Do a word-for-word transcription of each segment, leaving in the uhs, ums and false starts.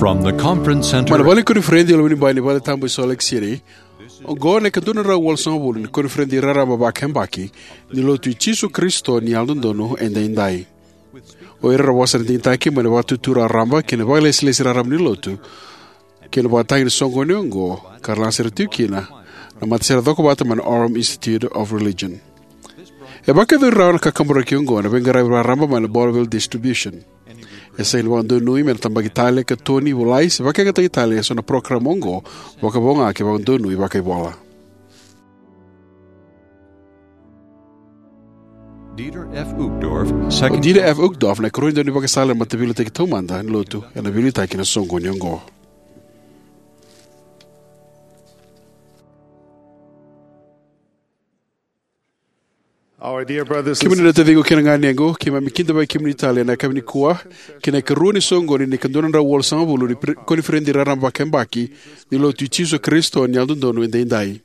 From the conference center. Mai na vale ni koniferedi e Lomanibai ni Vale Tabu e Salt Lake City, oqo na ikadua na drau walusagavulu ni koniferedi raraba vakayabaki ni Lotu i Jisu Karisito ni Yalododonu Edaidai. O ira era vosa na digitaki mai na Vakaitutu Raraba kei na Vakailesilesi Raraba ni Lotu kei na vakatagi ni soqoni oqo ka ra laga sere tiko kina na matasere cokovata mai na Orem Institute of Religion. E vakayacori rawa na kakaburaki oqo ena veiqaravi raraba mai na Bonneville Distribution. E sega ni vakadonui me na tabaki tale, katoni, volai, se vakayagataki tale eso na parokaramu oqo, vakavo ga ke vakadonui vakaivola. Dieter F. Uchtdorf, O second Dieter F. Uchtdorf, na ikarua ni daunivakasala ena Mataveiliutaki Taumada ni Lotu, ena veiliutaki ena soqoni oqo. Our dear brothers and Kemuni na taciqu kei na ganequ, keimami kidavaki kemuni tale ena yakavi nikua ki na ikarua ni soqoni ni ikadua na drau walusagavulu ni pre-, koniferedi raraba vakayabaki ni Lotu i Jisu Karisito ni Yalododonu Edaidai.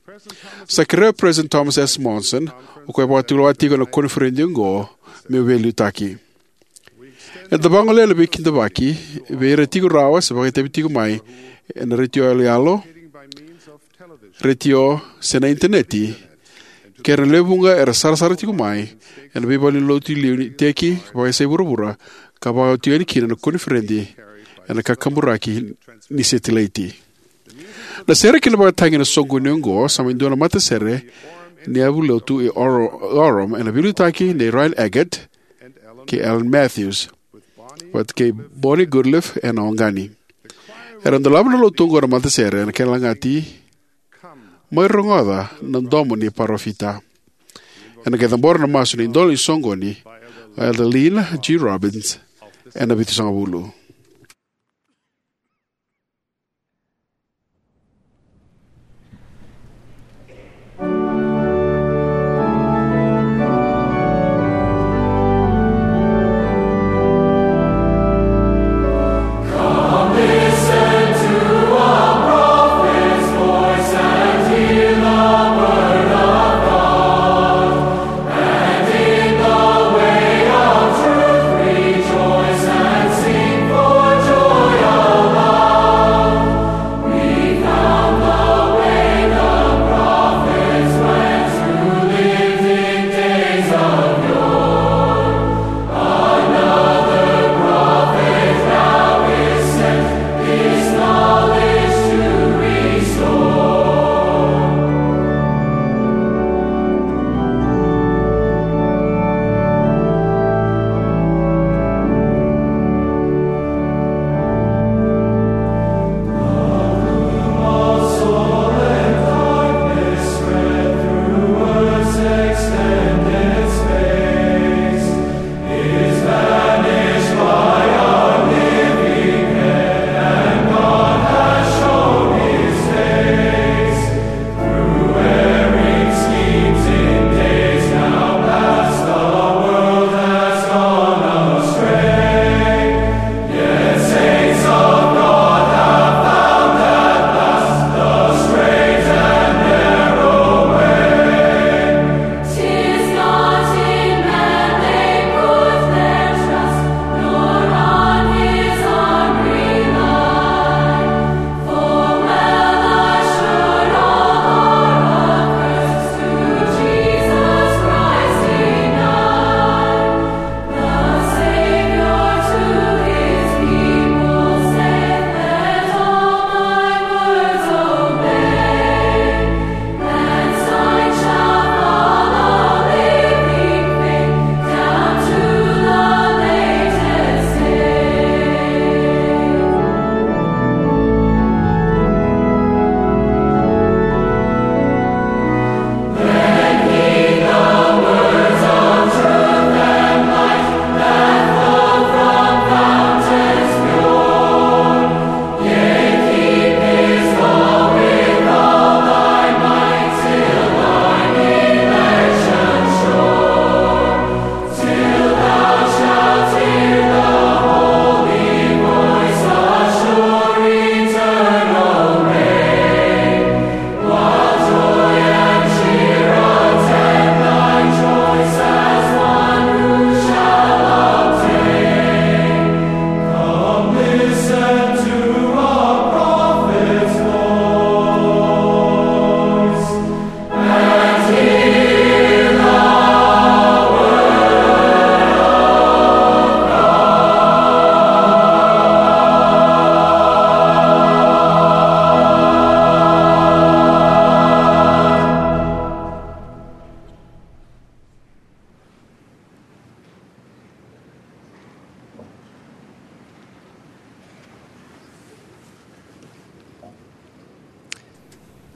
Sa kerea o President Thomas S. Monson, o koya e vakatulewa tiko ena koniferedi oqo, meu veiliutaki. Eda vagolea na veikidavaki vei ira tiko rawa se vakaitavi tiko mai ena retio yaloyalo, retio, se na initaneti, kei ira na lewe vuqa era sarasara tiko mai ena veivalenilotu e liu ni iteki vakaisai vuravura ka vakaoti yani kina na koniferedi ena kakaburaki ni setilaiti. Na sere ki na vakatagi ena soqoni oqo sa mai dua na matasere ni yavu lotu e Oro-, Orem, ena veiliutaki nei Ryan Eggett kei Alan Matthews, vata kei Bonnie Goodliff ena oqani. Era dolava na lotu oqo na matasere ena kena lagati, "Mai rogoca na domo ni parofita." Ena qai cabora na masu ni idola ni soqoni, o Elder Lynn G. Robbins, ena vitusagavulu.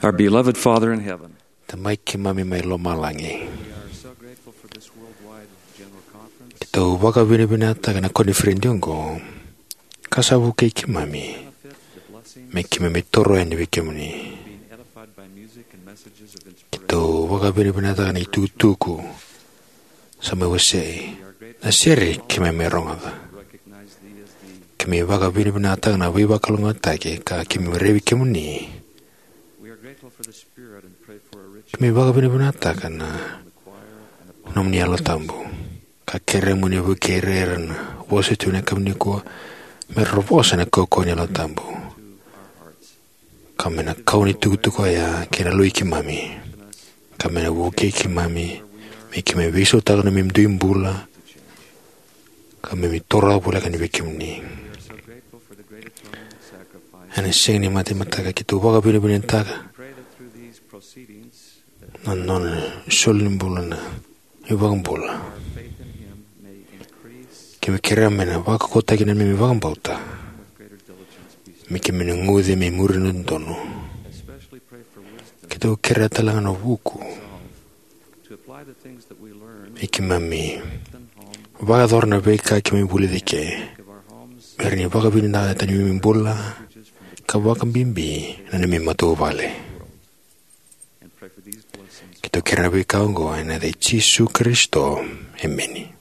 Our beloved Father in heaven, Tamai keimami mai lomalagi, we are so grateful for this worldwide general conference. Keitou vakavinavinakataka na koniferedi oqo, ka sa vukei keimami me keimami toro yani vei kemuni. Keitou vakavinavinakataka na itukutuku sa mai wasei, na sere keimami rogoca. Keimami vakavinavinakataka na veivakalougatataki ka keimami raici kemuni. Keimami vakavinavinakataka na nomuni Yalo Tabu ka kerea mo ni vukei ira na vosa tu ena yakavi nikua me ra vosa na kaukauwa ni Yalo Tabu, ka me na kau ni tukutuku oya kei na lui keimami, ka me na vukei keimami me keimami veisautaka na neimami dui bula, ka me mi toro voleka ni vei kemuni. Ena sega ni matamataka, keitou vakavinavinakataka na nona soli ni bula na iVakabula. Keimami kerea me na vakaukauwataki na neimami vakabauta, me keimami na guce me muri na dodonu. Keitou kerea talega na vuku me keimami vakayacora na veika keimami vulica eke, me rawa ni vakavinaka na neimami bula, ka vakabibi na neimami matavuvale. Keitou kerea na veika oqo ena yaca i Jisu Karisito. Emeni.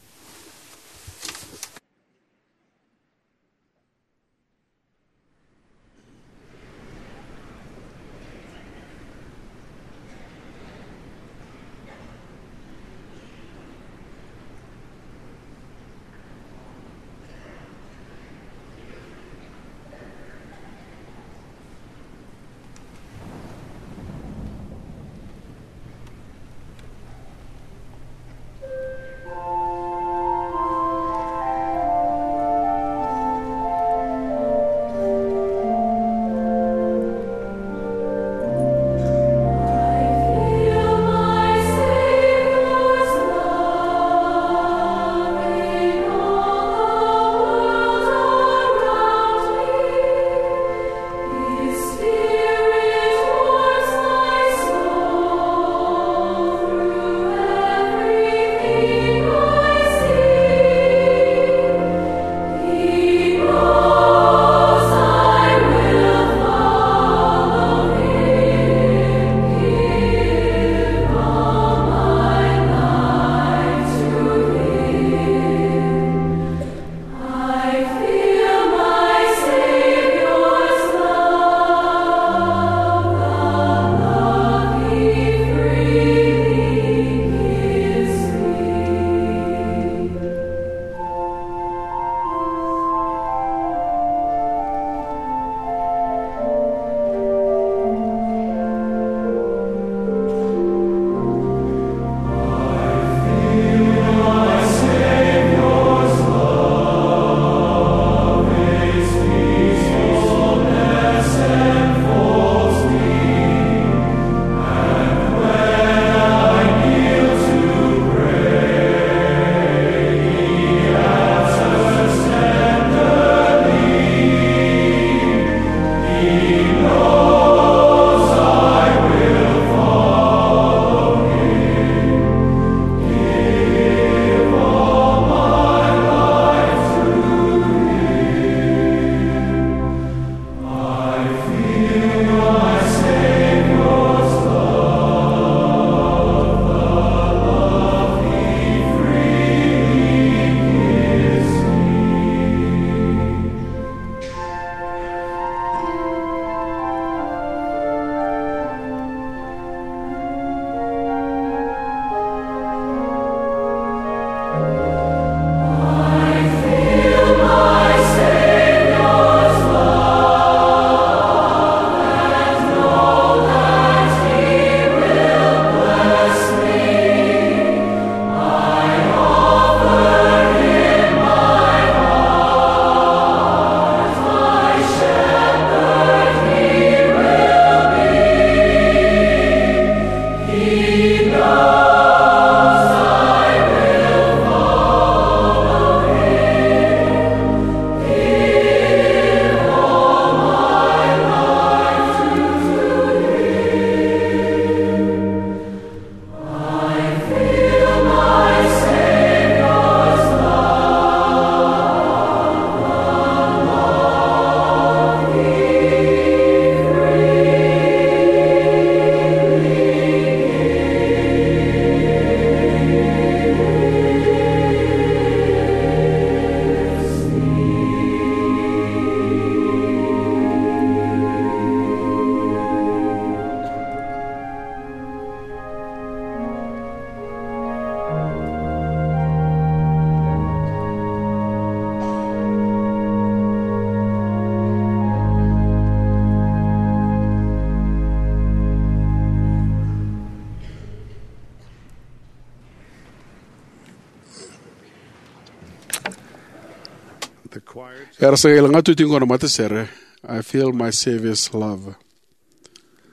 Era sa qai lagatu tiko qo na matasere, I Feel My Savior's Love.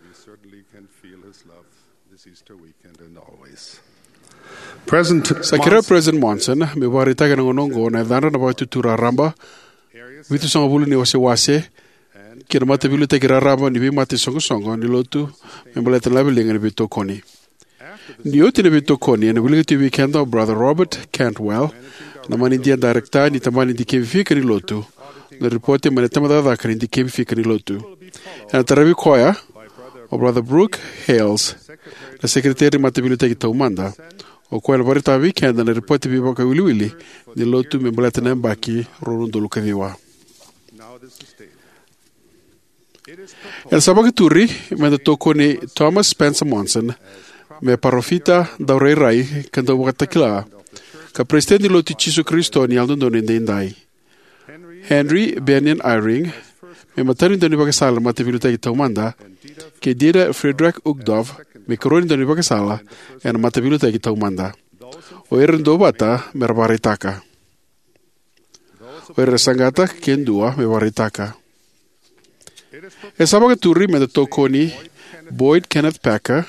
We certainly can feel his love this Easter weekend and always. Present Sa kerea o President Monson me vakaraitaka ena gauna oqo na yacadra na Vakaitutu Raraba, vitusagavulu ni wasewase, kei na mataveiliutaki raraba ni veimata isoqosoqo ni lotu me baleta na laveliga ni veitokoni. Ni oti na veitokoni, ena wilika tiko vei keda o Brother Robert Cantwell, na manidia darekita ni tabana ni dikevi fika ni lotu, na ripoti mai na tabacakacaka ni dikevi fika ni lotu. Ena taravi koya o Brother Brooke Hales, na sekereteri ni mataveiliutaki taumada, o koya ena vakaraitaka vei keda na ripoti veivakawiliwili ni lotu me baleta na yabaki rua na udolu ka ciwa. Ena sa vakaturi me da tokoni Thomas Spencer Monson me parofita, daurairai, ka dauvakatakila, ka Peresitedi ni Lotu i Jisu Karisito ni Yalododonu Edaidai; Henry Bennion Eyring me imatai ni daunivakasala ena Mataveiliutaki Taumada; kei Dieter Friedrich Uchtdorf me ikarua ni daunivakasala ena Mataveiliutaki Taumada. O ira era duavata me ra vakaraitaka. O ira era saqata ke dua me vakaraitaka. E sa vakaturi me da tokoni Boyd Kenneth Packer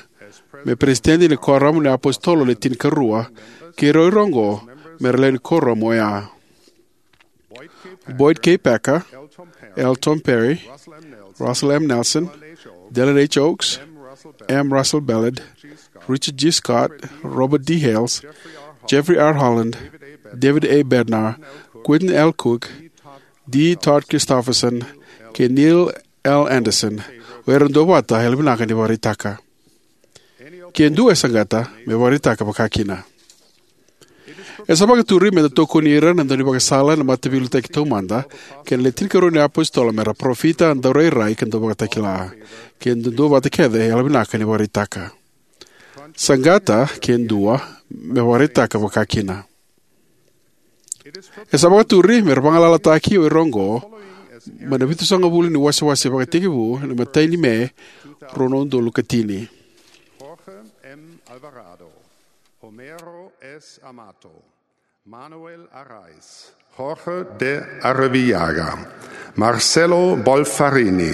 me Peresitedi ni Kuoramu ni iApositolo Le Tinikarua, kei ira oqo me ra lewe ni kuoramu oya: Boyd K. Packer, L. Tom Perry, Russell M. Nelson, Dallin H. Oaks, M. Russell Ballard, Richard G. Scott, Robert D. Hales, Jeffrey R. Holland, David A. Bednar, Quentin L. Cook, D. Todd Christofferson, kei Neil L. Andersen. O ira era duavata, yalovinaka ni vakaraitaka. Ke dua e saqata, me vakaraitaka vakakina. E sa vakaturi me da tokoni ira na daunivakasala ena Mataveiliutaki Taumada kei na Le Tinikarua ni iApositolo me ra parofita, daurairai, ka dauvakatakila. Ke dua, duavata kece, yalovinaka ni vakaraitaka. Saqata ke dua, me vakaraitaka vakakina. E sa vakaturi me ra vagalalataki o ira oqo mai na vitusagavulu ni wasewase vakatekivu ena imatai ni Me, rua na udolu ka tini: Jorge M. Alvarado, Homero S. Amato, Manuel Araiz, Jorge de Arrivillaga, Marcelo Bolfarini,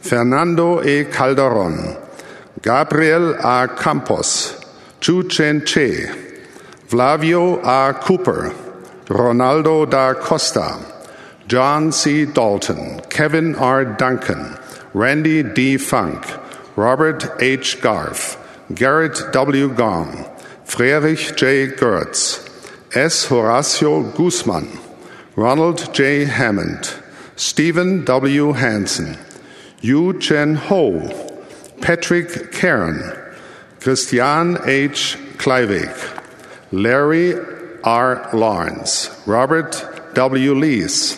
Fernando E. Calderon, Gabriel A. Campos, Chu Chen Che, Flavio A. Cooper, Ronaldo da Costa, John C. Dalton, Kevin R. Duncan, Randy D. Funk, Robert H. Garf, Gerrit W. Gong, Friedrich J. Goertz, S. Horacio Guzman, Ronald J. Hammond, Stephen W. Hansen, Yu Chen Ho, Patrick Karen, Christian H. Kleiweg, Larry R. Lawrence, Robert W. Lees,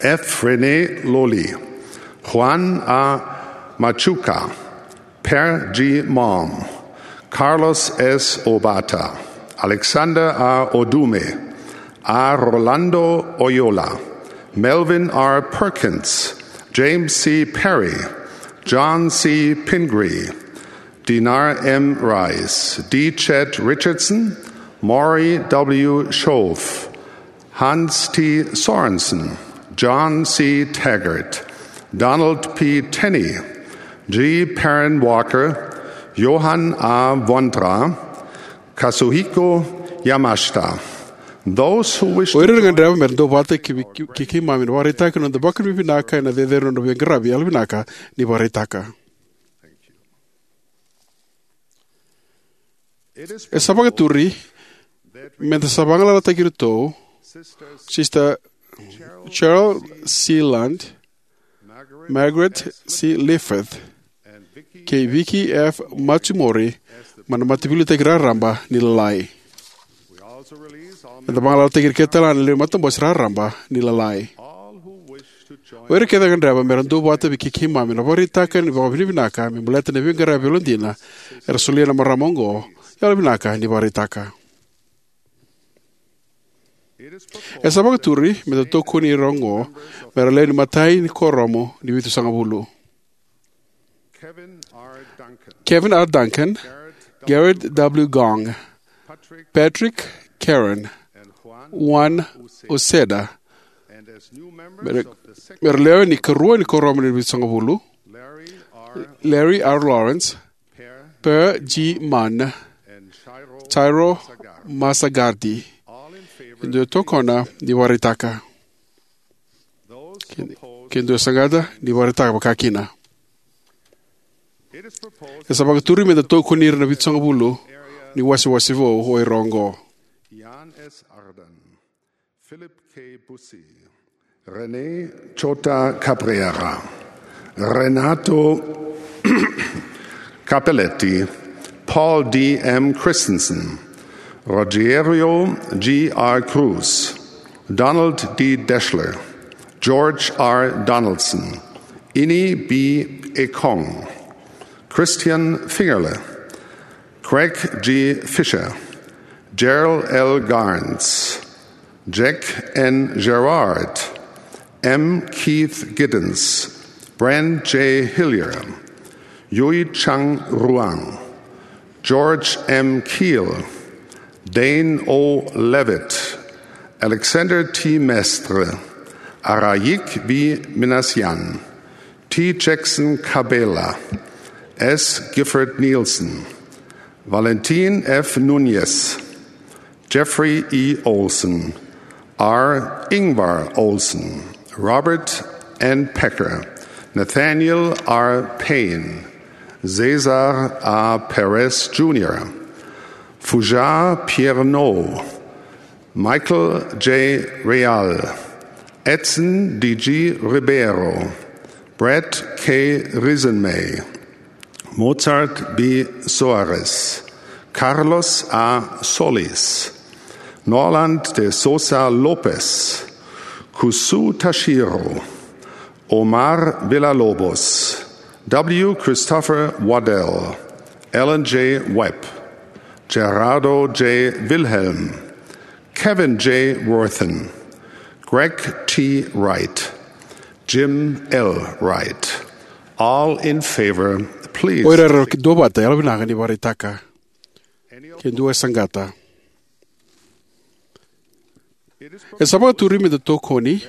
F. Rene Loli, Juan A. Machuca, Per G. Malm, Carlos S. Obata, Alexander A. Odume, A. Rolando Oyola, Melvin R. Perkins, James C. Perry, John C. Pingree, Dinar M. Rice, D. Chet Richardson, Maury W. Schoof, Hans T. Sorensen, John C. Taggart, Donald P. Tenney, G. Perrin Walker, Johan A. Vondra, Kazuhiko Yamashita. Those who wish O ira era gadreva me ra duavata ke, ke, ke keimami na vakaraitaki na noda vakavinavinaka ena cecere ni nodra veiqaravi, yalovinaka ni vakaraitaka. E sa vakaturi me da sa vagalalataki iratou Sister Cheryl C. Lund, Margaret C. Liffith, kei Vicky F. Matsumori mai na Mataveiliutaki Raraba ni Lalai. Me da vagalalataki ira kece tale ga na lewe ni matabose raraba ni Lalai. O ira kece era gadreva me ra duavata vei kei keimami na vakaraitaka ni vakavinavinaka me baleta na veiqaravi yalodina era solia na marama oqo, yalovinaka ni vakaraitaka. E sa vakaturi me da tokoni ira oqo me ra lewe ni imatai ni Kuoramu ni Vitusagavulu: Kevin R. Duncan, Gerrit W. Gong, Patrick Karen, Juan Uceda, Me ra, me ra lewe ni karua ni kuoramu ni vitusagavulu: Larry R. Lawrence, Per G. Mann, Jairo Masagardi. E dua e tokona ni vakaraitaka. Ke, ke dua e saqata ni vakaraitaka vakakina. E sa vakaturi me da tokoni ira na vitusagavulu ni wasewase vou o ira oqo: Jan S. Arden, Philip K. Busi, Rene J. Cabrera, Renato Capelletti, Paul D. M. Christensen, Rogério G. R. Cruz, Donald D. Deshler, George R. Donaldson, Ini B. Ekong, Christian Fingerle, Craig G. Fisher, Gerald L. Garns, Jack N. Gerard, M. Keith Giddens, Brent J. Hillier, Yui Chang Ruang, George M. Keel, Dane O. Levitt, Alexander T. Mestre, Araik B. Minassian, T. Jackson Cabela, S. Gifford Nielsen, Valentin F. Nunez, Jeffrey E. Olsen, R. Ingvar Olsen, Robert N. Pecker, Nathaniel R. Payne, Cesar A. Perez Junior, Fujar Pierre-Nau, Michael J. Real, Edson D. G. Ribeiro, Brett K. Risenmay, Mozart B. Soares, Carlos A. Solis, Norland de Sousa Lopes, Kusu Tashiro, Omar Villalobos, W. Christopher Waddell, Alan J. Webb, Gerardo J. Wilhelm, Kevin J. Worthen, Greg T. Wright, Jim L. Wright. All in favor, please. O ira era duavata, yalovinaka ni vakaraitaka. Ke dua e saqata. E sa vakaturi me da tokoni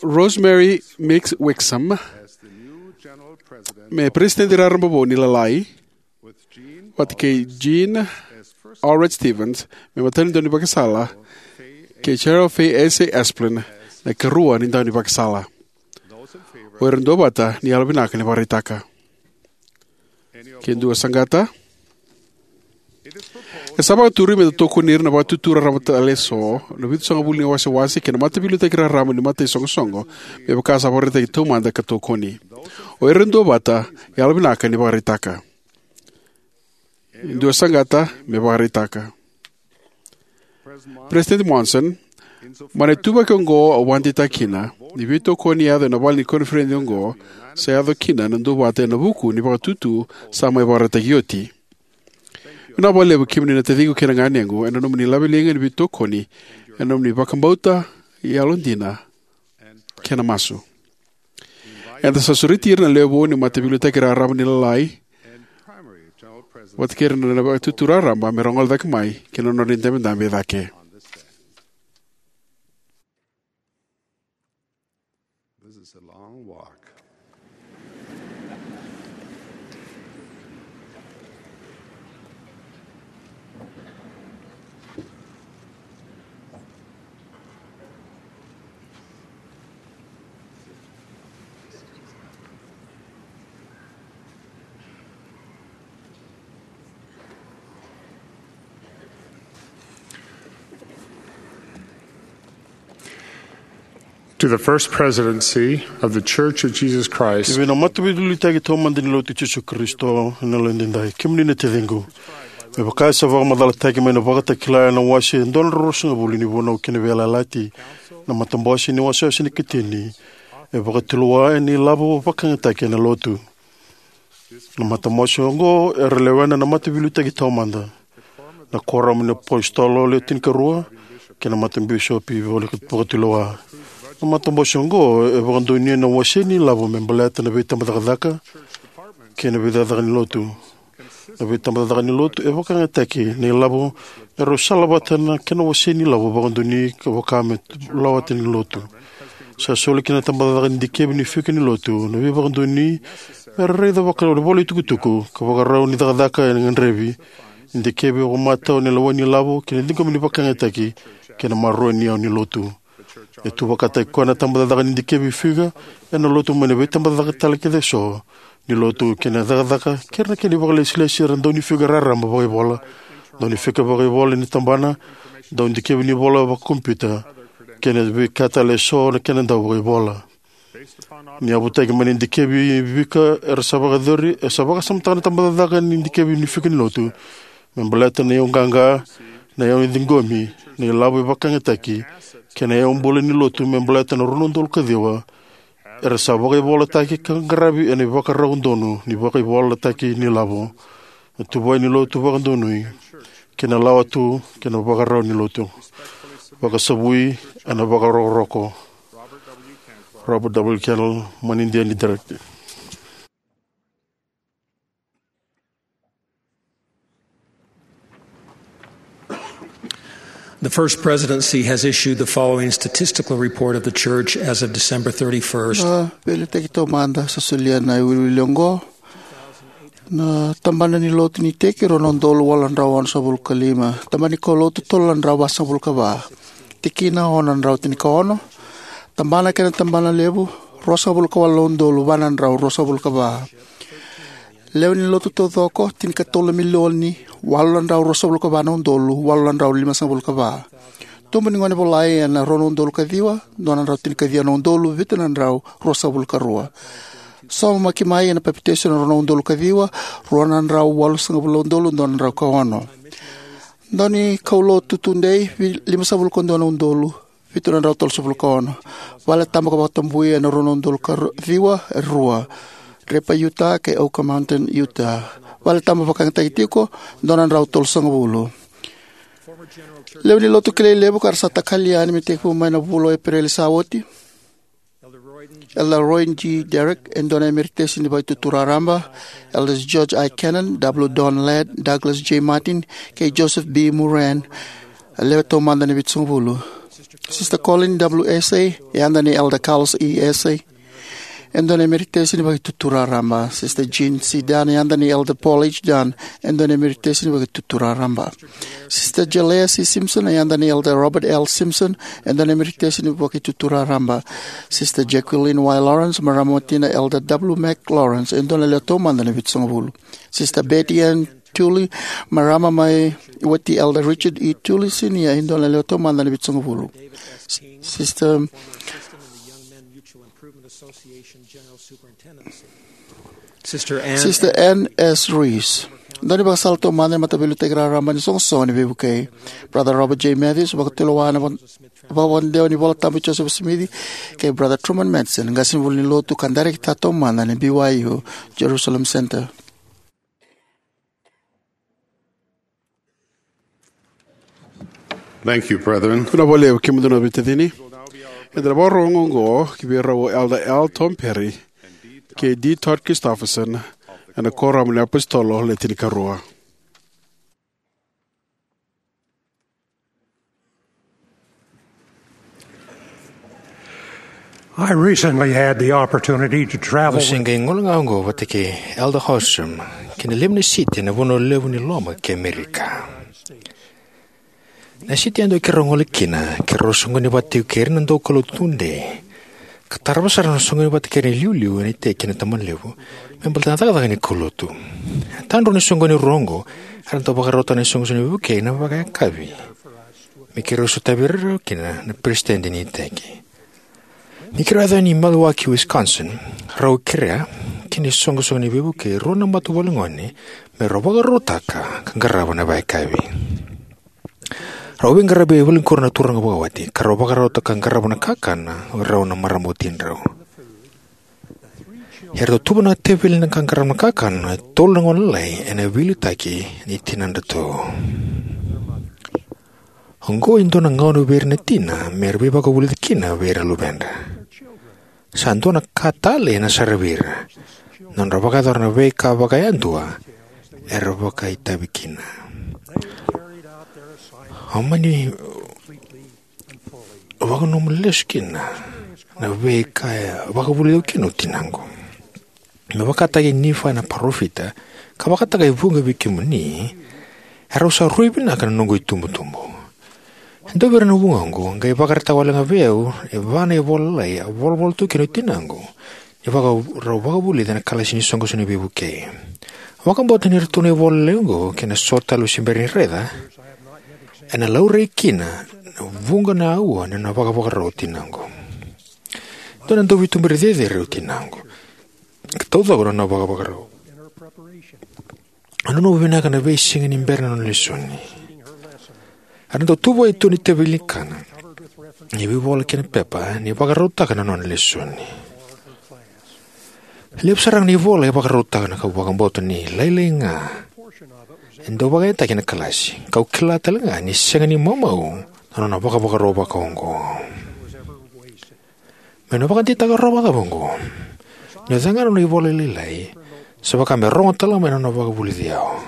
Rosemary Mix Wixom me peresitedi raraba vou ni Lalai, vata kei Jean Allred Stevens me imatai ni daunivakasala, kei Cheryl Faye Asay Esplin na ikarua ni daunivakasala. O ira duavata ni yalovinaka ni vakaraitaka. Ke dua e saqata. E sa vakaturi me da tokoni ira na Vakatutu Raraba tale eso, na Vitusagavulu ni Wasewase kei na Mataveiliutaki Raraba ni Mataisoqosoqo, me vaka sa vakaraitaki taumada ka tokoni. O ira duavata, yalovinaka ni vakaraitaka. Dua e saqata me vakaraitaka. Peresitedi Monson, mai na ituvaki oqo au vakadeitaka kina ni veitokoni e yaco ena vale ni koniferedi oqo sa yaco kina na duavata ena vuku ni vakatutu sa mai vakaraitaki oti. Vinaka vakalevu kemuni na taciqu kei na ganequ ena nomuni laveliga ni veitokoni, ena nomuni vakabauta, yalodina, kei na masu. Eda sa sureti ira na lewe vou ni Mataveiliutaki Raraba ni Lalai vata kei ira na Vakatutu Raraba me ra gole cake mai ki na nodra idabedabe e cake. This is a long walk. To the First Presidency of the Church of Jesus Christ. Ki vei na Mataveiliutaki Taumada ni Lotu i Jisu Karisito ena yalodina edaidai, kemuni na taciqu. Me vaka e sa vakamacalataki mai na Vakatakila ena wase e dua na drau ruasagavulu ni Vunau kei na Veiyalayalati, na matabose ni wasewase ni katini e vakatulewa ena ilavo vakayagataki ena Lotu. Na matabose oqo era lewena na Mataveiliutaki Taumada, na Kuoramu ni iApositolo Le Tinikarua, kei na Matabisopi Vakatulewa. Na matabose oqo e vakadonuya na wase ni ilavo me baleta na veitabacakacaka kei na veicakacaka ni Lotu. Na veitabacakacaka ni lotu e vakayagataki na ilavo e rau sala vata na kena wasei ni lavo vakadonui ka vaka me lawata ni lotu. Sa soli kina na tabacakacaka ni dikevi ni fika ni lotu na veivakadonui me ra raica vakalevu na ivolatukutuku ka vakarau ni cakacaka e gadrevi, ni dikevi vakamatau na lewa ni lavo kei na ciqomi ni vakayagataki kei na maroroi ni yau ni lotu. E tu vakataki koya na tabacakacaka ni dikevi fika ena lotu mai na veitabacakacaka tale kece eso ni lotu kei na cakacaka kei na kena ivakalesilesi era dau ni fika raraba vakaivola, dau ni fika vakaivola ni tabana, dau dikevi ni vola vakakompiuta, kei na veika tale eso na kena dau vakaivola. Ni yavutaki mai na dikevi fika era sa vakayacori, e sa vakasamataka na tabacakacaka ni dikevi ni fika ni lotu me baleta na iyau qaqa, na iyau ciqomi, na ilavo e vakayagataki, kei na iyau bula ni lotu me baleta na rua na udolu ka ciwa era sa vakaivolataki ka qaravi ena ivakarau donu ni vakaivolataki ni lavo. Na tuvai ni lotu vakadonui kei na lawa tu kei na vakarau ni lotu. Vakasavui ena vakarokoroko. Robert W. Candle, manidia ni director. The First Presidency has issued the following statistical report of the Church as of December thirty-first. Na veiliutaki taumada sa solia na iwiliwili oqo. Na tabana ni lotu ni iteki rua na udolu walu na drau onosagavulu ka lima. Tabana ni kaulotu tolu na drau vasagavulu ka va. Tikina ono na drau tinikaono. Tabana kei na tabana levu ruasagavulu ka walu na udolu va na drau ruasagavulu ka va. Lewe ni lotu taucoko tinikatolu na milioni walu na drau ruasagavulu ka va na udolu walu na drau limasagavulu ka va. Tubu ni gone volai ena rua na udolu ka ciwa, dua na drau tinikaciwa na udolu vitu na drau ruasagavulu ka rua. Saumaki mai ena papitaiso ena rua na udolu ka ciwa, rua na drau walusagavulu na udolu dua na drau ka ono. Dau ni kaulotu tudei, vi- limasagavulu ka dua na udolu vitu na drau tolusagavulu ka ono. Vale tabu ka vakatabui ena rua na udolu ka ru- ciwa, e rua. Draper, Utah, kei Oquirrh Mountain, Utah. Vale tabu vakayagataki tiko, dua na drau tolusagavulu. Lewe ni lotu kilai levu ka ra sa takali yani me tekivu mai na vula o Epereli sa oti. Elder Roy G. Derrick, e dua na emeritesi ni Vakaitutu Raraba. Elders George I. Cannon, W. Don Ladd, Douglas J. Martin, kei Joseph B. Moran, a lewe taumada ni vitusagavulu. Sister Colleen W. Asay, e yada nei Elder Carlos E. Asay, e dua na emeritesi ni Vakaitutu Raraba. Sister Jean C. Dunn, e yada nei Elder Paul H. Dunn, e dua na emeritesi ni Vakaitutu Raraba. Sister Jalea C. Simpson, e yada nei Elder Robert L. Simpson, e dua na emeritesi ni Vakaitutu Raraba. Sister Jacqueline Y. Lawrence, marama watina Elder W. Mac Lawrence, e dua na lewe taumada ni vitusagavulu. Sister Betty Ann Tooley, marama mai wati Elder Richard E. Tooley Senior, e dua na lewe taumada ni vitusagavulu. Sister Sister Ann. Sister Ann S. Reese. Dua ni vakasala taumada ni mataveiliutaki raraba ni soqosoqo ni veivukei. Brother Robert J. Matthews, vakatulewa na va- vakavadewa ni Vola Tabu i Joseph Smith, kei Brother Truman Madsen, qasenivuli ni lotu ka dairekita taumada ni B Y U Jerusalem Center. Thank you, brethren. Vinaka vakalevu kemudou na veitacini. Eda na vakarorogo oqo ki vei rau o Elder L. Tom Perry kei D. Todd Christofferson ena Kuoramu ni iApositolo Le Tinikarua. I recently had the opportunity to travel Au se qai gole ga oqo vata kei Elder Holstrom ki na lima na siti ena vanua levu ni loma ki Amerika. Na siti yadua keirau gole kina, keirau soqoni vata tiko kei ira na daukaulotu tudei, ka tarava sara na soqoni vata kei ira na iliuliu ena iteki kei na tabana levu me baleta na cakacaka ni kaulotu. E tadra ni soqoni rua oqo era dau vakarautaka na isoqosoqo ni veivukei ena vakayakavi me keirau sotavi ira kina na peresitedi ni iteki. Ni keirau yaco yani i Milwaukee, Wisconsin, rau kerea ki na isoqosoqo ni veivukei e rua na matavuvale gone me rau vakarautaka ka qarava na vakayakavi. Rau veiqaravi e valenikoroi na turaga vakawati ka rau vakarautaka ka qarava na kakana o rau na marama watidrau. Eratou tuva na teveli ka qarava na kakana e tolu na gone lalai ena veiliutaki ni tinadratou. Oqo e dua na gauna vei ira na tina me ra veivakavulici kina vei ira na luvedra. Sa dua na ka tale ena saravi ira, na nodra vakayacora na veika vakayadua era vakaitavi kina. Au mani vakananuma lesu kina na veika e vakavulici au kina o tinaqu. Me vakataki Nifai na parofita, ka vakataka e vuqa vei kemuni, erau sa rui vinaka na noqu itubutubu. E dua vei ira na vugoqu qai vakaraitaka wale ga vei au e va na ivola lalai a volavola tu kina o tinaqu ni vaka rau vakavulici ena kalasi ni soqosoqo ni veivukei. Vakabauta ni ratou na ivola lalai oqo kei na so tale au se bera ni raica, ena laurai kina na vuqa na aua ni nona vakavakarau o tinaqu. Dua na dauveiveituberi cecere o tinaqu, ka taucoko na nona vakavakarau. A nanuma vinaka na veisiga ni bera na nona lesoni. Era dau tuvai tu ni teveli ni kana, ni veivola kei na pepa ni vakarautaka na nona lesoni. Levu sara ga na ivola e vakarautaka na ka, au vakabauta ni lailai ga e dau vakayagataki ena kalasi, kau kila tale ga ni sega ni maumau na nona vakavakarau vakaoqo. Meu na vakadeitaka rawa cava oqo? Ni o cega na nona ivola lailai, sa vaka me rogo tale mai na nona vakavulici au.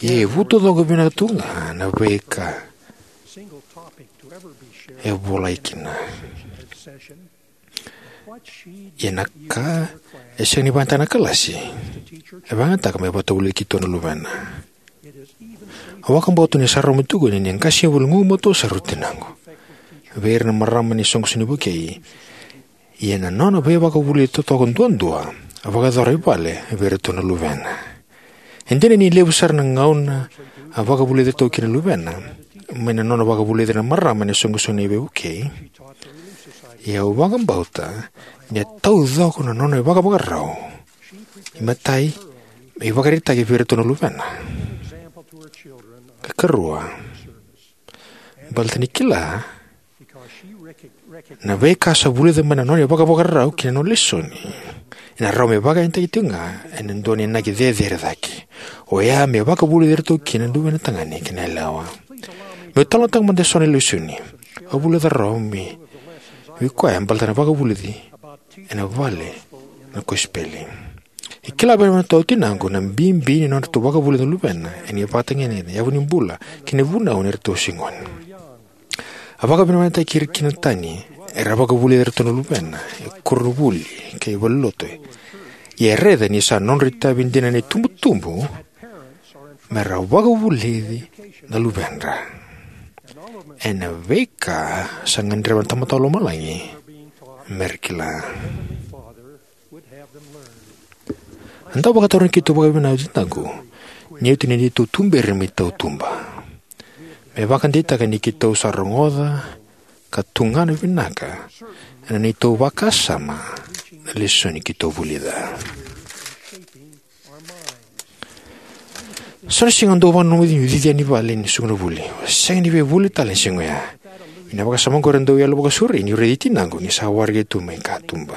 Ia e vu taucoko vinaka tu ga na veika e volai kina. Ia na ka e sega ni vakayagataka na kalasi, e vakayagataka me vakatavulici keitou na luvena. Au vakabauta ni sa rawa me tukuni ni qasenivuli gugumatua sara o tinaqu vei ira na marama ni soqosoqo ni vukei. Ia na nona veivakavulici totoka duadua a vakayacora i vale vei iratou na luvena. E dina ni levu sara na gauna a vakavulici ratou kina na luvena mai na nona vakavulici ira na marama ena soqosoqo ni veivukei, ia au vakabauta ni a taucoko na nona ivakavakarau. Imatai, me ivakaraitaki vei iratou na luvena. Ka karua, baleta ni kila na veika sa vulica mai na nona ivakavakarau kei na nona lesoni, ena rawa me vakayagataki tiko ga ena dua na inaki cecere cake, oya me vakavulici iratou kina na luvena tagane kei na yalewa. Meu talanoataka mada eso na lesoni au vulica rawa mai vei koya baleta na vakavulici ena vale na kosipeli. E kila vinaka tu o tinaqu na bibi ni nodratou vakavulici na luvena ena ivakatagedegede, yavunibula kei na vunau ni ratou se gone. A vakavinavinakataki ira kina na tani era vakavulici iratou na luvena e koronivuli kei valenilotu. Ia e raica ni sa nodra itavi dina na itubutubu mera vakavulici na luvedra ena veika sa gadreva na Tamada Vakalomalagi mera kila. A dau vakatarogi keitou vakavinavinaka o tinaqu ni oti na neitou tuberi mai tautuba, me vakadeitaka ni keitou sa rogoca ka tugana vinaka ena neitou vakasama na lesoni keitou vulica. So na siga au dau vakananuma ni cici yani i vale ni soqo na vuli. Au sega ni via vuli tale ena siga oya. Ia na vakasama oqori e dau yalo vakasauri niu raici tinaqu ni sa waraki tu mai katuba.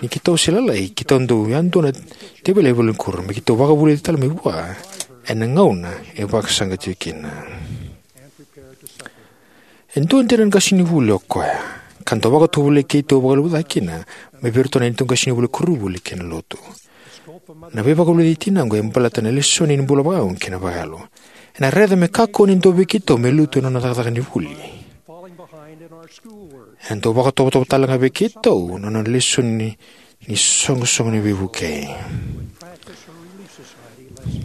Ni keitou se lalai, keitou dau yadua na teveli e valenikuro me keitou vakavulici tale mai vua ena gauna e vakasaqati kina. E dua dina na qasenivuli o koya, ka dau vakatovolei keitou vakalevu cake kina mai vei iratou na neitou qasenivuli koronivuli kei na lotu. Na veivakavulici i tinaqu e baleta na lesoni ni bula vakayago kei na vakayalo. Ena raica me kakua ni dua vei keitou me lutu ena nona cakacaka ni vuli. Ena dau vakatovotovo tale ga vei keitou na nona lesoni ni soqosoqo ni veivukei.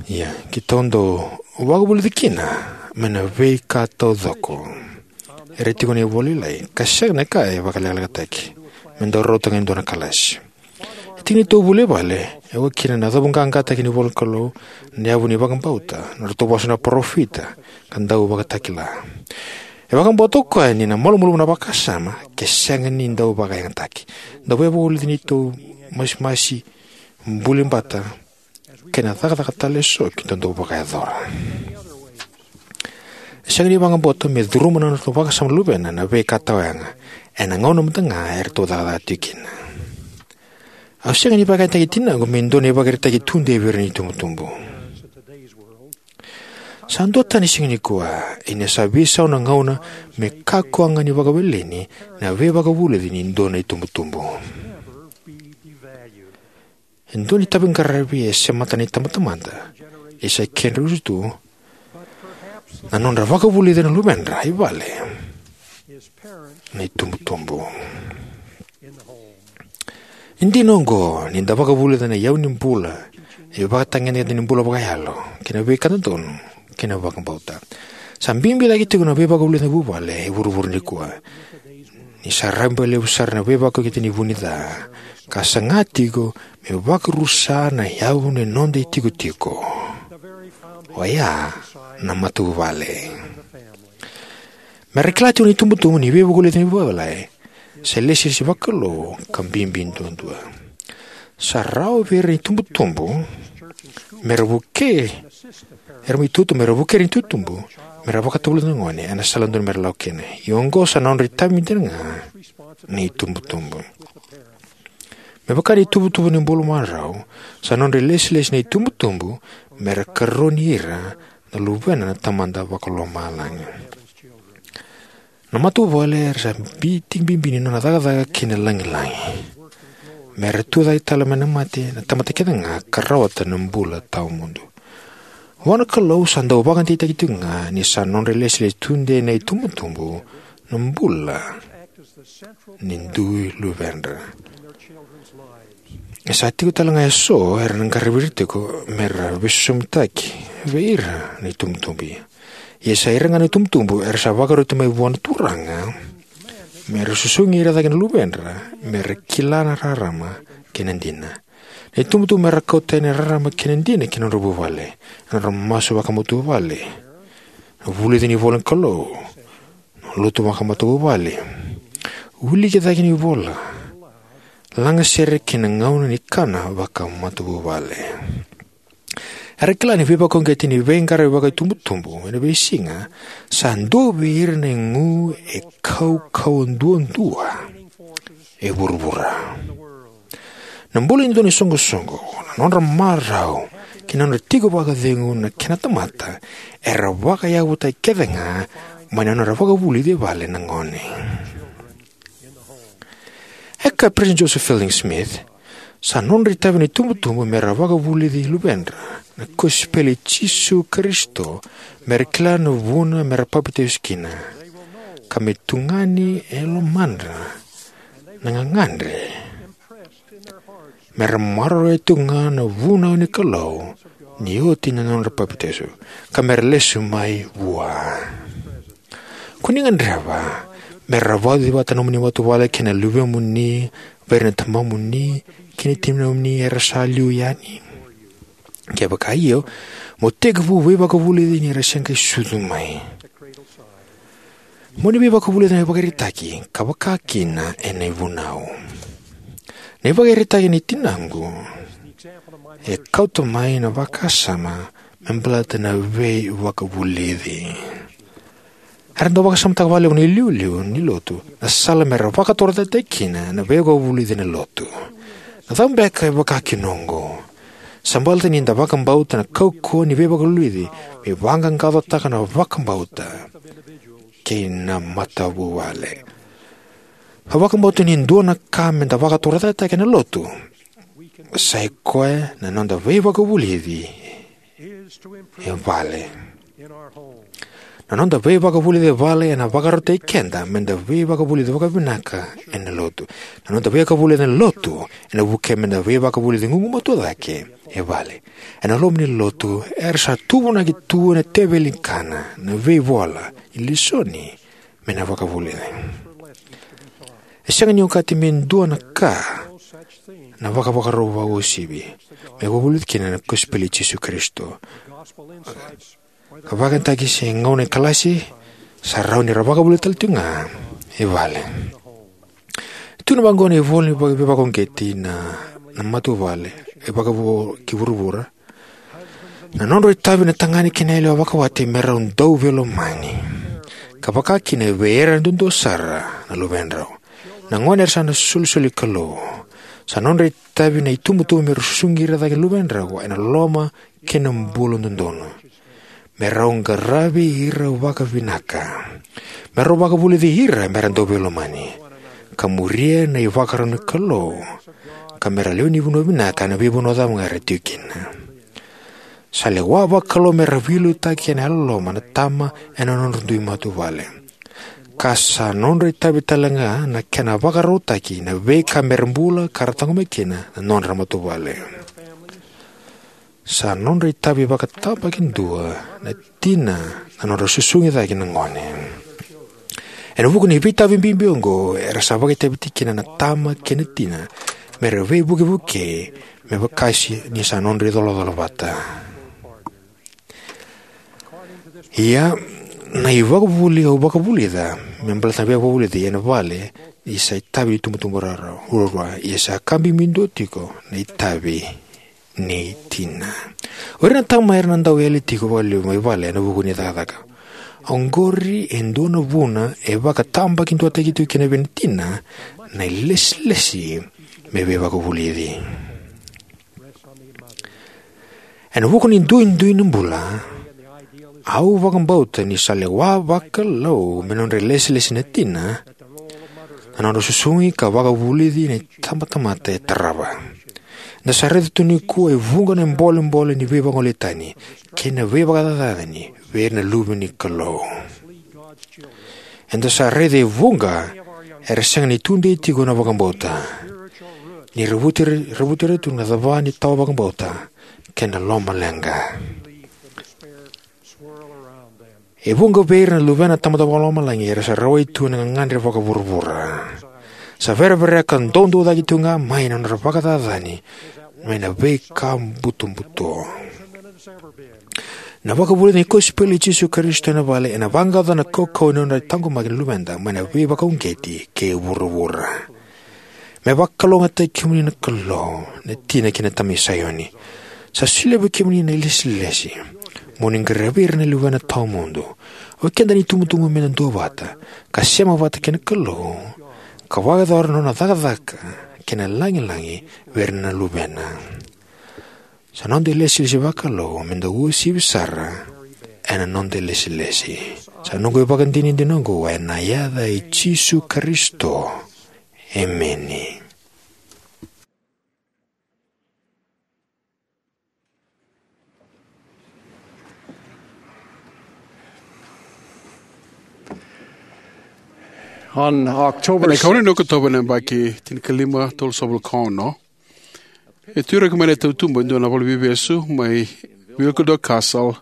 Ia keitou dau vakavulici kina mai na veika taucoko era tiko ena ivola lailai, ka sega na ka e vakalekalekataki me dau rauta ga e dua na kalasi. E tiki ni neitou vuli e vale, e oka kina na cavuqaqataki ni ivolanikalou, na yavu ni vakabauta, na nodratou vosa na parofita, ka dau vakatakila. E vakabauta o koya ni na malumalumu na vakasama ke sega ni dau vakayagataki. Dau veivakavulici ni neitou masimasi, buli bata, kei na cakacaka tale eso keitou dau vakayacora. E sega ni vakabauta me curuma na nodratou vakasama na luvena na veika tawayaga ena gauna mada ga eratou cakacaka tiko kina. Au sega ni vakayagataki tinaqu me dua na ivakaraitaki tudei vei ira na itubutubu. Sa dua tani siga nikua, ia ni sa veisau na gauna me kakua ga ni vakaweleni na veivakavulici ni dua na itubutubu. E dua na itaviqaravi e semata na itabatamata, ia sa kedrau tu na nodra vakavulici na luvedra i vale na itubutubu. E dina oqo, ni da vakavulica na iyau ni bula, ivakatagedegede ni bula vakayalo, kei na veika dodonu, kei na vakabauta. Sa bibi cake tiko na veivakavulici ni vuvale e vuravura nikua, ni sa rabailevu sara na veivakauqeti ni vu ni ca, ka saga tiko me vakarusa na yavu ni noda itikotiko, oya na matavuvale. Me ra kila tiko na itubutubu ni veivakavulici ni vuvale sa ilesilesi vakalou ka bibi duadua. Sa rawa vei ira na itubutubu me ra vukei, era mai tutu me ra vukei ira na itubutubu me ra vakatavulica na gone ena sala dodonu me ra lako kina. Ia oqo sa nodra itavi dina ga na itubutubu. Me vaka na ituvatuva ni bula marau, sa nodra ilesilesi na itubutubu me ra karoni ira na luvena na Tamada Vakalomalagi. Na matavuvale era sa bi-, tiki bibi ni nona cakacaka kei na lagilagi, me ra tucake tale mai na mate na tamata kece ga ka rawata na bula tawamudu. Vua na Kalou sa dau vakadeitaki tiko ga ni sa nodra ilesilesi tudei na itubutubu na bula ni dui luvedra. E sa tiko tale ga eso era na qaravi ira tiko me ra veisosomitaki vei ira na itubutubu. Ia sa ira ga na itubutubu era sa vakaroti mai vua na Turaga me ra susugi ira cake na luvedra, me ra kila na rarama kei na dina. Na itubutubu me ra kauta yani na rarama kei na dina ki na nodra vuvale, na nodra masu vakamatavuvale, na vulici ni ivola ni Kalou, na lotu vakamatavuvale, wiliki cake ni ivola, lagasere kei na gauna ni kana vakamatavuvale. Era kila ni veivakauqeti ni veiqaravi vakaitubutubu ena veisiga sa dua vei ira na igu e kaukauwa duadua e vuravura. Na bula ni dua na isoqosoqo, na nodra marau kei na nodra tiko vakacegu na kena tamata, era vakayavutaki kece ga mai na nodra vakavulici e vale na gone. E kaya o Peresitedi Joseph Fielding Smith, sa nodra itavi na itubutubu me ra vakavulici luvedra na kosipeli i Jisu Karisito, me ra kila na vuna me ra papitaiso kina, ka me tugani e lomadra na gagadre, me ra maroroya tiko ga na vunau ni Kalou ni oti na nodra papitaiso, ka me ra lesu mai vua. Ko ni gadreva me ra vauci vata na nomuni matavuvale kei na luvemuni vei ira na tamamuni kei na tinamuni era sa liu yani? Kevaka io, mo tekivu veivakavulici ni ra se qai sucu mai. Mo ni veivakavulici na ivakaraitaki ka vaka kina ena ivunau. Na ivakaraitaki ni tinaqu e kauta mai na vakasama me baleta na veivakavulici. Era dau vakasamataka vakalevu na iliuliu ni lotu na sala me ra vakatorocaketaki kina na veivakavulici ena lotu. Na cava beka e vaka kina oqo? Sa baleta ni da vakabauta na kaukauwa ni veivakavulici me vaqaqacotaka na vakabauta kei na matavuvale. Au vakabauta ni dua na ka me da vakatorocaketaka ena lotu sa i koya na noda veivakavulici e vale. Na noda veivakavulici e vale ena vakarautaki keda me da veivakavulici vakavinaka ena lotu. Na noda veivakavulici ena lotu ena vukea me da veivakavulici gugumatua cake e vale. Ena loma ni lotu era sa tuvunaki tu ena teveli ni kana, na veivola, ni lesoni, me na vakavulici. E sega ni okati me dua na ka na vakavakarau vakauasivi me vakavulici kina na kosipeli i Jisu Karisito. Ka vakayagataki se gauna e kalasi, sa rawa ni ra vakavulici tale tiko ga e vale. Tu na vaqo na ivola ni vaka-, veivakauqeti na, na matavuvale e vakavo ki vuravura. Na nodrau itavi na tagane kei na yalewa vakawati me rau dau veilomani, ka vaka kina vei ira duadua sara na luvedrau. Na gone era sa na isolisoli ni Kalou. Sa nodra itavi na itubutubu me rau susugi ira cake na luvedrau ena loloma kei na bula dodonu. Me rau qaravi ira vakavinaka. Me rau vakavulici ira me ra dau veilomani, ka muria na ivakarau ni Kalou, ka me ra lewe ni vanua vinaka ena veivanua cava ga era tiko kina. Sa lewa vakalou me ra veiliutaki ena yalololoma na tama ena nodra dui matavuvale, ka sa nodra itavi tale ga na kena vakarautaki na veika me ra bula ka ra taqomaki kina na nodra matavuvale. Sa nodra itavi vakatabakidua na tina na nodra susugi cake na gone. Ena vuku ni veitavi bibi oqo, era sa vakaitavi tiko kina na tama kei na tina me ra veivukevuke me vakasi ni sa nodra icolacola vata. Ia, na ivakavuvuli au vakavulica me baleta na veivakavulici ena vale ni sa itavi ni tubutubu rarau ruarua, ia sa ka bibi dua tiko na itavi ni tina. O ira na tama era na dau yali tiko vakalevu mai vale ena vuku ni cakacaka. Oqori e dua na vuna e vakatabakiduataki tiko kina vei na tina na ilesilesi me veivakavulici. Ena vuku ni duidui ni bula, au vakabauta ni sa lewa vakalou me nodra ilesilesi na tina na nodra susugi ka vakavulici na itabatamata e tarava. Eda sa raica tu nikua e vuqa na bolebole ni veivagolei tani kei na veivakacacani vei ira na luve ni Kalou. Eda sa raica e vuqa era sega ni tudei tiko na vakabauta, ni ra vuti ira, ra vuti ira tu na cava ni tawa vakabauta kei na lomaleqa. E vuqa vei ira na luvena na Tamada Vakalomalagi era sa rawai tu ena gagadre vakavuravura. Sa verevereka doudou cake tu ga mai na nodra vakacacani mai na veika butobuto. Na vakavulici ni kosipeli i Jisu Karisito ena vale ena vaqaca na kaukauwa ni nodra taqomaki na luveda mai na veivakauqeti kei vuravura. Me vakalougatataki kemuni na Kalou, na tina kei na tama i Saioni. Sa solia vei kemuni na ilesilesi mo ni qaravi ira na luvena tawamudu. O keda ni tubutubu me da duavata ka sema vata kei na Kalou, ka vakayacora na nona cakacaka kei na lagilagi vei ira na luvena. Sa noda ilesilesi vakalou me da uasivi sara ena noda ilesilesi. Sa noqu ivakadinadina oqo ena yaca i Jisu Karisito. Emeni. On October Ena ikaono ni Okotova ena yabaki tinikalima tolusagavulu ka ono, e tu ira mai na tautuba e dua na valeniveivesu mai Wilkerdal Castle,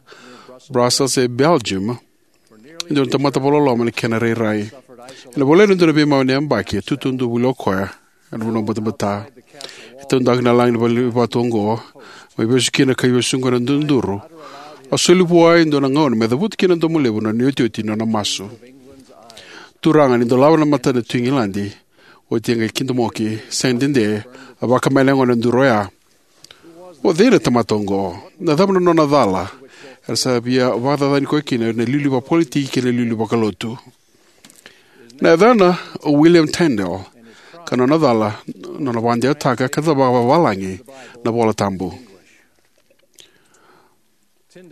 Brussels, e Belgium, e dua na tamata vakaloloma ena kena rairai. Ena voleka ni dua na veimau ena yabaki, e tutu duavuli o koya ena vanua batabata. E taudaku na laga ni vale ni vatu oqo, mai vesu kina ka ivesu oqo ena duduru. A soli vua e dua na gauna me cavuta kina na domo levu na nona iotioti ni nona masu. Turaga, ni dolava na matana na Tui Igiladi, oti e qai kidomoki. Sega ni dede, a vakamaya na yagona ena duru oya. O cei na tamata oqo? Na cava na nona cala era sa via vakacacani koya kina na iliuliu vakapolitiki kei na iliuliu vakalotu? Na yacana o William Tyndale, ka nona cala, nona vakadewataka ka cava vakavalagi na iVola Tabu.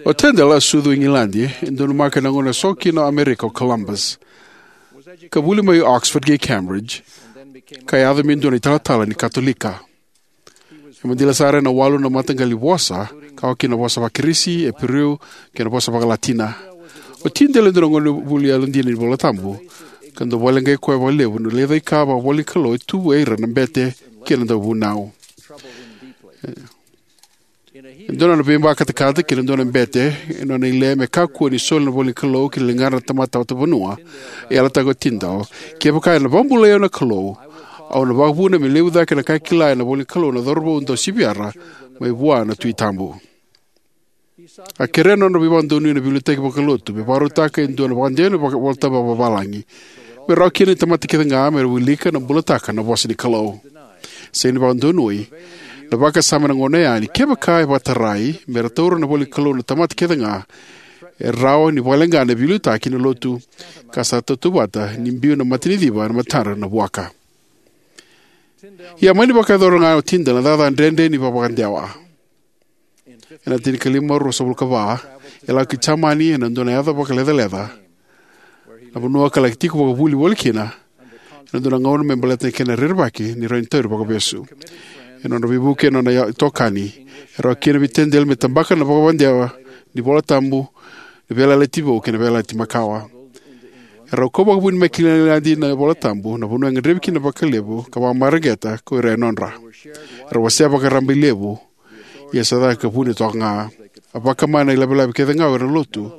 O Tyndale a sucu e Igiladi, e donumaka ena gauna e so kina o Amerika o Columbus, ka vuli mai Oxford kei Cambridge, ka yaco me dua na italatala ni Katolika. E madila sara ena walu na mataqali vosa, ka oka kina na vosa vaKirisi, Iperiu, kei na vosa vakaLatina. O Tyndale e dua na gonevuli yalodina ni iVola Tabu, ka dau vakaleqai koya vakalevu na lecaika vakavuvale ni Kalou e tu vei ira na bete kei na dauvunau. E dua na nona veivakatakata kei na dua na bete, e nona ile me kakua ni soli na ivola ni Kalou ki na ligadra na tamata vakavanua, e yalataka o Tyndale, kevaka ena vakabulai au na Kalou, au na vakavuna me levu cake na ka e kila ena ivola ni Kalou na cauravou dau siviyara mai vua na Tui Tabu. A kerea na nodra veivakadonui na veiliutaki vakalotu me vakarautaka e dua na vakadewa ni vaka- iVola Tabu vakavalagi, me rawa kina ni tamata kece ga me ra wilika ka bulataka na vosa ni Kalou. Sega ni vakadonui na vakasama ena gauna oya ni kevaka e vakatarai me ra taura na ivola ni Kalou na tamata kece ga, e rawa ni vakaleqa na veiliutaki ni lotu ka sa tautauvata ni biu na mataniciva ena matadra na vuaka. Ia, mani vakayacora ga o Tyndale na cakacaka dredre ni vakavakadewa. Ena tinikalima ruasagavulu ka va, e lako ki Jamani ena dua na yaca vakalecaleca, na vanua ka laki tiko vakavuli voli kina ena dua na gauna me baleta na kena rerevaki ni rawa ni tauri vakavesu. ena nodra veivuke ena nona itokani. E rawa kina vei Tyndale me tabaka na vakavakadewa ni iVola Tabu ni Veiyalayalati Vou kei na Veiyalayalati Makawa. E rau kau vakavuni mai ki Igiladi na iVola Tabu, na vanua e gadrevi kina vakalevu ka vakamareqeta ko ira e nodra. E rau wasea vakararaba i levu, ia sa caka ka vuni toka ga. A vakama na ilavelave kece ga o ira na lotu.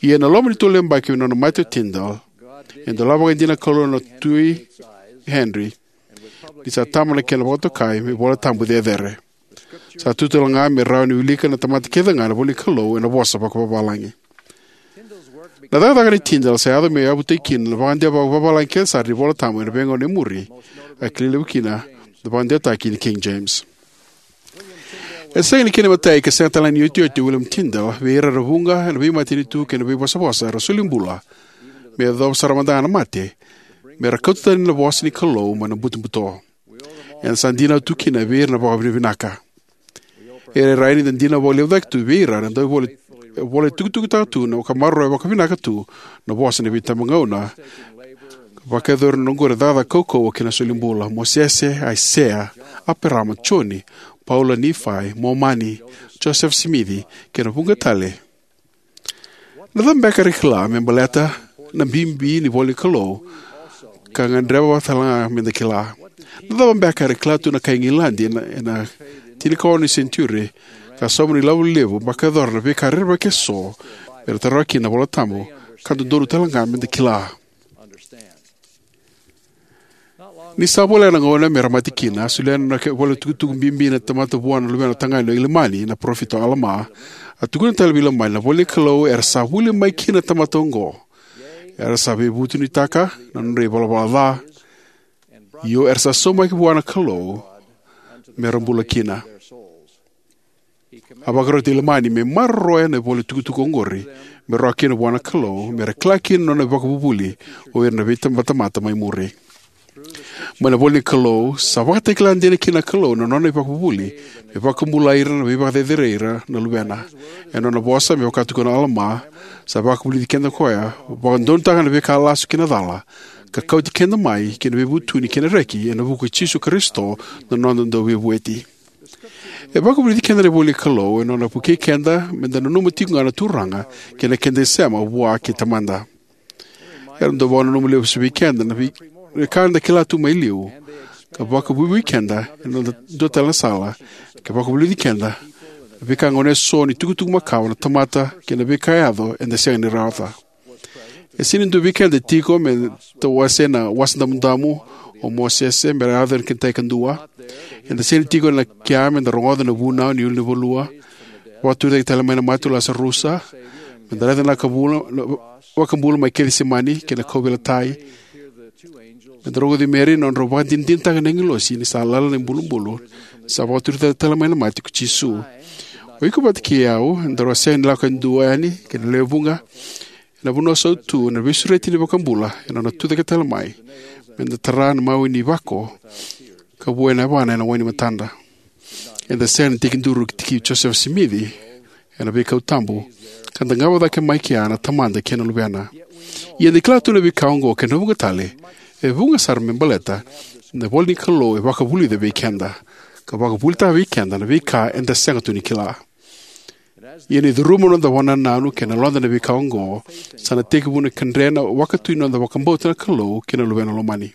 Ia ena loma ni tolu na yabaki mai na nona mate o Tyndale, e dolava vakaidina na Kalou na Tui Henry, ni sa tama na kena vakatokai me iVola Tabu cecere. Sa tu tale ga me rawa ni wilika na tamata kece ga na ivola ni Kalou ena vosa vakavalagi. Na cakacaka nei Tyndale sa yaco me yavutaki kina na vakadewa vakavalagi kece sara ni iVola Tabu ena veigauna e muri, a kilai levu kina na vakadewataki ni King James. E sega ni kena imatai ka sega tale ga ni iotioti o William Tyndale vei ira era vuqa ena veimatanitu kei na veivosavosa era solibula me yacova sara mada ga na mate, me ra kauta tani na vosa ni Kalou mai na butobuto. Eda sa dinau tu kina vei ira na vakavinavinaka. E rairai ni da dinau vakalevu cake tu vei ira na dau ivola, ivola e tukutukutaka tu na ka maroroya vakavinaka tu na vosa ni veitabagauna, ka vakayacori ena oqori na cakacaka kaukauwa kei na solibula: Mosese, Aisea, Eparaama, Joni, Paula, Nifai, Momani, Josefa Simici, kei na vuqa tale. Na cava beka era kila me baleta na bibi ni ivola ni Kalou ka gadreva tale ga me da kila? Na cava beka era kila tu na kai Igiladi ena, ena tinikaono ni senijiuri, ka sauma na ilavo levu vakayacora na veika rerevaki eso me ra taroga kina na iVola Tabu, ka dodonu tale ga me da kila? Ni sa voleka na gauna me ra mate kina, a solia na ivola tukutuku bibi ni tamata vua na luvena tagane o Ilamani, na parofita o Alama. A tukuna tale vei Ilamani, na ivola ni Kalou era sa vuli mai kina na tamata oqo. Era sa veivutunitaka na nodra ivalavala ca, io era sa saumaki vua na Kalou me ra bula kina. A vakaroti Ilamani me maroroya na ivola tukutuku oqori me rawa kina vua na Kalou me ra kila kina na nona ivakavuvuli o ira na veitabatamata mai muri. Mai na ivola ni Kalou sa vakatakila dina kina na Kalou na nona ivakavuvuli me vakabulai ira na veivakacerecerei ira na luvena. Ena nona vosa, me vaka tukuna o Alama, sa vakavulici keda o koya, vakadonutaka na veika lasu kei na cala, ka kauti keda mai ki na veivutuni kei na reki ena vuku i Jisu Karisito na noda Dauveivueti. E vakavulici keda na ivola ni Kalou ena nona vukei keda me da nanuma tiko ga na Turaga kei na keda isema vua kei Tamada. Era dau vakananuma lesu vei keda na vei, veika eda kila tu mai liu, ka vakavuivui keda ena noda dua tale na sala, ka vakavulici keda na veika gone eso ni tukutuku makawa na tamata kei na veika e yaco eda sega ni rawata. E sega ni dua vei keda e tiko me tawase na Wasa Damudamu o Mosese me ra yaco ena kena ikai kadua. Eda sega ni tiko ena kea me da rogoca na vunau ni ulunivanua, vakaturi cake tale mai na mate o Lasarusa, me da raica na ka bula, na vakabula mai Kecisemani kei na kauveilatai, me da rogoci Meri na nodra vakadinadinataka na agilosi ni sa lala na ibulubulu, sa vakaturi cake tale mai na mate ko Jisu. O iko vata kei au, daru a sega ni lako e dua yani kei na lewe vuqa ena vanua sautu na veisureti ni iVakabula ena nona tucake tale mai me da tara na mawe ni vako ka vuena yavana ena wai ni matadra. Eda sega ni tekiduru ki Josefa Simici ena veikau tabu, ka dagava cake mai kea na Tamada kei na Luvena. Ia eda kila tu na veika oqo kei na vuqa tale, e vuqa sara me baleta na ivola ni Kalou e vakavulica vei keda, ka vakavulitaka vei keda na veika eda sega tu ni kila. Ia ni curuma na noda vakanananu kei na yaloda na veika oqo, sa na tekivu na kadre na wakatu ni noda vakabauta na Kalou kei na Luvena lomani.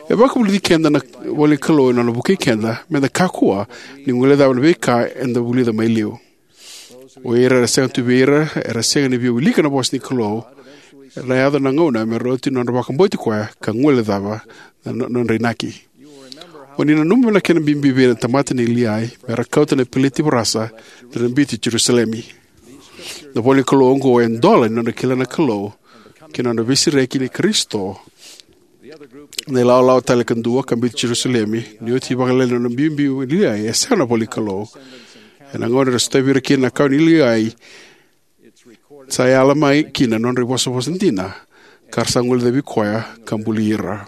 E vakavulici keda na ivola ni Kalou ena nona vukei keda me da kakua ni guilecava na veika eda vulica mai liu. O ira era sega tu vei ira era sega ni via wilika na vosa ni Kalou, era na yaco na gauna me ra oti na nodra vakabauti koya ka guilecava na no-, nodra inaki. O ni nanuma na kena bibi vei ira na tamata nei Liai me ra kauta na peleti varasa ni ra biuti Jerusalemi. Na ivola ni Kalou oqo e dola ni nodra kila na Kalou kei na nodra veisereki ni Karisito. Na ilawalawa tale kadua ka biuti Jerusalemi, ni oti vakalailai na nona biubiu o Liai, e sega na ivola ni Kalou. Ena gauna era sotavi ira kina na kawa nei Liai, sa yala mai kina na nodra ivosavosa dina, ka ra sa guilecavi koya ka buli ira.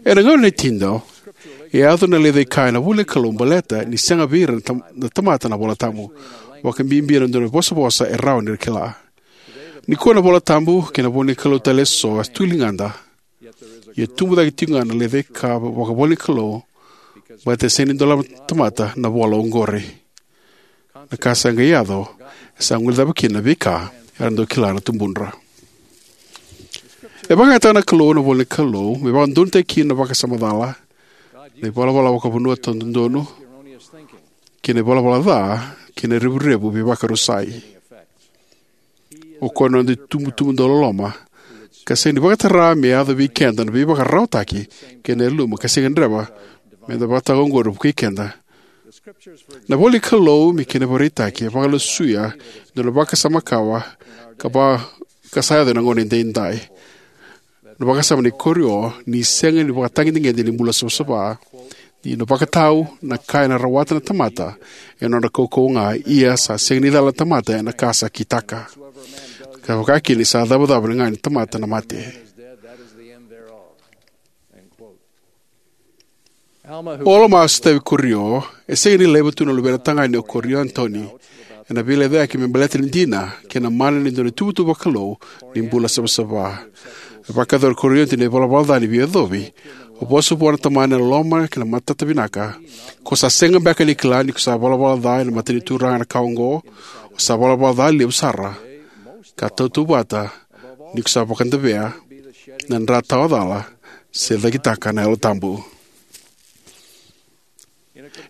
Ena gauna nei Tyndale, e yaco na lecaika ena ivola ni Kalou baleta ni sega vei ira na tam-, na tamata na iVola Tabu, vakabibi ena dua na ivosavosa e rawa ni ra kila. Nikua na iVola Tabu kei na ivola ni Kalou tale eso e tu e ligada. Ia tubu cake tiko ga na lecaika vakaivolanikalou, baleta e sega ni dolava na tamata na vola oqori. Na ka sa qai yaco e sa guilecava kina na veika era dau kila na tubudra. E vakayagataka na Kalou na ivolanikalou me vakadodonutaki kina na vakasama cala, na ivalavala vakavanua taudodonu, kei na ivalavala ca kei na revurevu veivakarusai. O koya na noda itubutubu dauloloma, ka sega ni vakatara me yaco vei keda na veivakararawataki kei na yaluma ka sega ni gadreva me da vakataka oqori vukei keda. Na ivolanikalou me kena ivakaraitaki e vakalesui e dua na vakasama makawa ka va ka sa yaco ena gauna edaidai. Na vakasama ni korio ni sega ni vakatagedegede ni bula savasava, ni na vakatau na ka ena rawata na tamata ena nodra kaukauwa ga, ia sa sega ni cala na tamata ena ka sa kitaka. Ka vakakina ni sa icavacava ga ni tamata na mate. O Alama a sotavi Korio, e sega ni laiva tu na luvena tagane o Korio Anitoni ena veilecayaki me baleta na dina kei na mana ni dua na ituvatuva vakalou ni bula savasava. E vakayacora o Korio Anitoni na ivalavala ca ni veiyacovi. A vosa vua na tamana ena loma kei na matata vinaka: Ko sa sega beka ni kila ni ko sa valavala ca ena mata ni Turaga na ka oqo? O sa valavala ca levu sara, ka tautauvata ni ko sa vakadavea na dra tawacala se cakitaka na Yalo Tabu.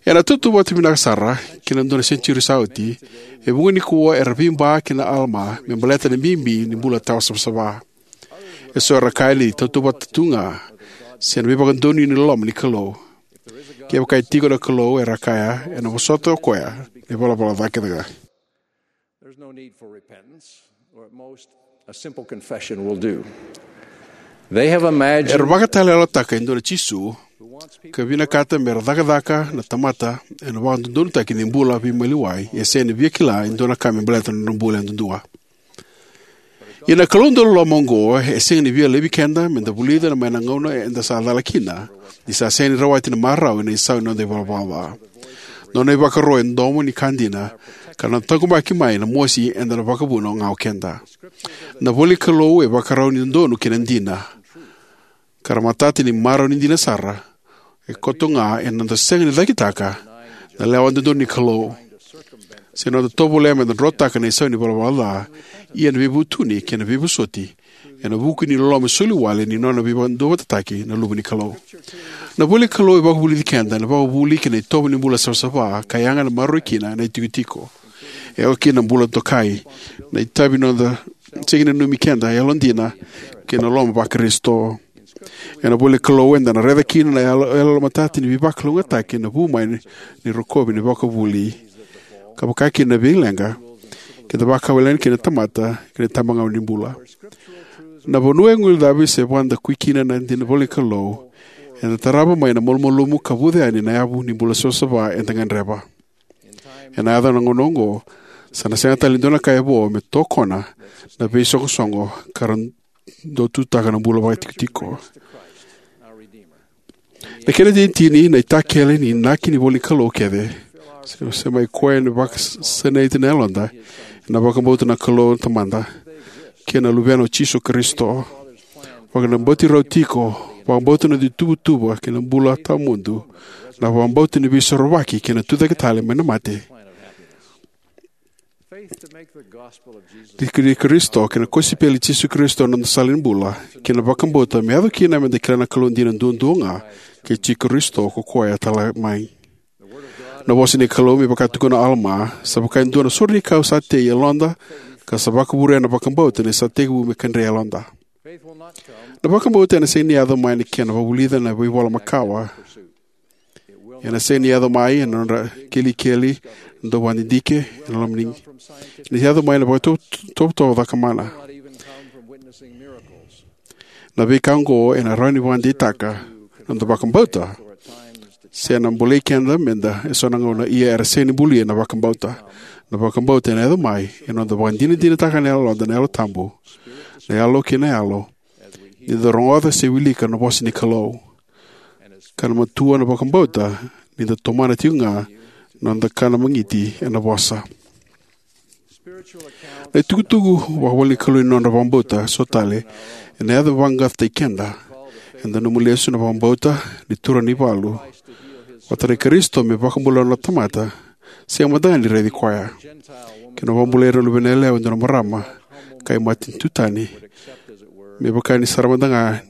Ena tautauvata vinaka sara ki na dua na senitiuri sa oti, e vuqa nikua era veiba kei na Alama me baleta na bibi ni bula tawa savasava. Eso era kaya ni tautauvata tu ga se na veivakadonui ni loloma ni Kalou. Kevaka e tiko na Kalou, era kaya, ena vosota o koya na ivalavala ca kece ga. There's no need for repentance, or at most, a simple confession will do. They have imagined Era vakataleyalataka e dua na Jisu ka vinakata me ra cakacaka na tamata ena vakadodonutaki ni bula veimaliwai, e sega ni via kila e dua na ka me baleta na nodra bula yadudua. Ia na Kalou dauloloma oqo e sega ni via laivi keda me da vulica mai na gauna eda sa cala kina, ni sa sega ni rawati na marau ena isau ni noda ivalavala ca. Nona ivakaro e domo ni ka dina, ka na taqomaki mai na mosi eda na vakavuna ga o keda. Na ivolanikalou e vakarau ni dodonu kei na dina, ka ra matata ni marau ni dina sara, e koto ga ena noda sega ni cakitaka na lewa dodonu ni Kalou, se na noda tovolea me da drotaka na isau ni valavala ca, ia na veivutuni kei na veivosoti ena vuku ni loloma soliwale ni nona veivakaduavatataki na Luve ni Kalou. Na ivolanikalou e vakavulici keda ena vakavuvuli kei na itovo ni bula savasava, ka yaga me maroroi kina na itikotiko. E oka kina na bula dokai, na itavi ni noda sega ni nanumi keda yalodina kei na loloma vaKarisito. Ena ivolanikalou eda na raica kina na yalo, yalomatata ni veivakalougatataki ena vu mai ni, ni rokovi ni vakavuvuli, ka vakakina na veileqa keda vakawalena kina na tamata kei na itabagauna ni bula. Na vanua e guilecavi se vakadakui kina na dina ni ivolanikalou, eda tarava mai na malumalumu ka vuca yani na yavu ni bula savasava eda gadreva. Ena yaco na gauna oqo, sa na sega tale ni dua na ka e vo me tokona na veisoqosoqo ka ra dau tutaka na bula vakaitikotiko. Na kena itinitini, na itakele ni inaki ni ivolanikalou kece, se, se mai koya ni vakasinaiti na yaloda ena vakabauta na Kalou na Tamada kei na Luvena o Jisu Karisito. Vakabauti rau tiko, vakabauta na ituvatuva kei na bula tawamudu, na vakabauta ni Veisorovaki kei na tucake tale mai na mate. Ni Karisito kei na kosipeli i Jisu Karisito na noda sala ni bula, kei na vakabauta me yaco kina me da kila na Kalou dina duadua ga, kei Jisu Karisito ko koya e tala mai. Na vosa ni Kalou, me vaka tukuna o Alama, sa vaka e dua na sore ni kau sa tei e yaloda, ka sa vakavurea na vakabauta ni sa tekivu me kadre e yaloda. Na vakabauta ena sega ni yaco mai na kena vakavulica na veivola makawa. Ena sega ni yaco mai ena nodra kelikeli, na dauvakadidike, ena loma ni, ena yaco mai na vakatovotovo cakamana. Na veika oqo ena rawa ni vakadeitaka na noda vakabauta, se na bolei keda me da eso na gauna, ia era sega ni bulia na vakabauta. Na vakabauta ena yaco mai ena noda vakadinadinataka na yaloda na Yalo Tabu, na yalo kei na yalo, ni da rogoca se wilika na vosa ni Kalou. Ka na matua na vakabauta ni da tomana tiko ga na noda kana magiti ena vosa. Na itukutuku vakaivolanikalou ni nodra vakabauta so tale ena yaco me vaqaqacotaki keda. Eda nanuma lesu na vakabauta ni turaga ni valu vata kei Karisito me vakabula na tamata sega mada ga ni raici koya, kei na vakabulai ira na luvena yalewa e dua na marama ka imatanitu tani, me vaka ni sara mada ga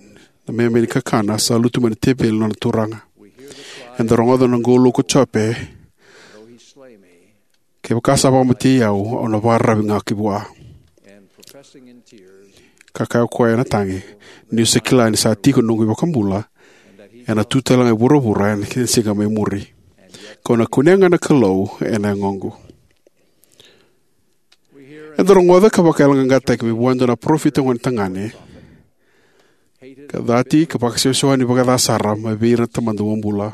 na meme ni kakana sa lutu mai na teveli ni nona turaga. Eda rogoca na qolou ko Jope, kevaka sa vakamatei au, au na vakararavi ga ki vua. Ka kaya o koya ena tagi, niu sa kila ni sa tiko na noqu iVakabula, ena tu tale ga e vuravura ena kena siga mai muri. Kau na kunea ga na Kalou ena yagoqu. Eda rogoca ka vakayaloqaqataki mai vua e dua na parofita gone tagane, ka cati ka vakasewasewani vakaca sara mai vei ira na tamata bobula.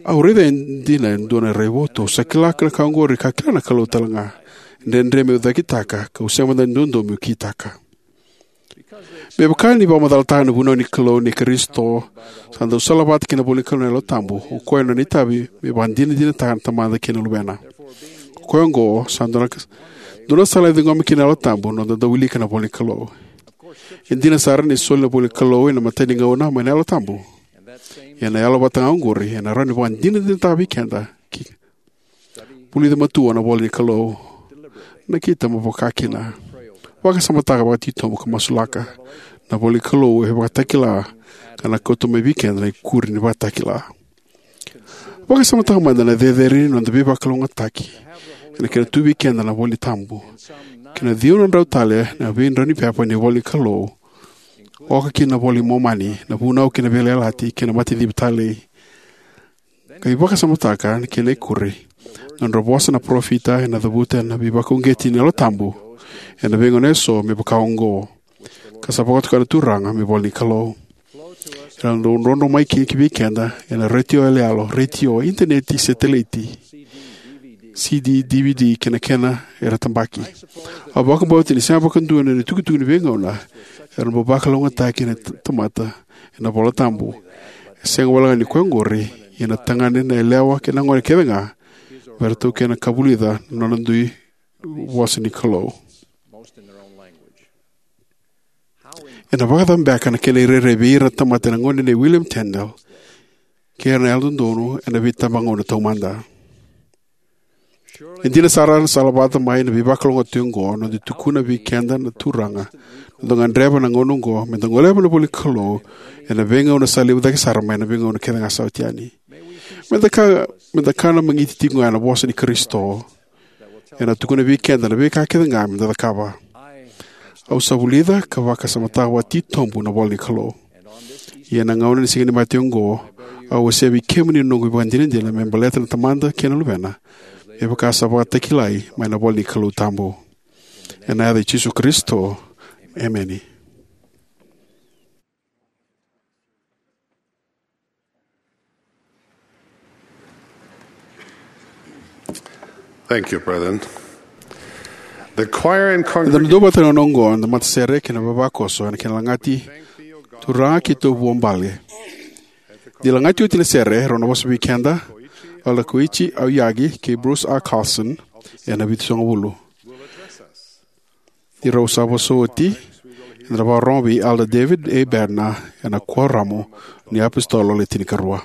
Au raica e dina e dua na raivotu, au sa kila na ka oqori ka kila na Kalou tale ga. E dredre meu cakitaka, kau sega mada ni dodo meu kitaka. Me vaka ni vakamacalataka na vunau ni Kalou nei Karisito sa dau salavata kei na ivola ni Kalou na Yalo Tabu, o koya na nona itavi me vakadinadinataka na Tamada kei na Luvena. O koya oqo sa dua na, dua na sala e ciqomi kina na Yalo Tabu na noda dau wilika na ivola ni Kalou. E dina sara ni soli na ivola ni Kalou ena imatai ni gauna mai na Yalo Tabu. Ia na yalo vata ga oqori ena rawa ni vakadinadinataka vei keda. Ki vulica matua na ivola ni Kalou. Nakita mo vaka kina. Vakasamataka vakatitobu ka masulaka. Na ivola ni Kalou e vakatakila ka na kauta mai vei keda na ikuri ni vakatakila. Vakasamataka mada na cecere ni noda veivakalougatataki ena kena tu vei keda na iVola Tabu kei na ciwa na drau tale na veidraunipepa ni ivola ni Kalou, oka kina na iVola i Momani, na Vunau kei na Veiyalayalati kei na Matanicivi Talei. Qai vakasamataka na kena ikuri, na nodra vosa na parofita ena cavuta na veivakauqeti ni Yalo Tabu ena veigauna eso me vaka oqo, ka sa vakatoka na Turaga me ivola ni Kalou. Era dau drodro mai kina ki vei keda ena retio yaloyalo, retio, initaneti, setilaiti, C D, D V D kei na kena era tabaki. Au vakabauta ni sega vakadua na itukutuku ni veigauna era bau vakalougatataki na t-, tamata ena iVola Tabu. E sega walega ni koya oqori, ia na tagane, na yalewa kei na gone kece ga, me ra taukena ka vulica na nona dui vosa ni Kalou. Ena vakacava beka na kena irairai vei ira na tamata ena gauna nei William Tyndale kei ira na Yalododonu ena veitabagauna taumada? E dina sara na salavata mai na veivakalougatataki oqo, na noda tukuna vei keda na Turaga, na noda gadreva na gauna oqo me da goleva na ivola ni Kalou ena veigauna sa levu cake sara mai na veigauna kece ga sa oti yani. Me da ka, me da kana magiti tiko ga ena vosa ni Karisito, ena tukuna vei keda na veika kece ga me da cakava. Au sa vulica ka vakasamataka vakatitobu na ivola ni Kalou. Ia ena gauna ni Siga ni Mate oqo, au wasea vei kemuni na noqu ivakadinadina me baleta na Tamada kei na Luvena, me vaka sa vakatakilai mai na ivola ni Kalou tabu. Ena yaca i Jisu Karisito, emeni. Thank you, brethren. The choir and congregation. Eda na duavata ena gauna oqo na matasere kei na vavakoso ena kena lagati Turaga keitou vuabale. Ni lagati oti na sere, rau na vosa vei keda Elder Koichi Aoyagi kei Bruce R. Carlson ena vitusagavulu. Ni rau sa vosa oti, eda na vakarorogo vei Elder David A. Bednar ena Kuoramu ni iApositolo Le Tinikarua.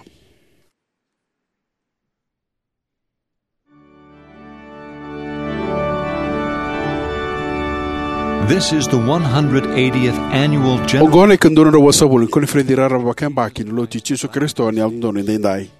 This is the one hundred eightieth annual general. Oqo na ikaduadrau vasagavulu ni koniferedi raraba vakayabaki ni Lotu i Jisu Karisito ni Yalododonu Edaidai.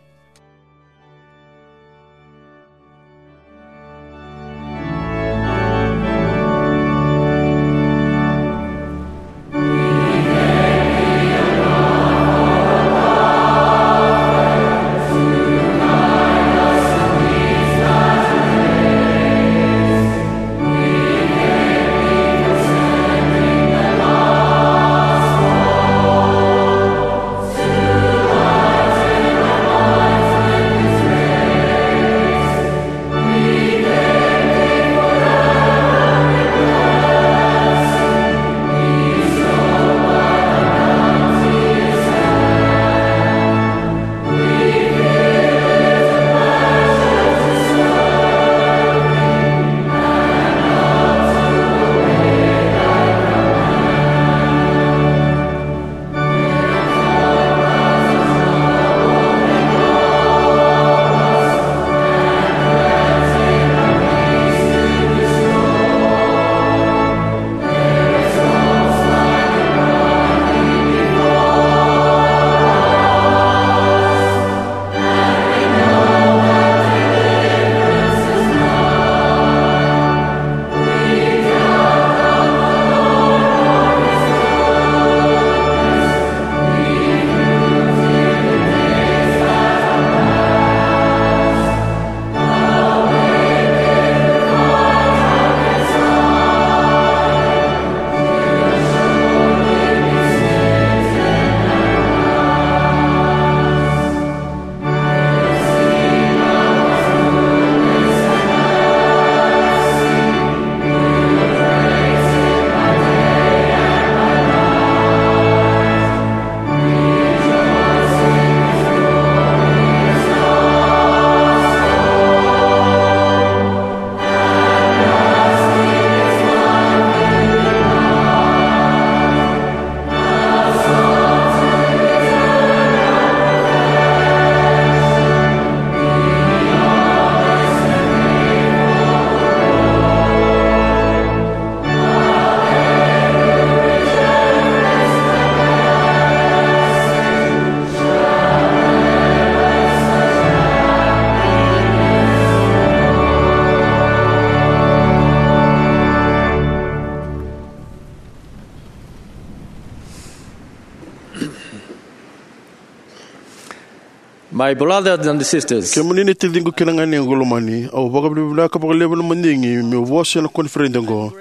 My brothers and sisters, kemuni na taciqu kei na ganequ lomani, au vakavinavinaka vakalevu na madigi meu vosa ena koniferedi oqo.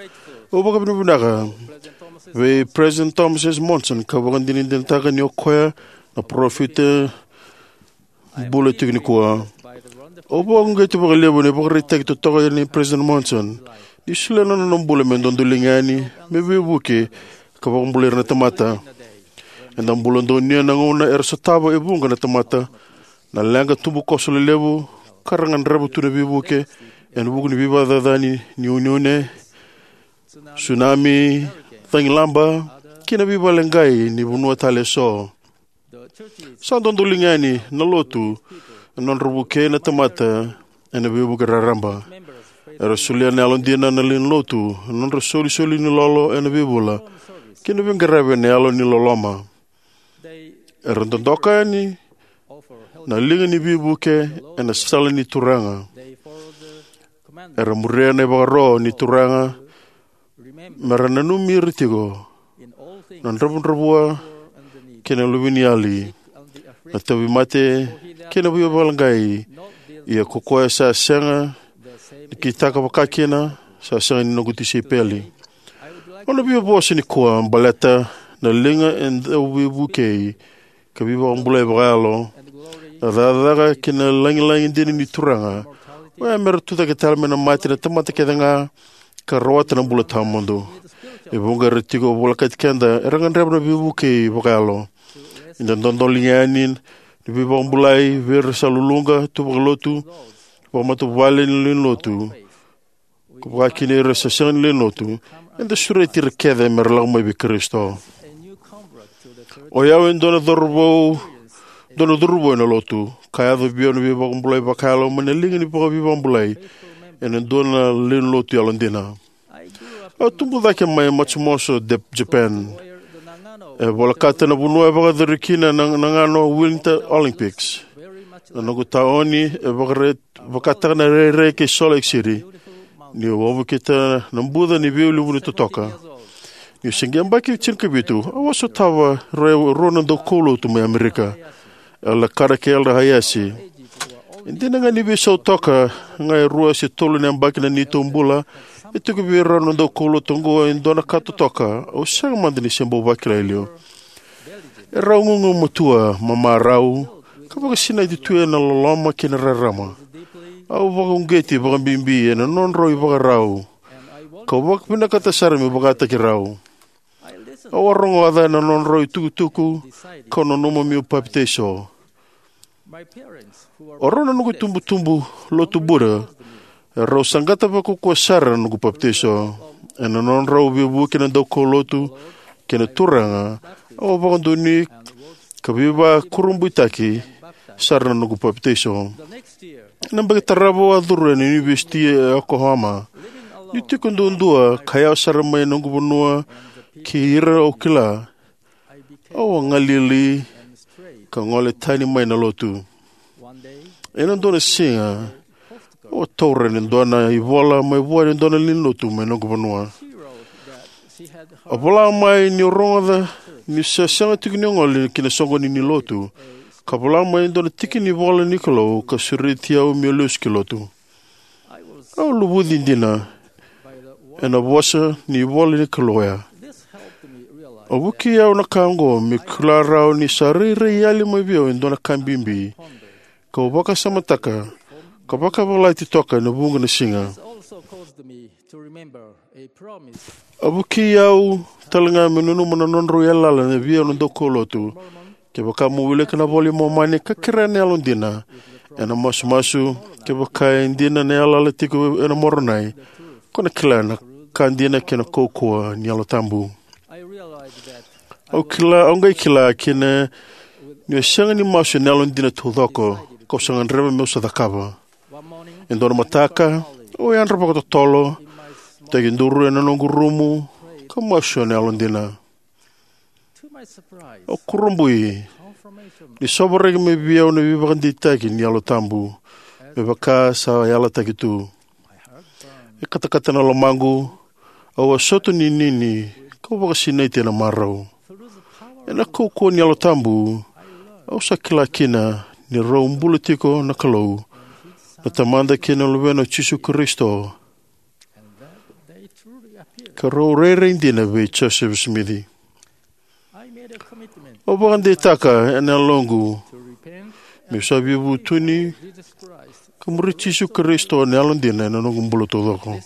Au vakavinavinaka vei President Thomas S. Monson ka vakadinadinataka ni o koya na parofita bula tiko nikua. Au vakauqeti vakalevu na ivakaraitaki totoka nei President Monson ni solia na nona bula me dodoliga yani, me veivuke, ka vakabulai ira na tamata. Eda bula donuya na gauna era sotava e vuqa na tamata na leqa tubukoso lelevu ka ra gadreva tu na veivuke ena vuku ni veivakacacani ni uneune, tsunami, cagilaba, kei na veivakaleqai ni vanua tale eso. Sa dodoliga yani na lotu ena nodra vukei na tamata ena veivuke raraba. Era solia na yalodina na lewe ni lotu ena nodra solisoli ni lolo ena veivula kei na veiqaravi ena yalo ni loloma. Era dodoka yani na liga ni veivuke ena sala ni Turaga. Era muria na ivakaro ni Turaga, me ra nanumi ira tiko na dravudravua kei na luveniyali, na tauvimate kei na veivakaleqai. Ia ko koya sa sega ni kitaka vakakina, sa sega ni noqu tisaipeli. Au na via vosa nikua baleta na liga e dau veivukei ka veivakabulai vakayalo, na cakacaka kei na lagilagi dina ni Turaga. Oya me ra tucake tale mai na mate na tamata kece ga ka rawata na bula tawamudu. E vuqa era tiko volekati keda era gadreva na veivukei vakayalo. Eda dodoliga yani na veivakabulai vei ira sa luluqa tu vakalotu, vakamatavuvale, ni lewe ni lotu, ka vakakina ira sa sega ni lewe ni lotu. Eda sureti ira kece me ra lako mai vei Karisito. O yau e dua na cauravou, dua na cauravou ena lotu, ka yaco vei au na veivakabulai vakayalo mai na liga ni vakaveivakabulai ena dua na lewe ni lotu yalodina. Au tubu cake mai Matsumoto, De-, Japan. E volekata na vanua e vakayacori kina na, na Nagano Winter Olympics. Na noqu taoni e vakare-, vakataka na rairai kei Salt Lake City. Niu wavokita na buca ni veiulunivanua totoka. Niu se qai yabaki tinikavitu, au a sotava e rua na daukaulotu mai Amerika, Elder Carter kei Elder Hayashi. E dina ga ni veisau toka ga e rua se tolu na yabaki na neitou bula, e tiko vei rau na daukaulotu oqo e dua na ka totoka au sega mada ni se bau vakila e liu. Erau gugumatua, mamarau, ka vakasinaiti tu ena loloma kei na rarama. Au vakauqeti vakabibi ena nodrau ivakarau, kau vakavinakata sara meu vakataki rau. Au a rogoca na nodrau itukutuku, kau nanuma meu papitaiso. O rau na noqu itubutubu lotu Buddha, erau saqata vakaukauwa sara na noqu papitaiso. Ena nodrau veivuke na daukaulotu kei na Turaga, au a vakadonui ka veivakurabuitaki sara na noqu papitaiso. Ena yabaki tarava au a curu ena Univesiti e Yokohama. Niu tiko duadua ka yawa sara mai noqu vanua kei ira au kila, au a galili ka gole tani mai na lotu. Ena dua na siga, au a taura e dua na ivola mai vua e dua na lewe ni lotu mai noqu vanua. A vola mai niu rogoca niu se sega tiko ni gole ki na soqoni ni lotu, ka vola mai e dua na tiki ni ivola ni Kalou ka sureti au meu lesu ki lotu. Au luvuci dina ena vosa ni ivola ni Kalou oya. A vukei au na ka oqo meu kila rawa ni sa rairai yali mai vei au e dua na ka bibi, kau vakasamataka ka vakayavalati toka ena vuqa na siga. A vukei au tale ga meu nanuma na nodrau yalayala vei au na daukaulotu. Kevaka mo wilika na iVola i Momani ka kerea na yalodina ena masumasu, kevaka e dina na yalayala tiko ena Moronai, ko na kila na ka dina kei na kaukauwa ni Yalo Tabu. Au kila, au qai kila kina niu sega ni masu ena yalodina taucoko, kau sa gadreva meu sa cakava. E dua na mataka, au yadra vakatotolo, tekiduru ena noqu rumu, ka masu ena yalodina. Au kurabui ni sovaraki mai vei au na veivakadeitaki ni Yalo Tabu, me vaka sa yalataki tu. E katakata na lomaqu, au a soto ninini, kau vakasinaiti ena marau. Ena kaukauwa ni Yalo Tabu, au sa kila kina ni rau bula tiko na Kalou, na Tamada kei na Luvena o Jisu Karisito, ka rau rairai dina vei Josefa Simici. Au vakadeitaka ena yaloqu meu sa veivutuni ka muri Jisu Karisito ena yalodina ena noqu bula taucoko.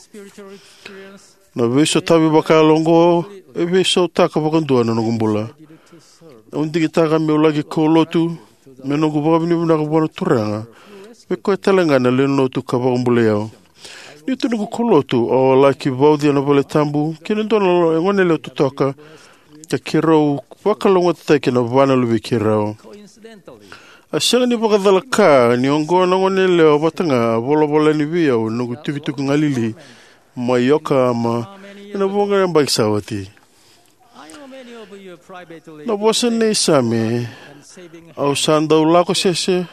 Na veisotavi vakayalo oqo e veisautaka vakadua na noqu bula. Au digitaka meu laki kaulotu me noqu vakavinavinaka vua na Turaga, vei koya talega na lewe ni lotu ka vakabulai au. Ni tu noqu kaulotu, au a laki vauci ena valetabu kei na dua na goneyalewa totoka ka keirau vakalougatataki ena va na luvei keirau. A sega ni vakacalaka ni oqo na goneyalewa vata ga a volavola yani vei au ena noqu itukituki galili mai Yokohama ena vuqa na yabaki sa oti. Na vosa nei Same, au sa dau lako sese.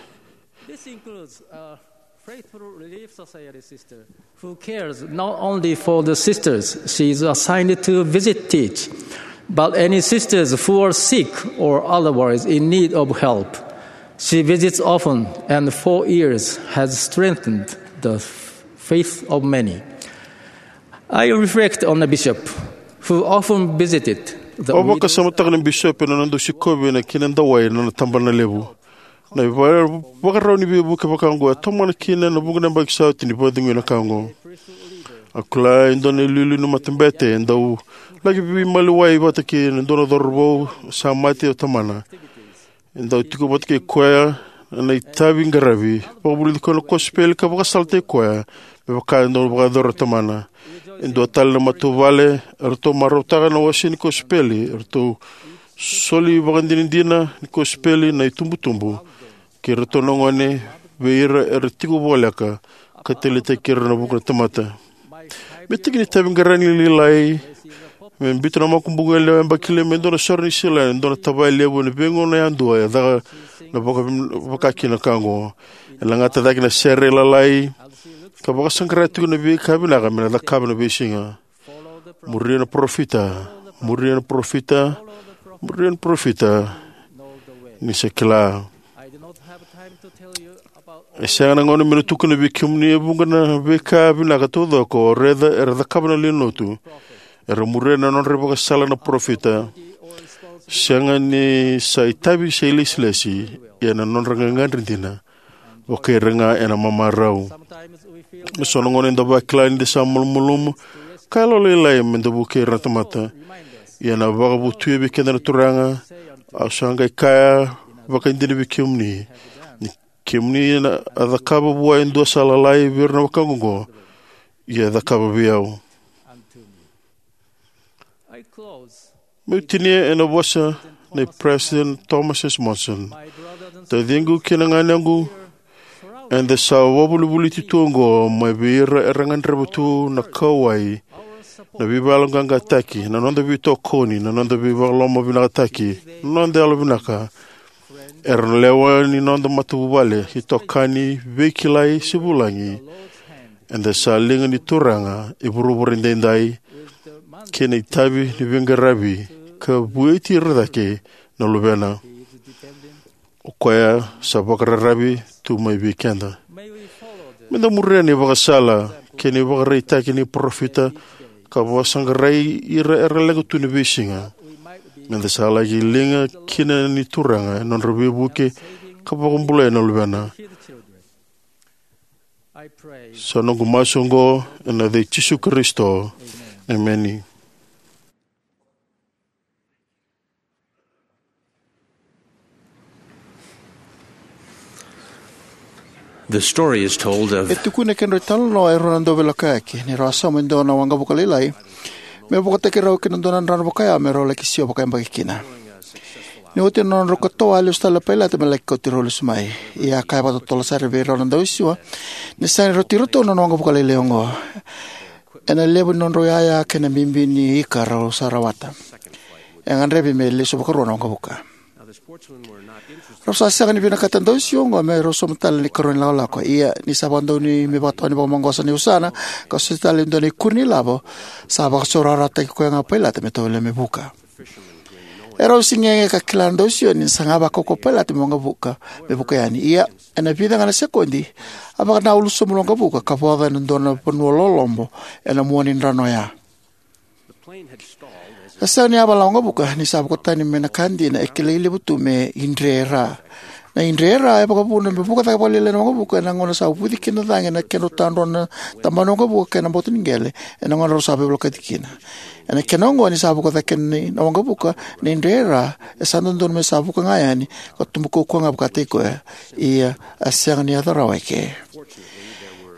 This includes a faithful Relief Society sister who cares not only for the sisters she is assigned to visit, teach, but any sisters who are sick or otherwise in need of help. She visits often and for years has strengthened the faith of many. I reflect on a bishop who often visited the widows. Au vakasamataka na bisopi ena nona dau sikovi na kena dawai na nona tabanalevu. Na ivakarau ni veivuke vaka oqo e tomana kina na vuqa na yabaki sa oti ni vakacegui na ka oqo. Au kila e dua na iliuliu ni matabete e dau laki veimaliwai vata kei na dua na cauravou sa mate o tamana. E dau tiko vata kei koya ena itavi qaravi, vakavulici koya na kosipeli ka vakasalataki koya me vaka e dau vakayacora o tamana. E dua tale na matavuvale eratou marautaka na wase ni kosipeli, eratou soli vakadinadina ni kosipeli na itubutubu kei iratou na gone, vei ira era tiko voleka ka taleitaki ira ena vuku ni tamata. Me tiki ni itavi qaravi ni lailai, me biuta na makubuqu yalewa yabaki levu me dua na sore ni sila ena dua na tavaya levu ena veigauna yadua e caka na vaka, vakakina ka oqo. E lagata cake na sere lalai ka vakasaqara tiko na veika vinaka me na cakava ena veisiga. Muria na parofita, muria na parofita, muria na parofita, ni sa kila. E sega na gauna meu na tukuna vei kemuni e vuqa na veika vinaka taucoko o raica era cakava na lewe ni lotu. Era muria na nodra ivakasala na parofita. Sega ni sa itavi se ilesilesi, ia na nodra gagadre dina. Vakaira ga ena mamarau. Me so na gauna eda vakila ni da sa malumalumu ka yalolailai me da vukei ira na tamata. Ia na vakavotuya vei keda na Turaga, au sa qai kaya vakaidina vei kemuni, ni kemuni na a cakava vua e dua sa lalai vei ira na wekaqu oqo, ia e cakava vei au. Meu tinia ena vosa nei President Thomas S. Monson. Taciqu kei na ganequ, eda sa vakavolivoliti tu oqo mai vei ira era gadreva tu na kauwai, na veivakayaloqaqataki, na noda veitokoni, na noda veivakalomavinakataki, na noda yalovinaka. Era na lewe ni noda matavuvale, itokani, veikilai se vulagi. Eda sa liga ni Turaga e vuravura edaidai, kei na itavi ni veiqaravi ka vueti ira cake na luvena. O koya sa vakararavi tu mai vei keda. Me da muria na ivakasala kei na ivakaraitaki ni parofita ka vakasaqarai ira era leqa tu ni veisiga. Me da sa laki liga kina ni Turaga ena nodra veivuke ka vakabulai na luvena. Sa noqu masu oqo ena yaca i Jisu Karisito. Emeni. The story is told of E tukuna e kedrau italanoa e rua na dauveilakoyaki ni rau a sauma e dua na waqavuka lailai me vakataki rau ki na dua na drano vakayawa me rau laki sio vakayabaki kina. Ni oti na nodrau katoa, a lesu tale na pailate me laki kauti rau lesu mai. Ia a kaya vakatotolo sara vei rau na dausiwa ni sega ni rauti iratou na nona waqavuka lailai oqo. Ena levu ni nodrau yaya kei na bibi ni ika rau sa rawata, e gadrevi me lesu vakarua na waqavuka. Rau sa sega ni vinakata na dausiwa oqo me rau sauma tale na ikarua ni lakolako. Ia ni sa vakadonui me vakatawani vakamaqosa na iusana ka soti tale e dua na ikuri ni lavo, sa vakasaurarataki koya ga o pailate me tovolea me vuka. E rau sigege ka kila na dausiwa ni saga vakaukauwa o Pailate me waqavuka me vuka yani. Ia, ena vica ga na sekodi, a vakanaulu sobu na waqavuka ka voca ena dua na vanua lolobo ena mua ni drano oya. E sega ni yavala na waqavuka ni sa vuka tani mai na ka dina e kilai levu tu me idre e ra. Na idre e ra e vakavuna me vuka cake vakalailai na waqavuka ena gauna sa vuci kina na cagi ena kedrau tadrua na tabana ni waqavuka kei na boto ni qele ena gauna rau sa veivolekati kina. Ena kena oqo, ni sa vuka cake na waqavuka, na idre e ra e sa dodonu me sa vuka ga yani ka tubu kaukauwa ga vakataki koya. Ia, a sega ni yaco rawa eke.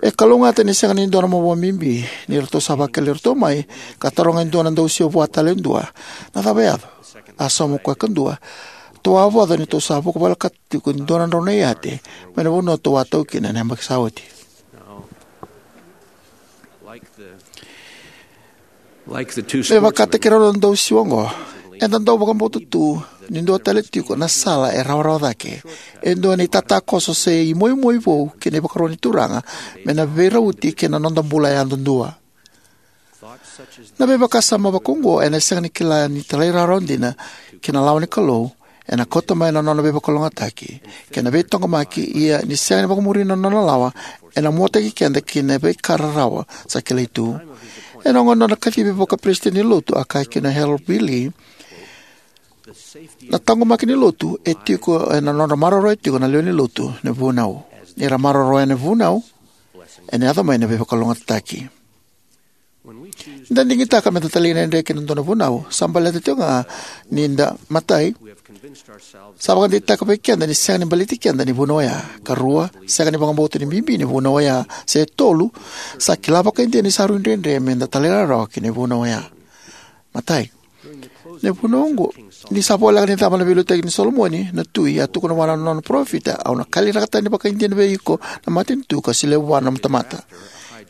E kalougata ni sega ni dua na mavoa bibi ni ratou sa vakilai iratou mai ka taroga e dua na dausiwa vua tale e dua, "Na cava e yaco?" A sauma o koya kadua, "Ratou a voca ni ratou sa vuka volekata tiko e dua na drau na iyate mai na vanua ratou a tau kina ena yabaki sa oti." Like the, like the two Me sportsmen, vakataki rau na dausiwa oqo, eda dau vakabauta tu ni dua tale tiko na sala e rawarawa cake, e dua na itatakoso se imoimoi vou ki na ivakaro ni Turaga me na veirauti kei na noda bula yadudua. Na veivakasama vakaoqo ena sega ni kila ni talairawarawa dina ki na lawa ni Kalou ena kauta mai na nona veivakalougatataki kei na veitaqomaki, ia ni sega ni vakamuri na nona lawa, ena muataki keda ki na veika rarawa sa kilai tu. Ena oqo na nona kacivi vakaperesitedi ni Lotu, a kaya kina o Harold B. Lee, "Na taqomaki ni Lotu e tiko ena nodra maroroya tiko na lewe ni Lotu na vunau. Ni ra maroroya na vunau, ena yaco mai na veivakalougatataki." Ni da digitaka me da talaidredre ki na dua na vunau, sa baleta tiko ga ni da, matai, sa vakadeitaka vei keda ni sega ni baleti keda ni vunau oya. Karua, sega ni vakabauta ni bibi ni vunau oya. Se tolu, sa kila vakaidina ni sa rui dredre me da talairawarawa ki na vunau oya. Matai, na vunau oqo, ni sa voleka ni cava na veiliutaki nei Solomoni na tui, a tukuna vua na nona parofita, "Au na kaliraka tani vakaidina vei iko na matanitu ka solia vua na tamata."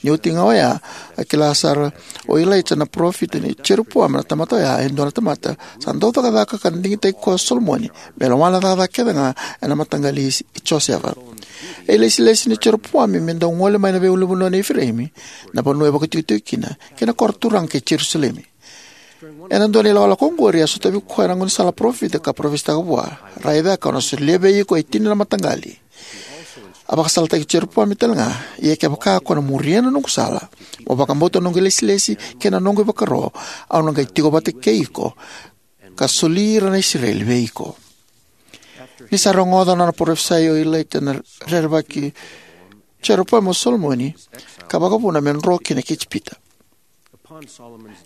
Ni oti ga oya, a kila sara o Ilaija na parofita ni Jeropoami na tamata oya e dua na tamata sa dau cakacaka ka digitaki koya o Solomoni me lawa na cakacaka kece ga ena mataqali i Josefa. E ilesilesi nei Jeropoami me dau gole mai na veiulunivanua nei Ifireimi, na vanua e vakaitikotiko kina, kei na koro turaga kei Jerusalemi. Ena dua na ilakolako oqori, a sotavi koya na gaunisala parofita ka parofisaitaka vua, "Raica, kau na solia vei iko e tini na mataqali." A vakasalataki Jeropoami tale ga, "Ia kevaka ko na muria na noqu sala, mo vakabauta na noqu ilesilesi kei na noqu ivakaro, au na qai tiko vata kei iko, ka soli ira na Isireli vei iko." Ni sa rogoca na nona parofisai o Ilaija na rerevaki Jeropoami o Solomoni, ka vakavuna me dro kina ki Ijipita.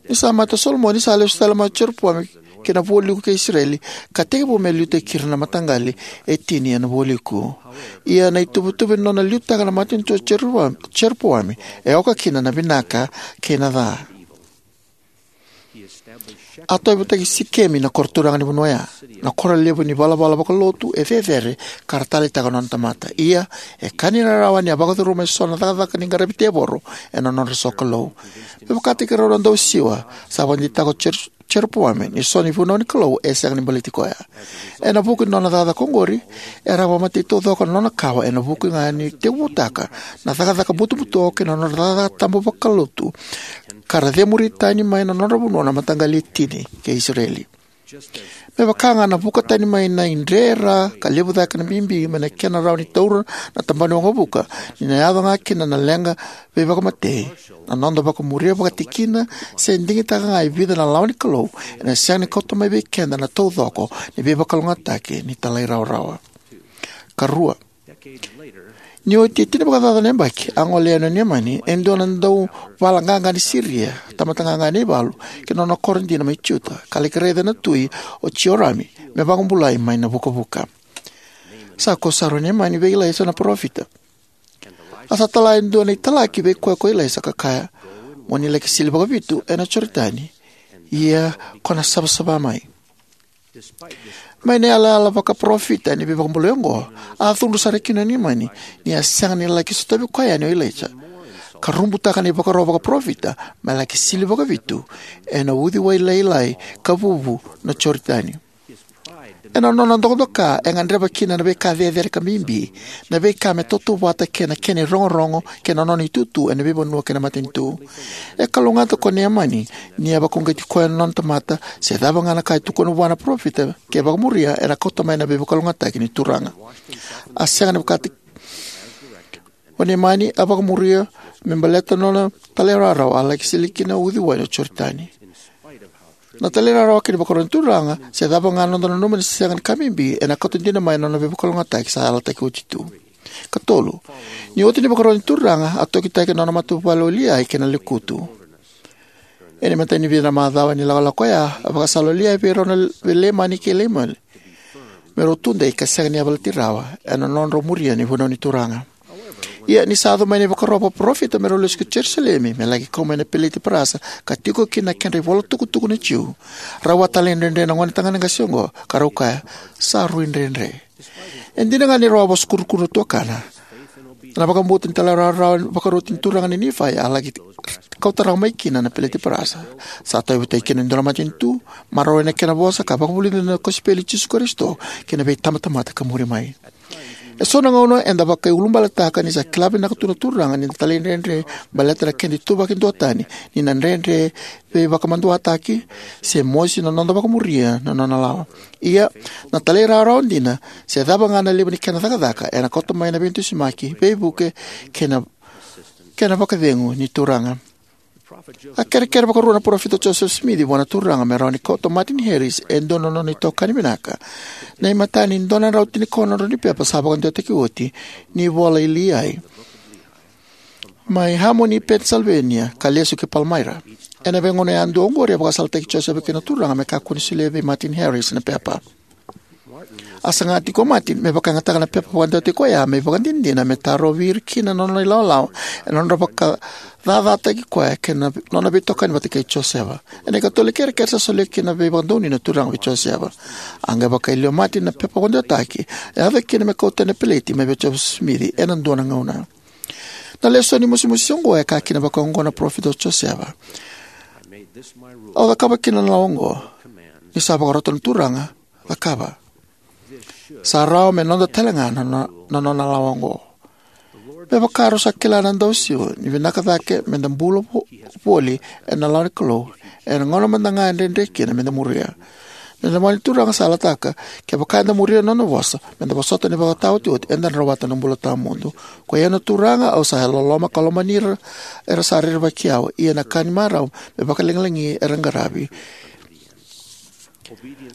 Ni sa mate o Solomoni, sa lesu tale mai o Jeropoami ki na vualiku kei Isireli, ka tekivu me liutaki ira na mataqali e tini ena vualiku. Ia na ituvatuva ni nona liutaka na matanitu o Jeropoami, Jeropoami, e oka kina na vinaka kei na ca. A tauyavutaki Sikemi na koro turaga ni vanua oya, na koro levu ni valavala vakalotu e cecere ka ra taleitaka na nona tamata. Ia, e ka ni rarawa ni a vakacuruma eso na cakacaka ni qaravi tevoro ena nodra sokalou. Me vakataki rau na dausiwa, sa vakadeitaka o Jer-, Jeropoami ni so na ivunau ni Kalou e sega ni baleti koya. Ena vuku ni nona cakacaka oqori, e a vakamatei taucoko na nona kawa ena vuku ga ni tekivutaka na cakacaka butobuto kei na nodra cakacaka tabu vakalotu, ka ra cemuri tani mai na nodra vanua na mataqali e tini kei Isireli. Me vaka ga na vuka tani mai na idre e ra ka levu cake na bibi mai na kena rawa ni taura na tabana ni waqavuka, ni na yaco ga kina na leqa veivakamatei, na noda vakamuria vakatikina se digitaka ga e vica na lawa ni Kalou ena sega ni kauta mai vei keda na taucoko ni veivakalougatataki ni talairawarawa. Karua, ni oti e tini vakacaca na yabaki, a gole yani o Neamani, e dua na dauvala qaqa ni Siria, tamata qaqa ni valu, ki na nona koro dina mai Juta, ka laki raica na tui o Jiorami me vakabulai mai na vukavuka. Sa kau sara o Neamani vei Ilaisa na parofita. A sa tala e dua na italaki vei koya ko Ilaisa ka kaya, "Mo ni laki sili vakavitu ena Joritani, ia ko na savasava mai." Mai na yalayala vakaparofita ni veivakabulai oqo, a cudru sara kina o Neamani ni a sega ni laki sotavi koya yani o Ilaisa, ka rubutaka na ivakaro vakaparofita me laki sili vakavitu ena uciwai lailai ka vuvu na Joritani. Ena nona dokadoka, e gadreva kina na veika cecere ka bibi, na veika me tautauvata kei na kena irogorogo kei na nona itutu ena veivanua kei na matanitu. E kalougata ko Neamani ni a vakauqeti koya na nona tamata, se cava ga na ka e tukuna vua na parofita ke vakamuria, ena kauta mai na veivakalougatataki ni Turaga. A sega ni vakata o Neamani, a vakamuria me baleta na nona talairawarawa a laki sili kina uciwai na Joritani. Na talairawarawa kei na ivakaro ni Turaga, se cava ga na noda nanuma ni sega ni ka bibi, ena kauta dina mai na nona veivakalougatataki sa yalataki oti tu. Ka tolu, ni oti na ivakaro ni Turaga, a tokitaki na nona matavuvale o Liai kei na lekutu. Ena imatai ni vica na macawa ni lakolako oya, a vakasala o Liai vei rau na, vei Leimani kei Leimani, me rau tudei ka sega ni yavalati rawa ena nodrau muria na ivunau ni Turaga. Ia ni sa yaco mai na ivakaro vakaparofita me rau lesu ki Jerusalemi me laki kau mai na peleti parasa ka tiko kina na kedra ivolatukutuku na Jiu, rau a talaidredre na gonetagane qase oqo, ka rau kaya, "Sa rui dredre." E dina ga ni rau a vosa kurukuru na tuakana, na vakabauta ni talairawarawa vakaroti ni Turaga nei Nifai a laki kauta rawa mai kina na peleti parasa. Sa tauyavutaki kina e dua na matanitu, maroroi na kena vosa, ka vakavulica na kosipeli i Jisu Karisito kei na veitabatamata ka muri mai. Eso na gauna eda vakaiulubaletaka ni sa kila vinaka tu na Turaga ni da talaidredre baleta na keda ituvaki duatani, ni na dredre veivakamaduataki, se mosi na noda vakamuria na nona lawa. Ia, na talairawarawa dina, se cava ga na levu ni kena cakacaka, ena kauta mai na veidusimaki, veivuke, kei na, kei na vakacegu ni Turaga. A kerekere vakarua na parofita o Joseph Smith vua na Turaga me rawa ni kauta o Martin Harris, e dua na nona itokani vinaka, na imatai ni dua na drau tinikaono na drau ni pepa sa vakadewataki oti ni ivola i Liai, mai Harmony, Pennsylvania, ka lesu ki Palmyra. Ena veigauna yadua oqori, a vakasalataki Josefa kina na Turaga me kakua ni solia vei Martin Harris na pepa. A saga tiko o Martin me vakayagataka na pepa vakadewataki koya me ivakadinadina me tarovi ira kina na nona ilawalawa ena nodra vakacacataki koya kei na nona veitokani vata kei Josefa. Ena ikatolu ni kerekere sa solia kina na veivakadonui na Turaga vei Josefa. A qai vakayalia o Martin na pepa vakadewataki, e yaco kina me kauta ena peleti mai vei Josefa Simici ena dua na gauna. Na lesoni musumusu oqo e kaya kina vakaoqo na parofita o Josefa: "Au cakava kina na lawa oqo, ni sa vakarota na Turaga, cakava. Sa rawa me noda talega na, na, na nona lawa oqo. Me vaka rau sa kila na dausiwa, ni vinaka cake me da bula vo-, voli ena lawa ni Kalou, ena gauna mada ga e dredre kina me da muria. Na lomani Turaga sa yalataka, kevaka eda muria na nona vosa, me da vosota na ivakataotioti, eda na rawata na bula tawamudu. Koi au na Turaga, au sa loloma ka lomani ira era sa rerevaki au, ia na ka ni marau me vakalagilagi era qaravi."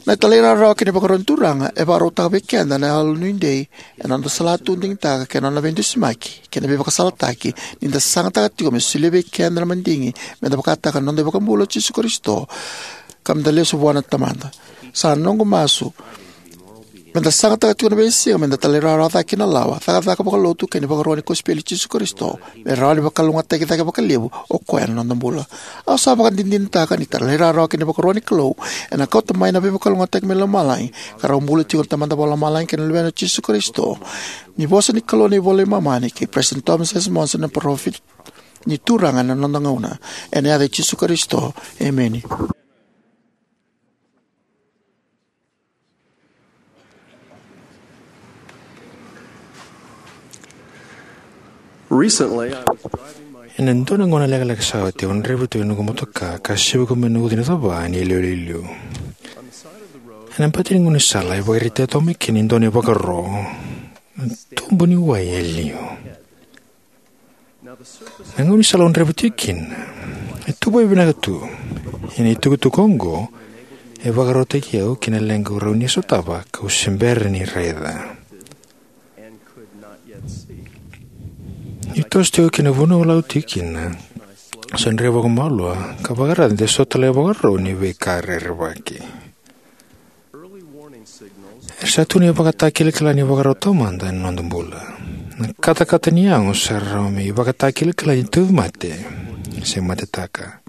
Na talairawarawa kei na ivakaro ni Turaga e vakarautaka vei keda na yalo nuidei ena noda salatu digitaka kei na nona veidusimaki kei na veivakasalataki, ni da sagataka tiko me solia vei keda na madigi me da vakataka na noda iVakabula o Jisu Karisito, ka me da lesu vua na Tamada. Sa noqu masu me da sagataka tiko na veisiga me da talairawarawa cake ki na lawa, cakacaka vakalotu kei na ivakarau ni kosipeli i Jisu Karisito, me rawa ni vakalougatataki cake vakalevu o koya na noda bula. Au sa vakadinadinataka ni talairawarawa kei na ivakarau ni Kalou ena kauta mai na veivakalougatataki mai lomalagi, ka rau bula tiko na Tamada Vakalomalagi kei na Luvena o Jisu Karisito. Ni vosa ni Kalou na iVola i Momani kei President Thomas S. Monson na parofita ni Turaga ena noda gauna. Ena yaca i Jisu Karisito, emeni. Recently, I was driving my Ena dua na gauna lekaleka sa oti, au draiva tu ena noqu motoka ka sevuki mai na uca ni cava ni yalewa liuliu. Ena bati ni gaunisala e vakaraitaki toka mai kina e dua na ivakaro, na tubu ni wai e liu. Na gaunisala au draiva tiko kina e tubu vinaka tu, ia na itukutuku oqo e vakarautaki au ki na leqa au rawa ni sotava kau se bera ni raica. Niu toso tiko ki na vanua au lako tiko kina, au sa draiva vakamalua ka vakaraica de so tale na ivakarau ni veika rerevaki. Era sa tu na ivakatakilakila ni ivakarau taumada ena noda bula. Na katakata ni yago sa rawa me ivakatakilakila ni tauvimate se matetaka.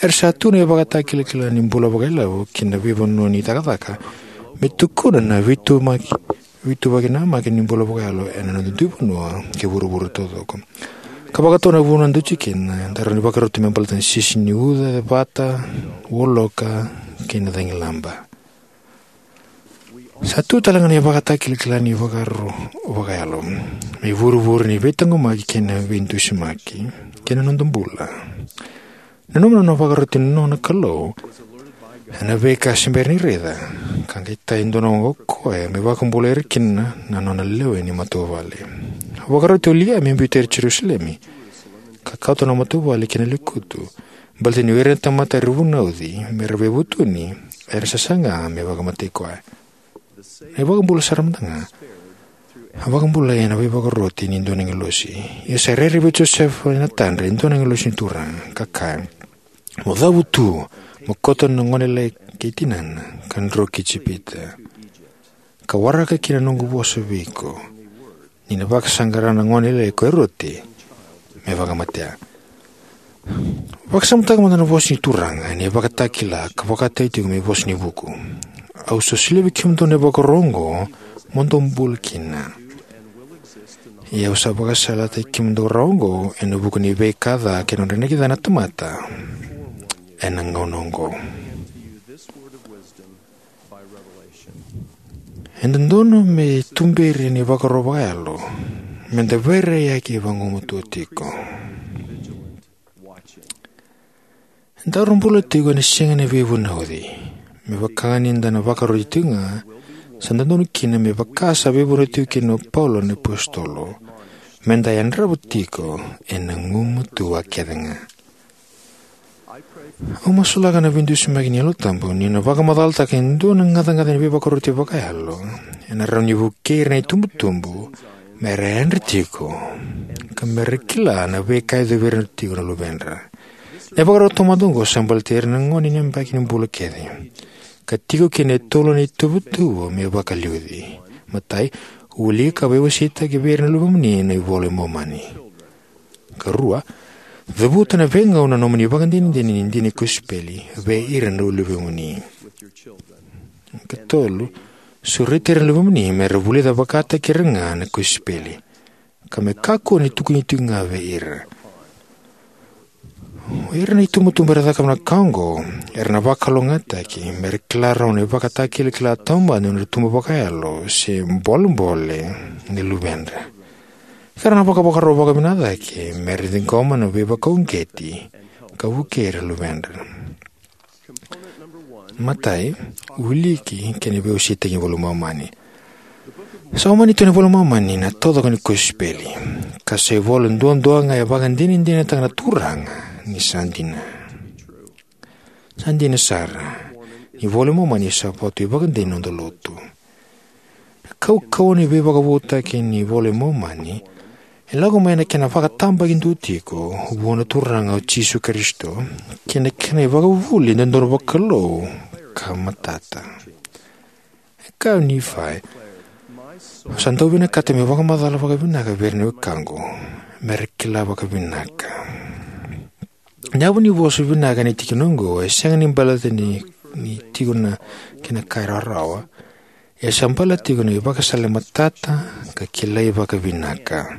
Era sa tu na ivakatakilakila ni bula vakailavo ki na veivanua ni cakacaka, me tukuna na veitumaki, veituvaki namaki ni bula vakayalo ena noda dui vanua kei vuravura taucoko. Ka vakatau na vanua da tiko kina, da rawa ni vakarau tu me baleta na sisi ni uca, vata, woloka, kei na cagilaba. Sa tu tale ga na ivakatakilakila ni vakaro vakayalo me ivurevure ni veitaqomaki kei na veidusimaki kei na noda bula. Nanuma na nona vakaroti na nona Kalou ena veika se bera ni raica, ka qai taya e dua na oqo o koya me vakabulai ira kina na nona lewe ni matavuvale. A vakaroti o Liai me biuta ira e Jerusalemi, ka kauta na matavuvale ki na lekutu, baleta ni o ira na tamata era vunauci me ra veivutuni era sasaga me vakamatei koya. Na iVakabula sara mada ga a vakabulai ena veivakaroti ni dua na agilosi. Ia sa rairai vei Josefa ena tadra e dua na agilosi ni Turaga, ka kaya, "Mo cavutu, mo kauta na gone lailai kei tinana, ka dro ki Ijipita, ka waraka kina na noqu vosa vei iko, ni na vakasaqara na gone lailai ko Eroti me vakamatea." Vakasamataka mada na vosa ni Turaga ena ivakatakila ka vakataki tiko me vosa ni vuku. "Au sa solia vei kemudou na ivakaro oqo mo dou bula kina. Ia au sa vakasalataki kemudou rawa oqo ena vuku ni veika ca kei na nodra inaki ca na tamata ena gauna oqo." E dodonu me tuberi ena ivakaro vakayalo me da veiraiyaki vagumatua tiko. Daru bula tiko ena siga ni veivunauci. Me vaka ni da na vakaroti tiko ga, sa dodonu kina, me vaka sa veivunauci tiko kina o Paula na apositolo, me da yadrava tiko ena gumatua kece ga. Au masulaka na veidusimaki ni Yalo Tabu ni na vakamacalataka e dua na gacagaca ni veivakaroti vakayalo ena rawa ni vukei ira na itubutubu me ra yadra tiko, ka me ra kila na veika e yacovi ira tiko na luvedra. Na ivakarau taumada oqo sa baleti ira na gone ni yabaki ni bula kece, ka tiko kina e tolu na ituvatuva me vakaliuci. Matai, wilika ka veiwaseitaki vei ira na luvemuni na iVola i Momani. Ka rua, cavuta ena veigauna na nomuni ivakadinadina ni dina ni kosipeli vei ira na luvemuni. Ka tolu, sureti ira na luvemuni me ra vulica vakataki ira ga na kosipeli, ka me kakua ni tukuni tiko ga vei ira. O ira na itubutubu era cakava na ka oqo era na vakalougatataki me ra kila rawa na ivakatakilakila taumada ni nodra tubu vakayalo se bolebole ni luvedra. Ka ra na vakavakarau vakavinaka cake me ra ciqoma na veivakauqeti ka vukei ira na luvedra. Matai, wiliki kei na veiwaseitaki ni iVola i Momani. Sa Momani tu na iVola i Momani na taucoko ni kosipeli, ka sa ivola duadua ga e vakadinadinataka na Turaga ni sa dina. Sa dina sara, ni iVola i Momani sa votu ivakadei ni noda lotu. Na kaukauwa ni veivakavoutaki ni iVola i Momani e lako mai na kena vakatabakidua tiko vua na Turaga o Jisu Karisito kei na kena ivakavuvuli dodonu vakalou ka matata. E kaya o Nifai, "Au sa dau vinakata meu vakamacala vakavinaka vei ira na wekaqu, me ra kila vakavinaka." Na yavu ni vosa vinaka ena tikina oqo e sega ni baleta ni, ni tiko na kena ka e rawarawa. E sa baleta tiko na ivakasala e matata ka kilai vakavinaka.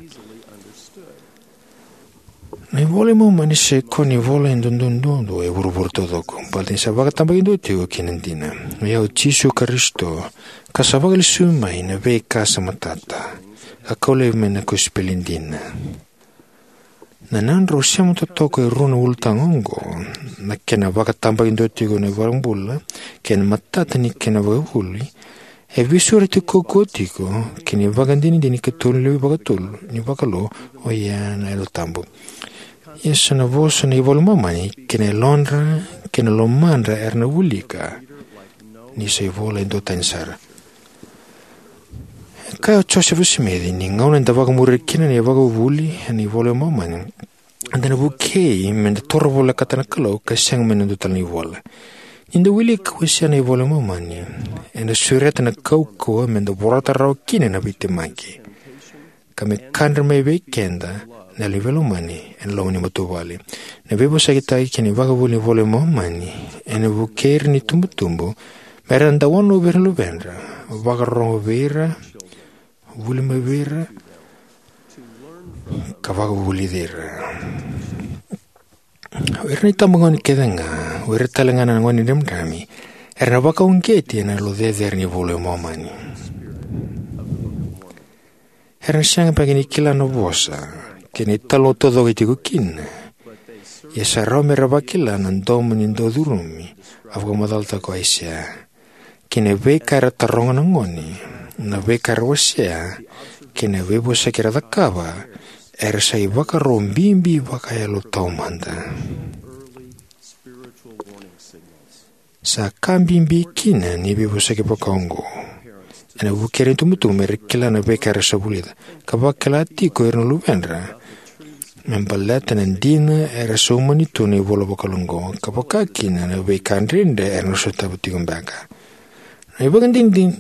Na iVola i Momani sa ikoya na ivola e dodonu duadua e vuravura taucoko, baleta ni sa vakatabakidua tiko kina dina. O ya o Jisu Karisito, ka sa vakalesui mai na veika sa matata, ka kau laivi mai na kosipeli dina. Na nodrau sema totoka e rua na ulutaga oqo, na kena vakatabakidua tiko na iVakabula kei na matata ni kena vakavuli, e veisureti kaukauwa tiko kei na ivakadinadina ikatolu ni levu vakatolu ni vakalou, o ya na Yalo Tabu. Ia sa na vosa na iVola i Momani kei na yalodra kei na lomadra era na wilika, ni sa ivola e duatani sara. E kaya o Josefa Simici, ni gauna eda vakamuria kina na ivakavuvuli ena iVola i Momani, eda na vukei me da toro volekata na Kalou ka sega mai na dua tale na ivola. Ni da wilika ka wasea na iVola i Momani, eda sureta na kaukauwa me da vorata rawa kina na veitemaki, ka me kadre mai vei keda na yalo ni veilomani ena loma ni matavuvale. Na veivosakitaki kei na ivakavuvuli ni iVola i Momani ena vukei ira na itubutubu me ra dau wanovi ira na luvedra, vakarorogo vei ira, vuli mai vei ira, ka vakavulici ira. O ira na itabagone kece ga, o ira tale ga na gone dramidrami, Era na vakauqeti ena yalo cecere ni Vola i Momani. Era na sega beka ni kila na vosa kei na italanoa taucoko e tiko kina, ia sa rawa me ra vakila na domo ni daucurumi a vakamacalataka o Aisea, kei na veika era taroga na gone, na veika era wasea, kei na veivosaki era cakava. Era sa ivakaro bibi vakayalo taumada. Sa ka bibi kina ni veivosaki vakaoqo ena vukea na itubutubu me ra kila na veika era sa vulica, ka vakila tiko o ira na luvedra me baleta na dina era sa umani tu ena ivola vakaoqo, ka vaka kina na veika dredre era na sotava tiko beka. Na ivakadinadina,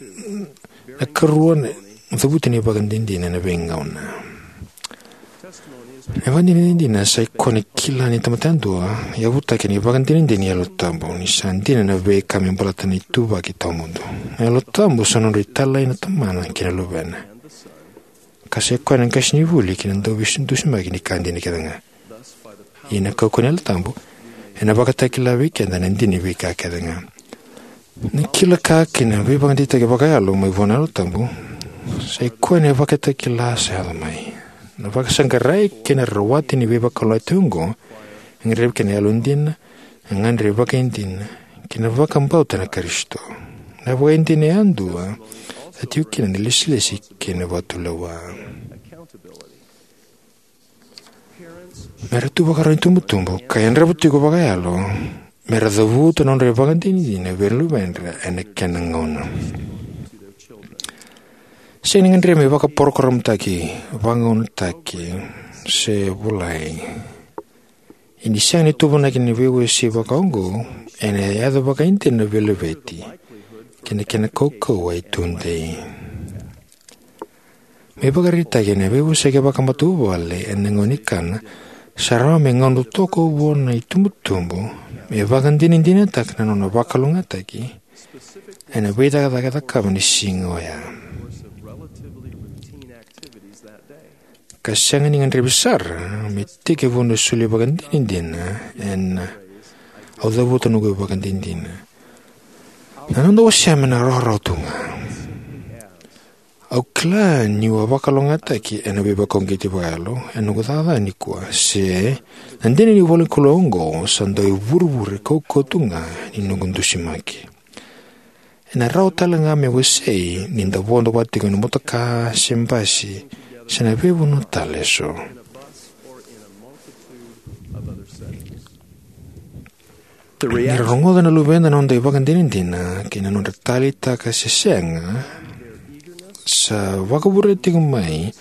na karua na cavuta ni ivakadinadina ena veigauna. Na ivakadinadina sa ikoya ni kila ni tamata yadua, yavutaki ena ivakadinadina ni Yalo Tabu, ni sa dina na veika me baleta na ituvaki tawamudu. Na Yalo Tabu sa nodra italai na Tamana kei na Luvena, ka sa ikoya na qasenivuli kei na dauveidusimaki ni ka dina kece ga. Ia ena kaukauwa ni Yalo Tabu, ena vakatakila vei keda na dina ni veika kece ga. Na kila ka kei na veivakadeitaki vakayalo mai vua na Yalo Tabu sa ikoya na ivakatakila sa yaco mai. Na vakasaqarai kei na rawati ni veivakalougatataki oqo e gadrevi kina na yalodina, na gagadre vakaidina, kei na vakabauta na Karisito. Na vakaidina yadua sa tiko kina na ilesilesi kei na vakatulewa. Me ra tu vakarau na itubutubu ka yadrava tiko vakayalo me ra cavuta na nodra ivakadinadina vei ira na luvedra ena kena gauna. Sega ni gadrevi me vakaporokoramutaki, vagaunataki, se volai. Ia ni sega ni tuvanaki na veiwasei vakaoqo, ena yaco vakaidina na veilaveti kei na kena kaukauwa e tudei. Me ivakaraitaki, ena veivosaki vakamatavuvale ena gauna ni kana, sa rawa me gauna totoka vua na itubutubu me vakadinadinataka na nona vakalougatataki ena veicakacaka e cakava ena siga oya, ka sega ni gadrevi sara me tekivu na soli vakadinadina ena "Au cavuta noqu ivakadinadina." Na noda wasea me na rawarawa tu ga. Au kila niu a vakalougatataki ena veivakauqeti vakayalo ena noqu cakacaka nikua, se na dina ni ivolanikalou oqo sa dau ivurevure kaukauwa tu ga ni noqu dusimaki. Ena rawa tale ga me wasei ni da vodo vata tiko ena motoka se basi se na veivanua tale eso. Ni ra rogoca na luveda na noda ivakadinadina kei na nodra taleitaka se sega, sa vakavurea tiko mai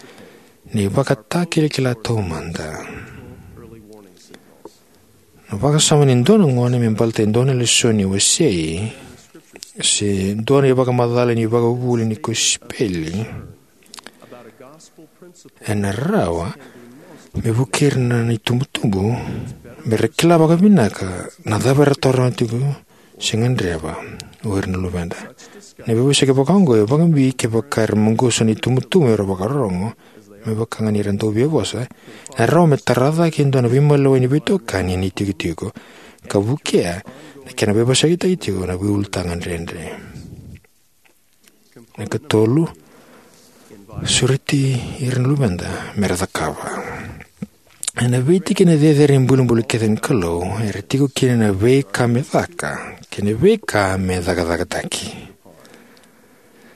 na ivakatakilakila taumada. Na vakasama ni dua na gone me baleta e dua na lesoni wasei se dua na ivakamacala ni ivakavuvuli ni kosipeli ena rawa me vukei ira na itubutubu me ra kila vakavinaka na cava era taroga tiko se gadreva o ira na luvedra. Na veivosaki vakaoqo e vakabibi kevaka era maqosa na itubutubu era vakarorogo, me vaka ga ni ra dau via vosa. Ena rawa me tara cake e dua na veimaliwai ni veitokani ena itikotiko ka vukea na kena veivosakitaki tiko na veiulutaga dredre. Na katolu, sureti ira na luveda me ra cakava. Ena veitikina cecere ni bulibuli kece ni Kalou era tiko kina na veika me caka kei na veika me cakacakataki.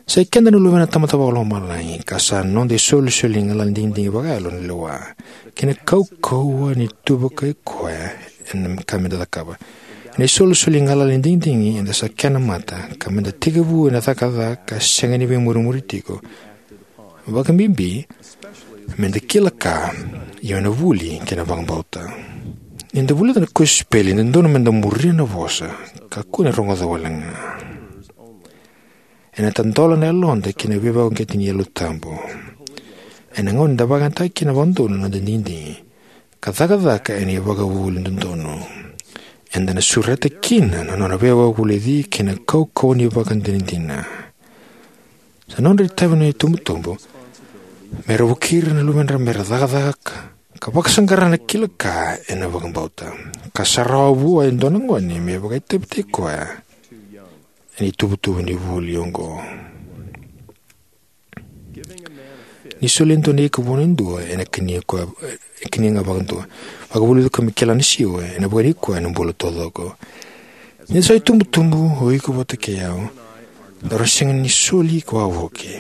Sa i keda na luvena na Tamada Vakalomalagi, ka sa noda isolisoli ni galala ni digidigi vakayalo na lewa kei na kaukauwa ni tu vakai koya ena ka meda cakava. Ena isolisoli ni galala ni digidigi eda sa kena mata, ka meda tekivu ena cakacaka ka sega ni veimurimuri tiko. Vakabibi meda kila ka, io, ena vuli kei na vakabauta. Nida vulica na kosipeli, e dodonu meda muria na vosa ka kua ni rogoca wale ga. Ena tadola na yaloda ki na veivakauqeti ni Yalo Tabu ena gauna eda vakayagataka kina vakadodonu na noda digidigi ka cakacaka ena ivakavuvuli dodonu. Eda na sureta kina na nona veivakavulici kei na kaukauwa ni ivakadinadina. Sa nodra itavi na itubutubu me ra vukei ira na luvedra me ra cakacaka ka vakasaqara na kila ka ena vakabauta. Ka sa rawa vua e dua na gone me vakaitavitaki koya ena ituvatuva ni vuli oqo. Ni solia e dua na ika vua e dua, ena kania koya, ena kania ga vakadua. Vakavulici koya me kila na siwa, ena vakani koya ena bula taucoko. Ni da sa itubutubu, o iko vata kei au, daru sega ni soli ika wavoki.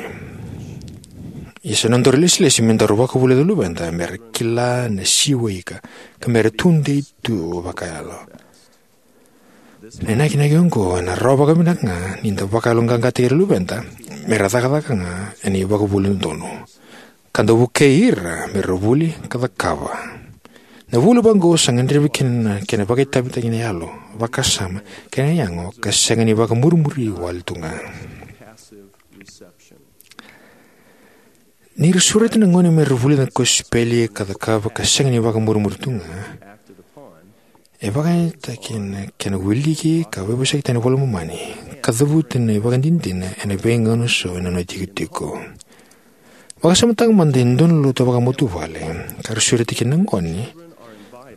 Ia sa nodaru ilesilesi me daru vakavulica na luveda, mera kila na siwa ika, ka mera tudei tu vakayalo. Na inakinaki oqo ena rawa vakavinaka ga ni da vakayaloqaqataki ira na luveda, mera cakacaka ga ena ivakavuvuli dodonu. Ka da vukei ira mera vuli ka cakava. Na vuli vaqo sa gadrevi kina na kena vakaitavitaki na yalo, vakasama, kei na yago, ka sega ni vakamurimuri wale tu ga. Ni ra sureta na gone mera vulica na kosipeli ka cakava ka sega ni vakamurimuri tu ga, e vakayagataki na kena wiliki ka veivosakitaki ena iVola i Momani, ka cavuta na ivakadinadina ena veigauna eso ena nona itikotiko. Vakasamataka mada e dua na lotu vakamatavuvale ka ra sureta kina na gone,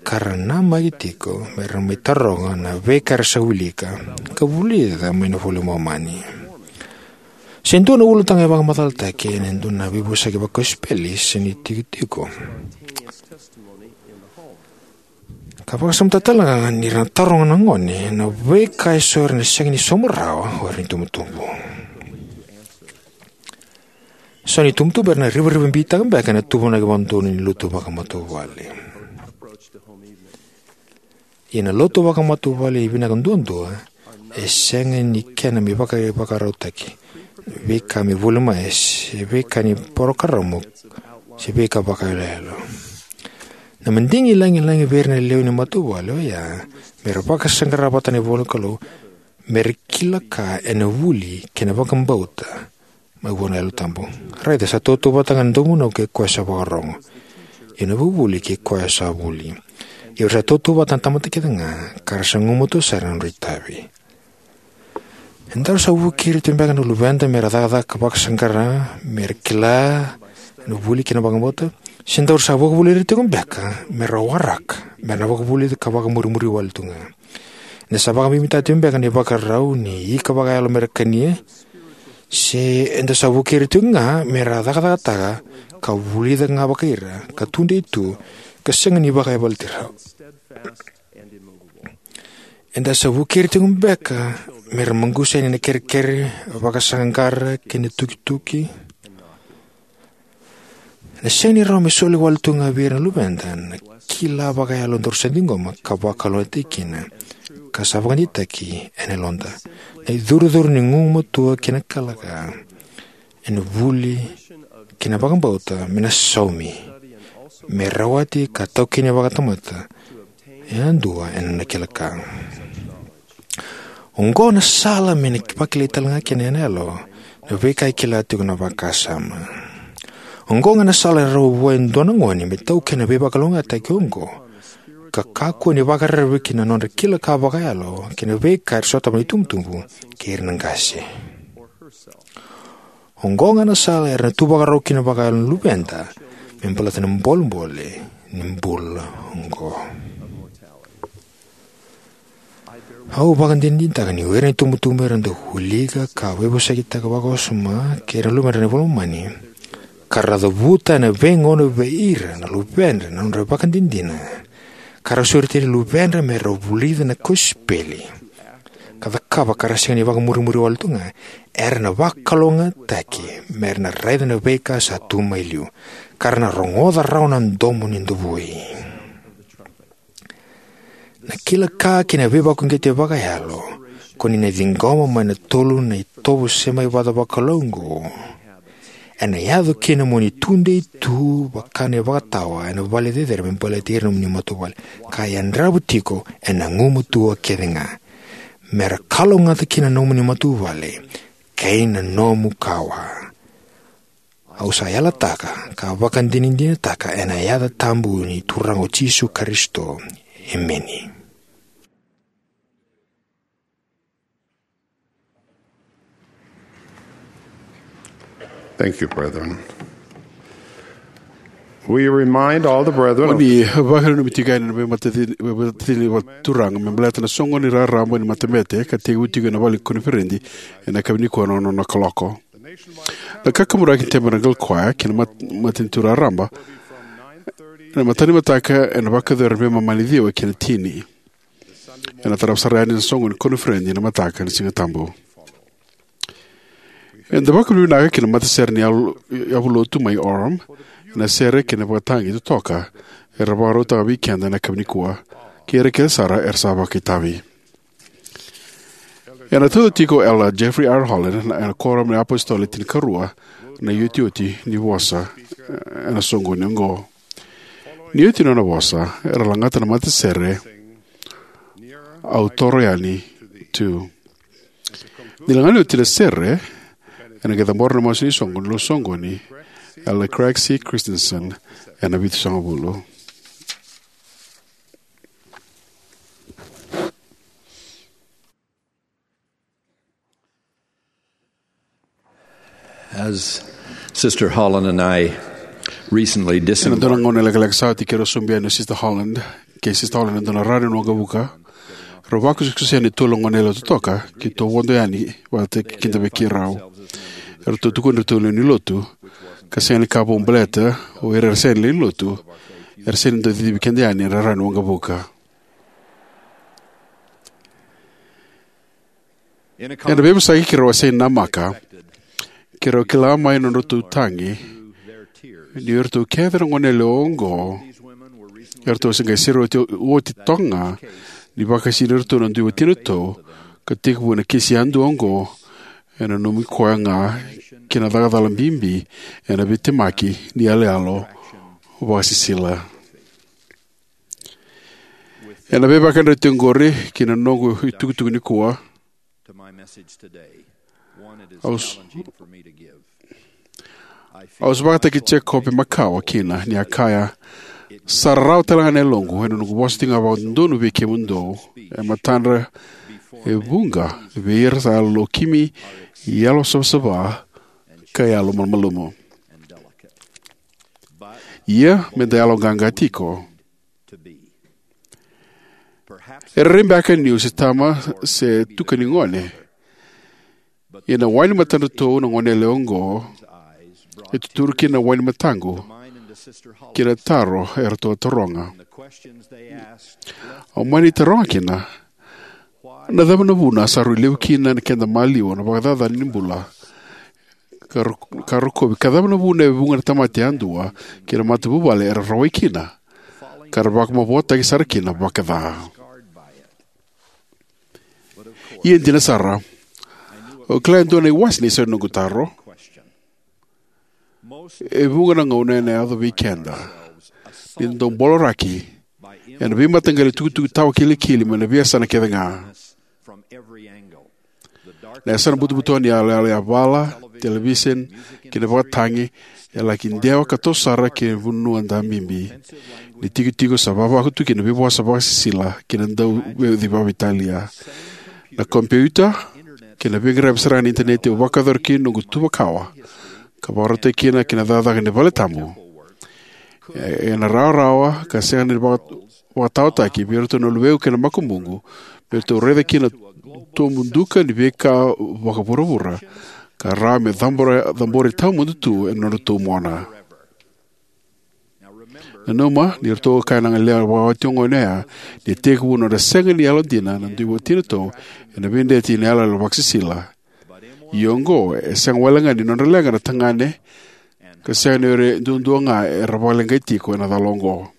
ka ra namaki tiko mera mai taroga na veika era sa wilika ka vulica mai na iVola i Momani. Se dua na ulutaga e vakamacalataki ena dua na veivosaki vakosipeli se na itikotiko. Ka vakasamataka tale ga ni ra na taroga na gone na veika eso era na sega ni sauma rawa o ira na itubutubu. So na itubutubu era na rivarivabitaka beka ena tuvanaki vakadodonu ni lotu vakamatavuvale. Ia na lotu vakamatavuvale e vinaka duadua, e sega ni kena me vakaivakarautaki, veika me vuli mai, se veika ni parokaramu, se veika vakayaloyalo. Na madigi lagilagi vei ira na lewe ni matavuvale oya, mera vakasaqara vata na ivola ni Kalou, mera kila ka ena vuli kei na vakabauta mai vua na Yalo Tabu. Raica, sa tautauvata ga na dauvunau kei koya sa vakarogo, ia na vuvuli kei koya sa vuli. Ia era sa tautauvata na tamata kece ga, ka ra sa gumatua sara ena nodra itavi. Edaru sa vukei ira tiko beka na luveda mera cakacaka vakasaqara, mera kila na vuli kei na vakabauta? Se daru sa vakavuli ira tiko beka mera waraka, mera na vakavulica ka vakamurimuri wale tu ga? Eda sa vakabibitaka tiko beka na ivakarau ni ika vakayalo mera kania? Se eda sa vukei ira tiko ga mera cakacakataka ka vulica ga vakai ira, ka tudei tu, ka sega ni vakaivalatira? Eda sa vukei ira tiko beka mera maqusa yani na kerekere, vakasaqaqara kei na tukituki? Ena sega ni rawa me soli wale tu ga vei ira na luveda na kila vakayalo daru sa ciqoma ka vakalougatataki kina, ka sa vakadeitaki ena yaloda. Na icurucuru ni gumatua kei na kila ka ena vuli kei na vakabauta me na saumi, me rawati ka taukeni vakatamata yadua ena nona kila ka. Oqo na sala me na vakilai tale ga kina ena yalo na veika e kila tiko na vakasama. Oqo ga na sala e rawa vua e dua na gone me taukena na veivakalougatataki oqo, ka kakua ni vakararavi ki na nodra kila ka vakayalo kei na veika era sotava na itubutubu kei ira na qase. Oqo ga na sala era na tu vakarau kina vakayalo na luveda me baleta na bolebole ni bula oqo. Au vakadinadinataka ni o ira na itubutubu era dau wilika ka veivosakitaka vakawasoma kei ira na luvedra na iVola i Momani, ka ra cavuta ena veigauna vei ira na luvedra na nodra ivakadinadina, ka ra sureti ira na luvedra mera vulica na kosipeli ka cakava, ka ra sega ni vakamurimuri wale tu ga, era na vakalougatataki mera na raica na veika sa tu mai liu, ka ra na rogoca rawa na domo ni davui. Na kila ka kei na veivakauqeti vakayalo ko ni na ciqoma mai na tolu na itovo semai vakakalou oqo, ena yaco kina mo ni tudei tu vaka na ivakatawa ena vale cecere me baleti ira na nomuni matavuvale, ka yadrava tiko ena gumatua kece ga. Mera kalougata kina na nomuni matavuvale kei na nomu kawa. Au sa yalataka ka vakadinadinataka ena yaca tabu ni Turaga o Jisu Karisito. Emeni. Thank you, brethren. We remind all the brethren Mo of ni vakananumi tiko yani na veimatacini, veimatacini vakaturaga me baleta na soqoni raraba ni matabete ka tekivu tiko ena vale ni koniferedi ena yakavi nikua na ono na kaloko. Na kakaburaki ni tebe na Gal Koya kei na mat-, matanitu raraba ena mataka ni mataka ena vakayacori ena veimama ni ciwa kei na tini. Ena tarava sara yani na soqoni ni koniferedi ena mataka ni Siga Tabu. Eda vakavinavinaka ki na matasere ni yavu-, yavulotu mai Orem ena sere kei na vakatagi totoka era vakarautaka vei keda ena yakavi nikua, kei ira kece sara era sa vakaitavi. Ena tauca tiko o Elder Jeffrey R. Holland na, ena Kuoramu ni iApositolo Le Tinikarua, na iotioti ni vosa, eh, ena soqoni oqo. Ni oti na nona vosa, era lagata na matasere, "Au toro yani tu." Ni lagani oti na sere, ena qai cabora na masu ni soqo ni soqoni, Elder Craig C. Christensen, ena vitusagavulu. As Sister Holland and I recently Ena dua na disembarked gauna lekaleka sa oti keirau sobu yani o Sister Holland, kei Sister Holland ena dua na rara ni waqavuka. Rau vakusakusa yani e tolu na goneyalewa totoka, keitou vodo yani vata kei keda vei keirau. Eratou tukuni iratou lewe ni lotu, ka sega ni ka vou baleta o ira era sega ni lewe ni lotu, era sega ni dau cicivi keda yani ena rara ni waqavuka. Ena veivosaki keirau a sega ni namaka, keirau kila mai na nodratou tagi ni o iratou kece na goneyalewa oqo eratou se qai sere oti, oti toka ga ni vakasinaiti iratou na dui watinatou, ka tekivu ena kisi yadua oqo e nanumi koya ga ki na cakacala bibi ena veitemaki ni yaloyalo vakasisila. Ena veivakayarayarataki oqori ki na noqu itukutuku nikua, au s-, au sa vakataki Jacob e makawa kina ni a kaya, "Sa rarawa tale ga na yaloqu ena noqu vosa tiko ga vakadodonu vei kemudou e matadra e vuqa vei ira sa yalolokimi, yalosavasava, ka yalomalumalumu. Ia me da yaloqaqa tiko." E rairai beka niu se tama se tuka ni gone, ia na wai ni matadratou na goneyalewa oqo e tuturu kina na wai ni mataqu ki na taro eratou a taroga. Au mani taroga kina, "Na cava na vuna sa rui levu kina na keda maliwa na vakacacana ni bula ka ro-, ka rokovi, ka cava na vuna e vuqa na tamata yadua kei na matavuvale era rawai kina, ka ra vakamavoataki sara kina vakaca?" Ia dina sara, au kila e dua na iwase ni isau ni noqu taro. E vuqa na gauna ena yaco vei keda ni da dau boloraki ena veimataqali tukutuku tawakilikili mai na veiyasana kece ga. Na yasana butobuto ni yaloyalo yavala, televisoni, kei na vakatagi e laki dewa ka toso sara ki na vanua dabibi, ni tikotiko sa vavaku tu kina na veivosa vakasisila kei na dauveiuci vakaveitalia. Na kompiuta kei na veiqaravi sara ga ni initaneti au vakayacora kina noqu tuva kawa ka vakarautaki kina ki na cakacaka ni valetabu, e, ena rawarawa ka sega ni vaka-, vakataotaki vei iratou na luvequ kei na makubuqu, me ratou raica kina na tobu duka ni veika vakavuravura ka rawa me cabora, cabori tawamudu tu ena nodratou mona. Nanuma ni ratou kaya na goneyalewa vakawati oqo ni a tekivu nodra sega ni yalodina na dui watinatou ena veidreti ni yaloyalo vakasisila. Ia oqo e sega walega ni nodra leqa na tagane, ka sega ni o ira duadua ga era vakaleqai tiko ena cala oqo.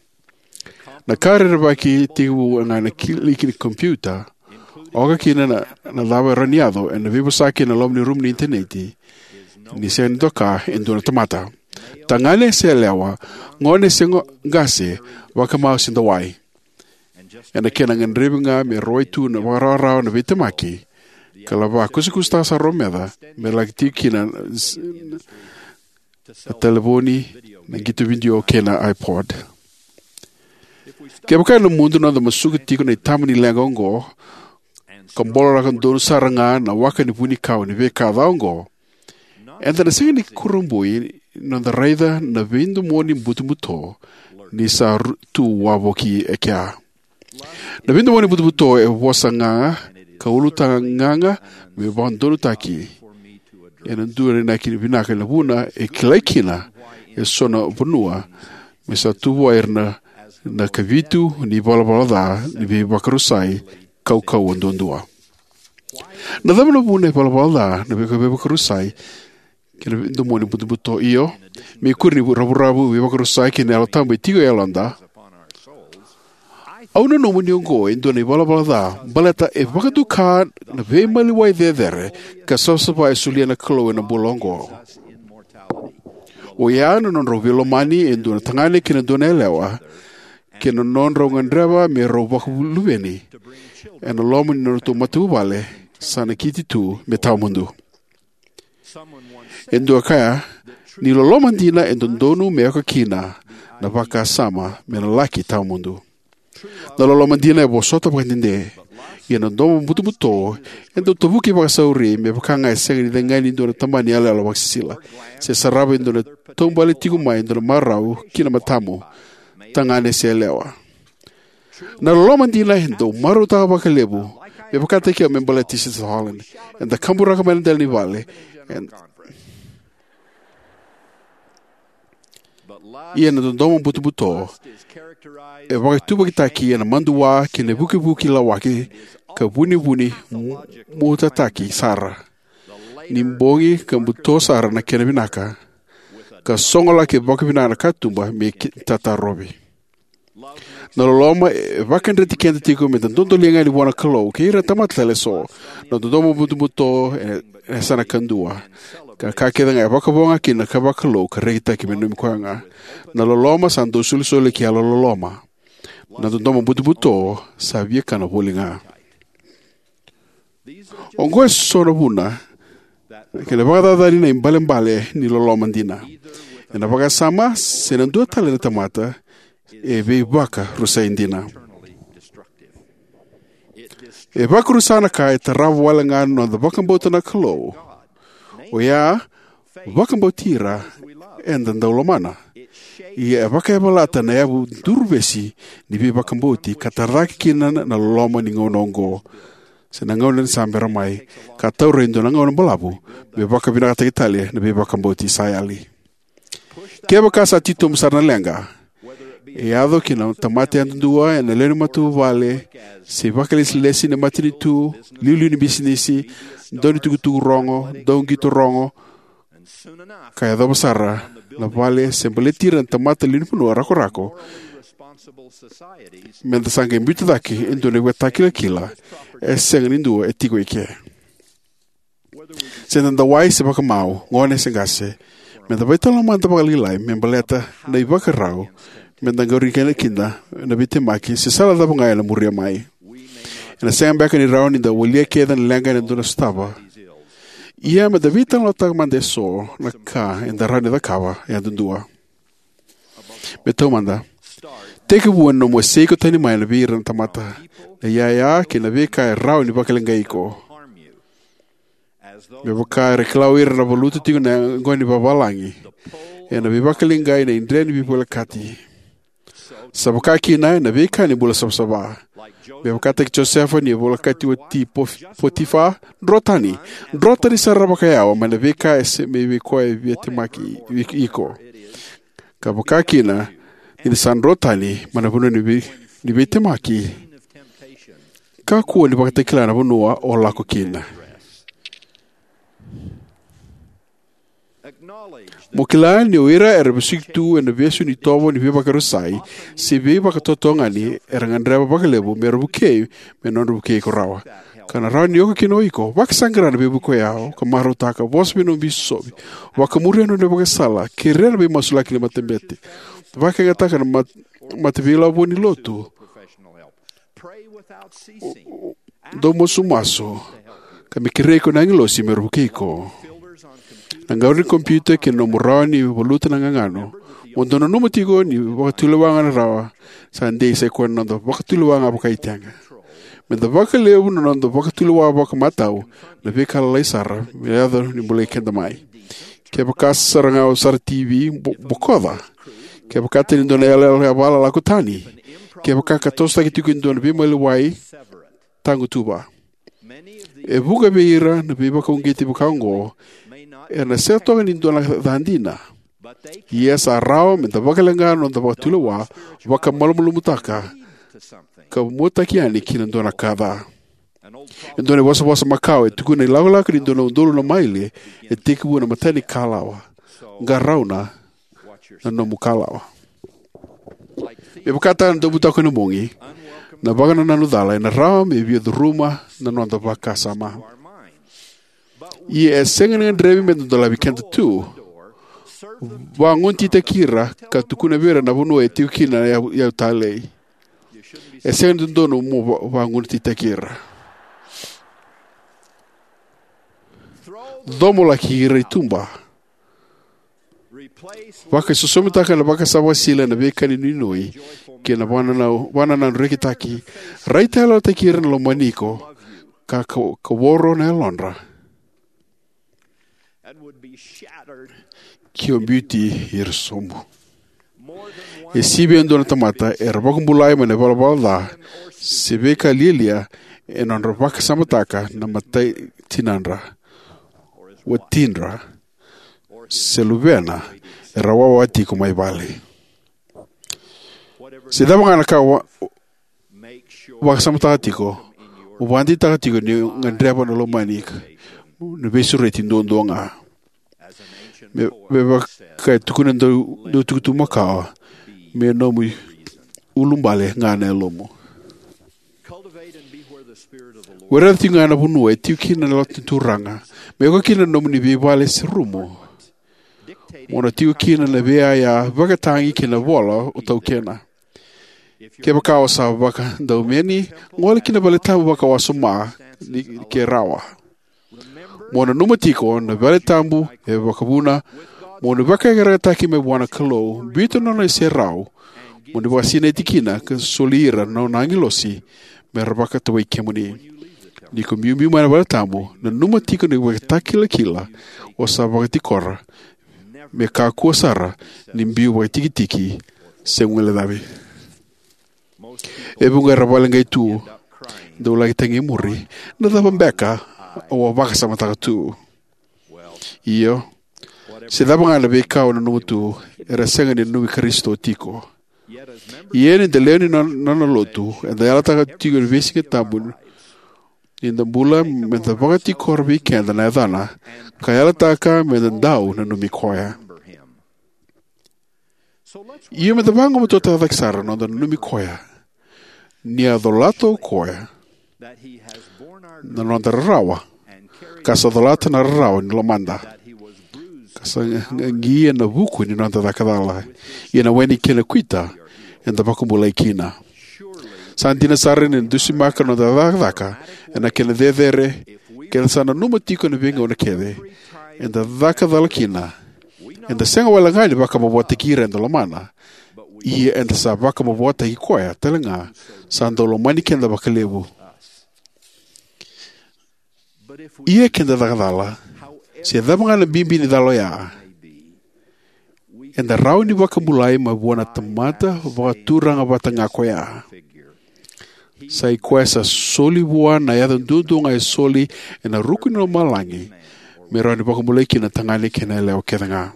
Na ka rerevaki tekivu ga ena kiliki ni kompiuta, oka kina na, na cava e rawa ni yaco ena veivosaki ena loma ni rumu ni initaneti, ni sega ni doka e dua na tamata. Tagane se yalewa, gone se go-, qase, vakamau se dawai. Ena kena gadrevi ga me rawai tu na vakarawarawa na veitemaki, ka lava kusakusataka sara o meca me laki tiko kina na s-, na talevoni, na qito vidio kei na iPod. Kevaka ena mudu noda masuka tiko na itaba ni leqa oqo, ka boloraka donu sara ga na waka ni vunikau ni veika ca oqo, eda na sega ni kurabui noda raica na veidomoni butobuto ni sa ru- tu wavoki e kea. Na veidomoni butobuto e vosa gaga ka ulutaga gaga me vakadodonutaki. Ena dua na inaki vinaka na vuna e kilai kina e so na vanua me sa tu vua ira na, na kavitu ni valavala ca ni veivakarusai kaukauwa duadua. Na cava na vuna e valavala ca na vei- veivakarusai kei na veidomoni butobuto? Io, me ikuri ni ravuravu, veivakarusai kei na Yalo Tabu e tiko e yaloda, au nanuma ni oqo e dua na ivalavala ca baleta e vakaduka na veimaliwai cecere ka savasava e solia na Kalou ena bula oqo. O ya na nodrau veilomani e dua na tagane kei na dua na yalewa, kei na nodrau gadreva me rau vakaluveni ena loma ni nodratou matavuvale sa nakiti tu me tawamudu. E dua kaya ni loloma dina e dodonu me oka kina na vakasama me na laki tawamudu. Na loloma dina e vosota vakadede, ia na domo butobuto e dau tavuki vakasauri me vaka ga e sega ni cega ni dua na tabana ni yaloyalo vakasisila, se sarava e dua na taubale tiko mai e dua na marau ki na matamu, tagane se yalewa. Na loloma dina e dau marautaka vakalevu, me vakataki au me baleti Sister Holland. Eda kaburaka mai na dela ni vale. Eda Ia na dodomo butobuto e vakaituvakitaki ena madua kei na ivukivuki lawaki ka vunivuni mu- mutataki sara, ni bogi ka buto sara na kena vinaka, ka sogolaki vakavinaka na katuba me ki- tatarovi. Na loloma e vakadreti keda tiko me da dodoliga yani vua na Kalou kei ira na tamata tale eso. Na dodomo butobuto e, e sa na kadua, ka ka kece ga e vakavoga kina ka vakalou ka rekitaki me nomu koya ga. Na loloma sa dau solisoli ki yalo loloma. Na dodomo butobuto sa viakana voli ga. Oqo e so na vuna kei na vakacacani na ibalebale ni loloma dina. Ena vakasama se na dua tale na tamata e veivakarusai dina. E vakarusa na ka e tarava wale ga na noda vakabauta na Kalou. Oya, vakabauti ira eda dau lomana. Ia e vakayavalata na yavu duruvesi ni veivakabauti ka tara cake kina na loloma ni gauna oqo, se na gauna ni sa bera mai, ka taura e dua na gauna balavu me vakavinakataki tale na veivakabauti sa yali. Kevaka sa titobu sara na leqa, e yaco ki na tamata yadudua, ena lewe ni matavuvale, se vakalesilesi ni matanitu, liuliu ni bisinisi, dau ni tukutuku rogo, dau qito rogo, ka yacova sara na vale se baleti ira na tamata lewe ni vanua rakorako, me da sa qai biuta cake e dua na ivakatakilakila e sega ni dua e tiko eke. Se da dau wai se vakamau, gone se qase, me da veitalanoa mada vakalailai me baleta na ivakarau me da qori kina, kina na veitemaki se sala cava ga ena muria mai. Ena sega beka ni rawa ni da walia kece na leqa ena dua na sotava. Ia me da veitalanoataka mada eso na ka eda rawa ni cakava yadudua. Me taumada, tekivu ena nomu wasei iko tani mai na vei ira na tamata, na iyaya kei na veika e rawa ni vakaleqai iko. Me vaka era kila o ira na valuta tiko na yaqona ni vavalagi ena veivakaleqai na idre ni veivolekati, sa vaka kina ena veika ni bula savasava. Me vakataki Josefa ni volekati oti Pof- Potifa, dro tani, dro tani sara vakayawa mai na veika e se me vei koya e via temaki i- iko. Ka vaka kina ni na sa dro tani mai na vanua ni vei- ni veitemaki, kakua ni vakatakila na vanua o lako kina. Mo kila ni o ira era vesuki tu ena vesu ni tovo ni veivakarusai se veivakatotogani era gadreva vakalevu me ra vukei, me nodra vukei iko rawa. Ka na rawa ni oka kina o iko. Vakasaqara na veivuke oya ka marautaka, vosa vei nomu bisopi, vakamuria na nona ivakasala, kerea na veimasulaki ni matabete, vakayagataka na mat- mataveilavo ni lotu, dau masumasu, ka me kerei iko na agilosi me ra vukei iko. Na gauna ni kompiuta kei na nomu rawa ni valuta na gagano, mo dau nanuma tiko ni vakatulewa ga na rawa sa dei, sai koya na noda vakatulewa ga vakaitega. Me da vakalevu na noda vakatulewa vakamatau na veika lalai sara me yaco ni bolei keda mai. Kevaka sara ga o sara T V, bo-, bokoca. Kevaka tani dua na yalayala e vakalako tani. Kevaka ka tosotaki tiko e dua na veimaliwai, tagutuva. E vuqa vei ira na veivakauqeti vakaoqo, ena sega toka ni dua na ca dina. Ia sa rawa me da vakaleqa na noda vakatulewa, vakamalumalumutaka, ka muataki yani ki na dua na ka ca. E dua na ivosavosa makawa e tukuna ni lakolako ni dua na udolu na maile e tekivu ena imatai ni kalawa. Qarauna na nomu kalawa. Me vakataka na daubutako ena bogi, na vakanananu cala ena rawa me via curuma na noda vakasama. Ia e sega ni gadrevi me da dolavi keda tu. Vagunotaki ira ka tukuna vei ira na vanua e tiko kina na iyau, iyau talei. E sega ni dodonu mo va-, vagunotaki ira. Comolaki ira i tuba. Vakaisosomitaka na vakasama sila ena veika ni nuinui kei na vakanananu, vakanananu rekitaki. Raitayalotaki ira na lomani iko ka, ka, ka voro na yalodra. Ke o biuti ira sobu. E sivia e dua na tamata era vakabulai mai na ivalavala ca se veika lialia ena nodra vakasamataka na matai tinadra, watidra, se luvena era wawa tiko mai vale. Se cava ga na ka wa-, vakasamataka tiko, mo vakadeitaka tiko ni gadreva na lomani, na veisureti duadua ga. Me, me vaka e tukuna na dau, dau tukutuku makawa, me nomu ulubale ga na yalomu. Wereca tiko ga na vanua e tiko kina na lotu ni Turaga, me oka kina na nomuni veivale se rumu. Mo na tiko kina na veiyaya, vakatagi kei na vola o taukena. Kevaka o sa vakadaumeni, gole ki na vale tabu vakawasoma ni ke rawa. Mo nanuma tiko na vale tabu e vakavuna mo ni vakaiyakayakataki mai vua na Kalou, biuta na nona iserau, mo ni vakasinaiti kina ka soli ira na nona agilosi me ra vakatawai kemuni. Ni ko biubiu mai na vale tabu, nanuma tiko na ivakatakilakila o sa vakatikora, me kakua sara ni biu vakatikitiki se guilecavi. E vuqa era vakaleqai tu, dau laki tagi e muri, na cava beka au a vakasamataka tu? Io, se cava ga na veika o nanuma tu, era sega ni nanumi Karisito tiko. Ia ni da lewe ni nona, nona lotu, eda yalataka tiko ni veisiga tabu, ni da bula me da vakatikora vei keda na yacana, ka yalataka me da dau nanumi koya. Ia me da vagumatua cake sara na noda nanumi koya, ni a colata o koya na noda rarawa, ka sa colata na rarawa ni lomada, ka sa qaqi ena vuku ni noda caka cala, ia na we ni kena kuita eda vakabulai kina. Sa dina sara ni dusimaka na noda cakacaka ena kena cecere, keda sa nanuma tiko ena veigauna kece eda caka cala kina. Eda sega wale ga ni vakamavoataki ira eda lomana, ia eda sa vakamavoataki koya tale ga sa dau lomani keda vakalevu. Ia keda caka cala, se cava ga na bibi ni cala oya, eda rawa ni vakabulai mai vua na tamata vakaturaga vata ga koya. Sa i koya sa soli vua na yaca duadua ga e soli ena ruku ni lomalagi, me rawa ni vakabulai kina na tagane kei na yalewa kece ga.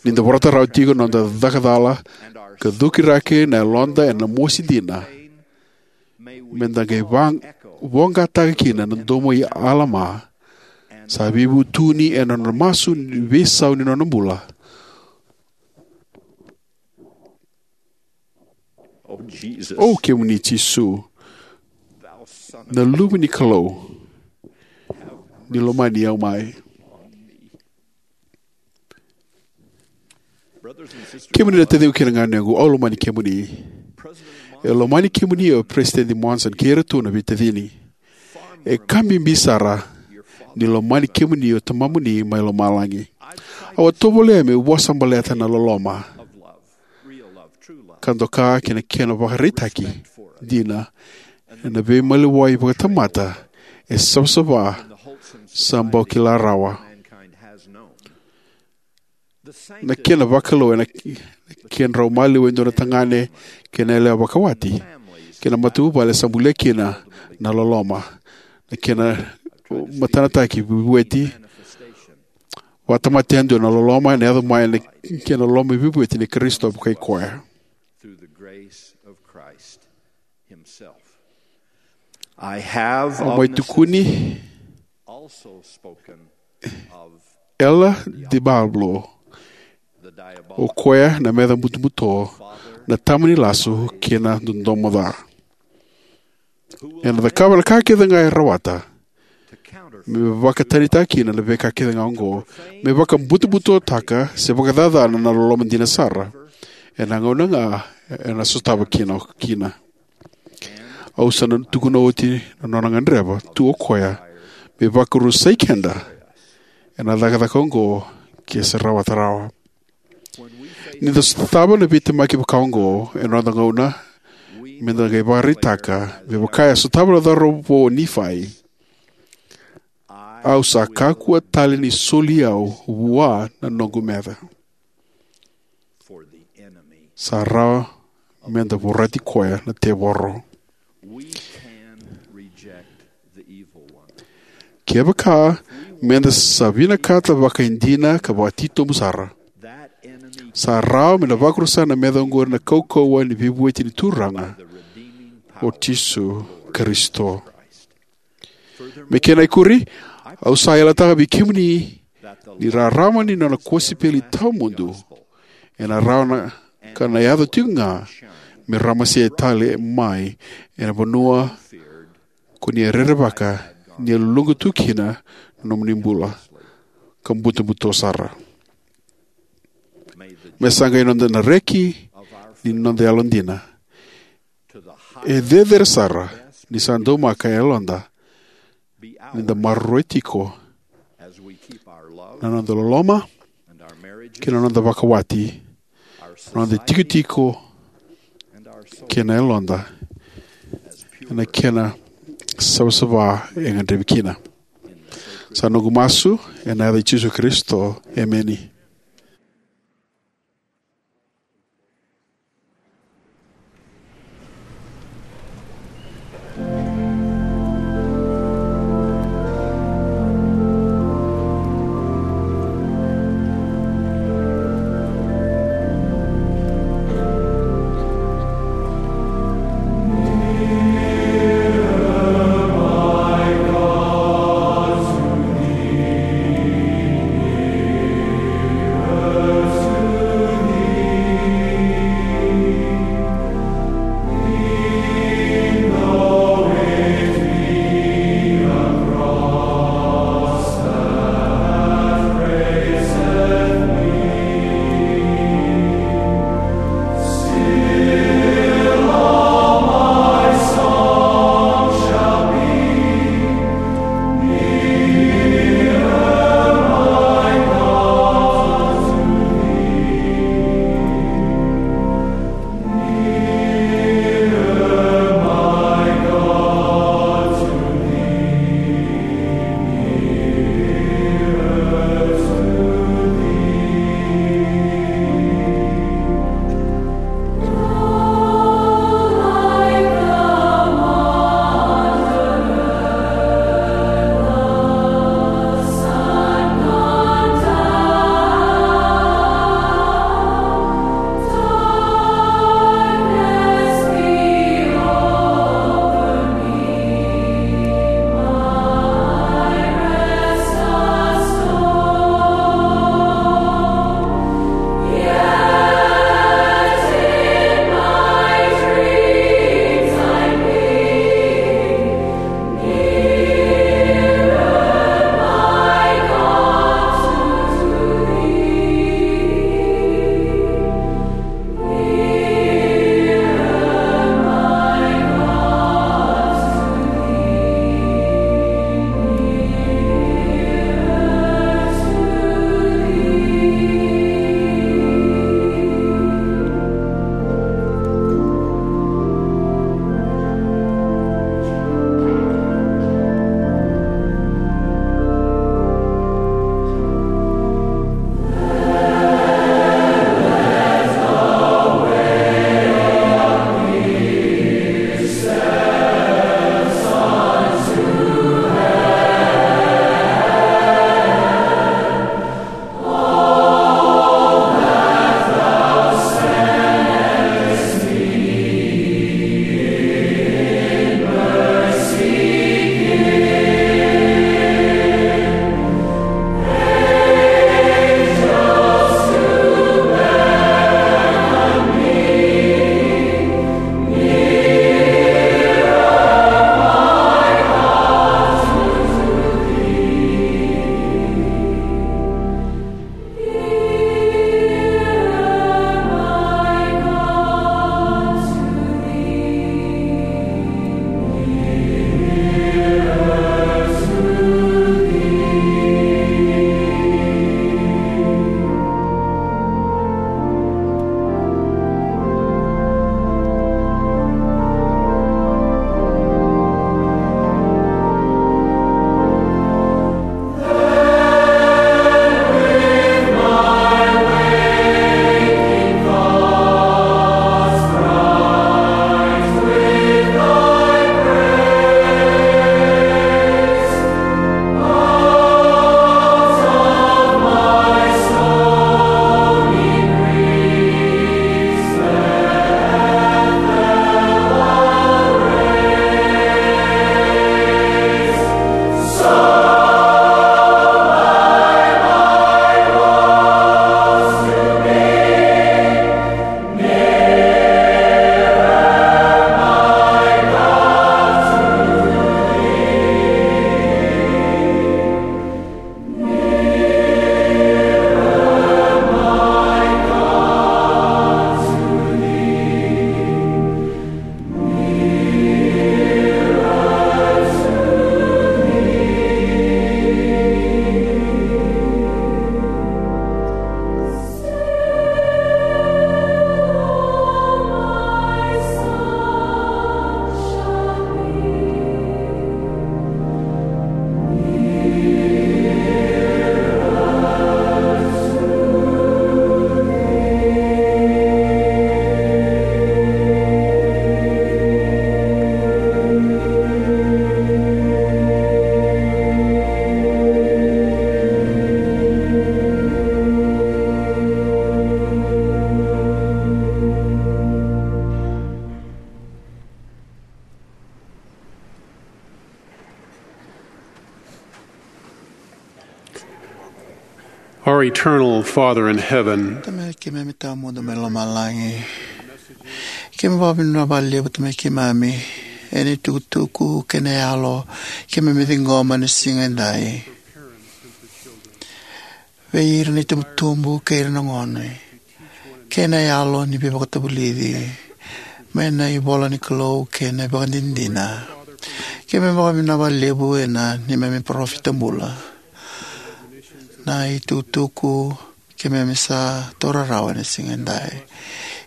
Ni da vorata rawa tiko na noda caka cala, ka cuki rake na yaloda ena mosi dina, me da qai va-, voqataka kina na domo i Alama, sa veivutuni ena nona masu ni veisau ni nona bula. O kemuni Jisu, na Luve ni Kalou, ni lomani au mai. Kemuni na taciqu kei na ganequ, au lomani kemuni. E lomani kemuni o Peresitedi Monson kei iratou na veitacini. E ka bibi sara ni lomani kemuni o Tamamuni mai lomalagi. Au a tovolea meu vosa baleta na loloma ka doka kei na kena vakaraitaki dina ena veimaliwai vakatamata e savasava sa bau kila rawa. na kena vakalou ena kedrau maliwa e dua na tagane kei na yalewa vakawati kei na matavuvale sa bulia kina na loloma, na kena matanataki veivueti, vakatamata yadua na loloma ena yaco mai na kena loloma veivueti ni Karisito vakai koya. Au mai tukuni Ella de Pablo, o koya na meca butobuto, na tama ni lasu kei na dodomo ca. Ena cakava na ka kece ga e rawata me vakatanitaka kina na veika kece ga oqo, me vakabutobutotaka se vakacacana na loloma dina sara ena gauna ga ena sotava kina kina. Au sa na tukuna oti na nona gadreva tu o koya me vakarusai keda ena cakacaka oqo ke se rawata rawa. Ni da sotava na veitemaki vaka oqo ena noda gauna, me da qai vakaraitaka me vaka e sotava na cauravou o Nifai, au sa kakua tale ni soli au vua na noqu meca. Sa rawa me da vorati koya na tevoro. Kevaka me da sa vinakata vakaidina ka vakatitobu sara, sa rawa me na vakarusa na meca oqori na kaukauwa ni veivueti ni Turaga o Jisu Karisito. Me kena ikuri, au sa yalataka vei kemuni ni rarama ni nona kosipeli tawamudu ena rawa na ka na yaco tiko ga me ramase tale mai ena vanua ko ni a rerevaka ni a luluqa tu kina na nomuni bula ka butobuto sara. Me sa qai noda na reki ni noda yalodina e cecere sara ni sa daumaka e yaloda ni da maroroi tiko na noda loloma kei na noda vakawati, na noda tikotiko kei na yaloda ena kena savasava e gadrevi kina. Sa noqu masu ena yaca i Jisu Karisito, emeni. Eternal Father in heaven, Tamai keimami tawamudu mai lomalagi. Keimami vakavinavinaka vakalevu Tamai keimami ena itukutuku kei na yalo keimami ciqoma ena siga edai. Vei ira na itubutubu kei ira na gone, kei na yalo ni veivakatavulici mai na ivola ni Kalou kei na ivakadinadina. Keimami vakavinavinaka vakalevu ena neimami parofita bula. Na itukutuku keimami sa taura rawa ena siga edai.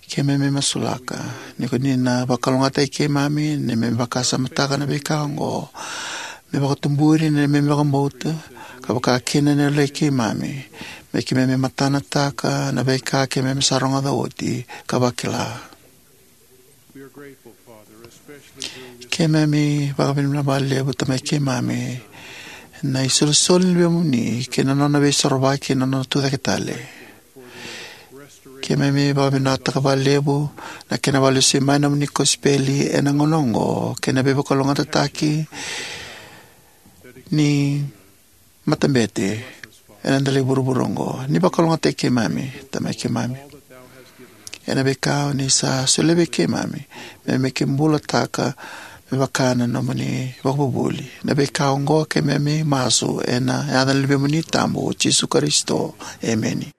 Keimami masulaka ni ko ni na vakalougatataki keimami ni keimami vakasamataka na veika oqo, me vakatuburi na neimami vakabauta, ka vakakina na yalololoma i keimami, me keimami matanataka na veika keimami sa rogoca oti ka vakila. Keimami vakavinavinaka vakalevu Tamai keimami na isolisoli ni Luvemuni kei na nona veisorovaki ena nona tucake tale. Keimami vakavinavinakataka vakalevu na kena vakalesui mai na nomuni kosipeli ena gauna oqo kei na veivakalougatataki ni matabete ena dela i vuravura oqo. Ni vakalougatataki keimami Tamai keimami ena veika o ni sa solia vei keimami me keimami bulataka me vaka na nomuni vakavuvuli. Na veika oqo keimami masu ena yaca ni Luvemuni tabu o Jisu Karisito. Emeni.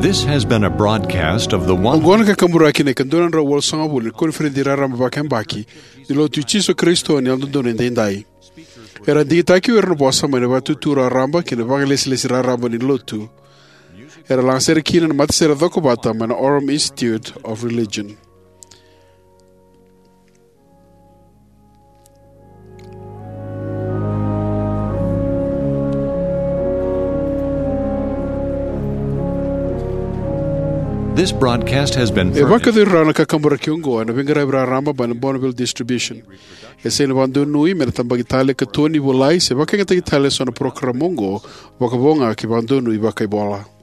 This has been a broadcast of the one. Oqo na kakaburaki na ika dua na drau walusagavulu ni koniferedi raraba vakayabaki ni Lotu i Jisu Karisito ni Yalododonu Edaidai. Era digitaki o ira na vosa mai na Vatutu Raraba kei na Vakalesilesi Raraba ni Lotu. Era lagasere kina na matasere cokovata mai na Oram Institute of Religion. This broadcast has been E furnished. Vakayacori rawa na kakaburaki oqo ena veiqaravi raraba mai na Bonneville Distribution. E sega ni vakadonui me na tabaki tale, katoni, volai se vakayagataki tale eso na parokaramu oqo, vakavo ga ke vakadonui vakaivola.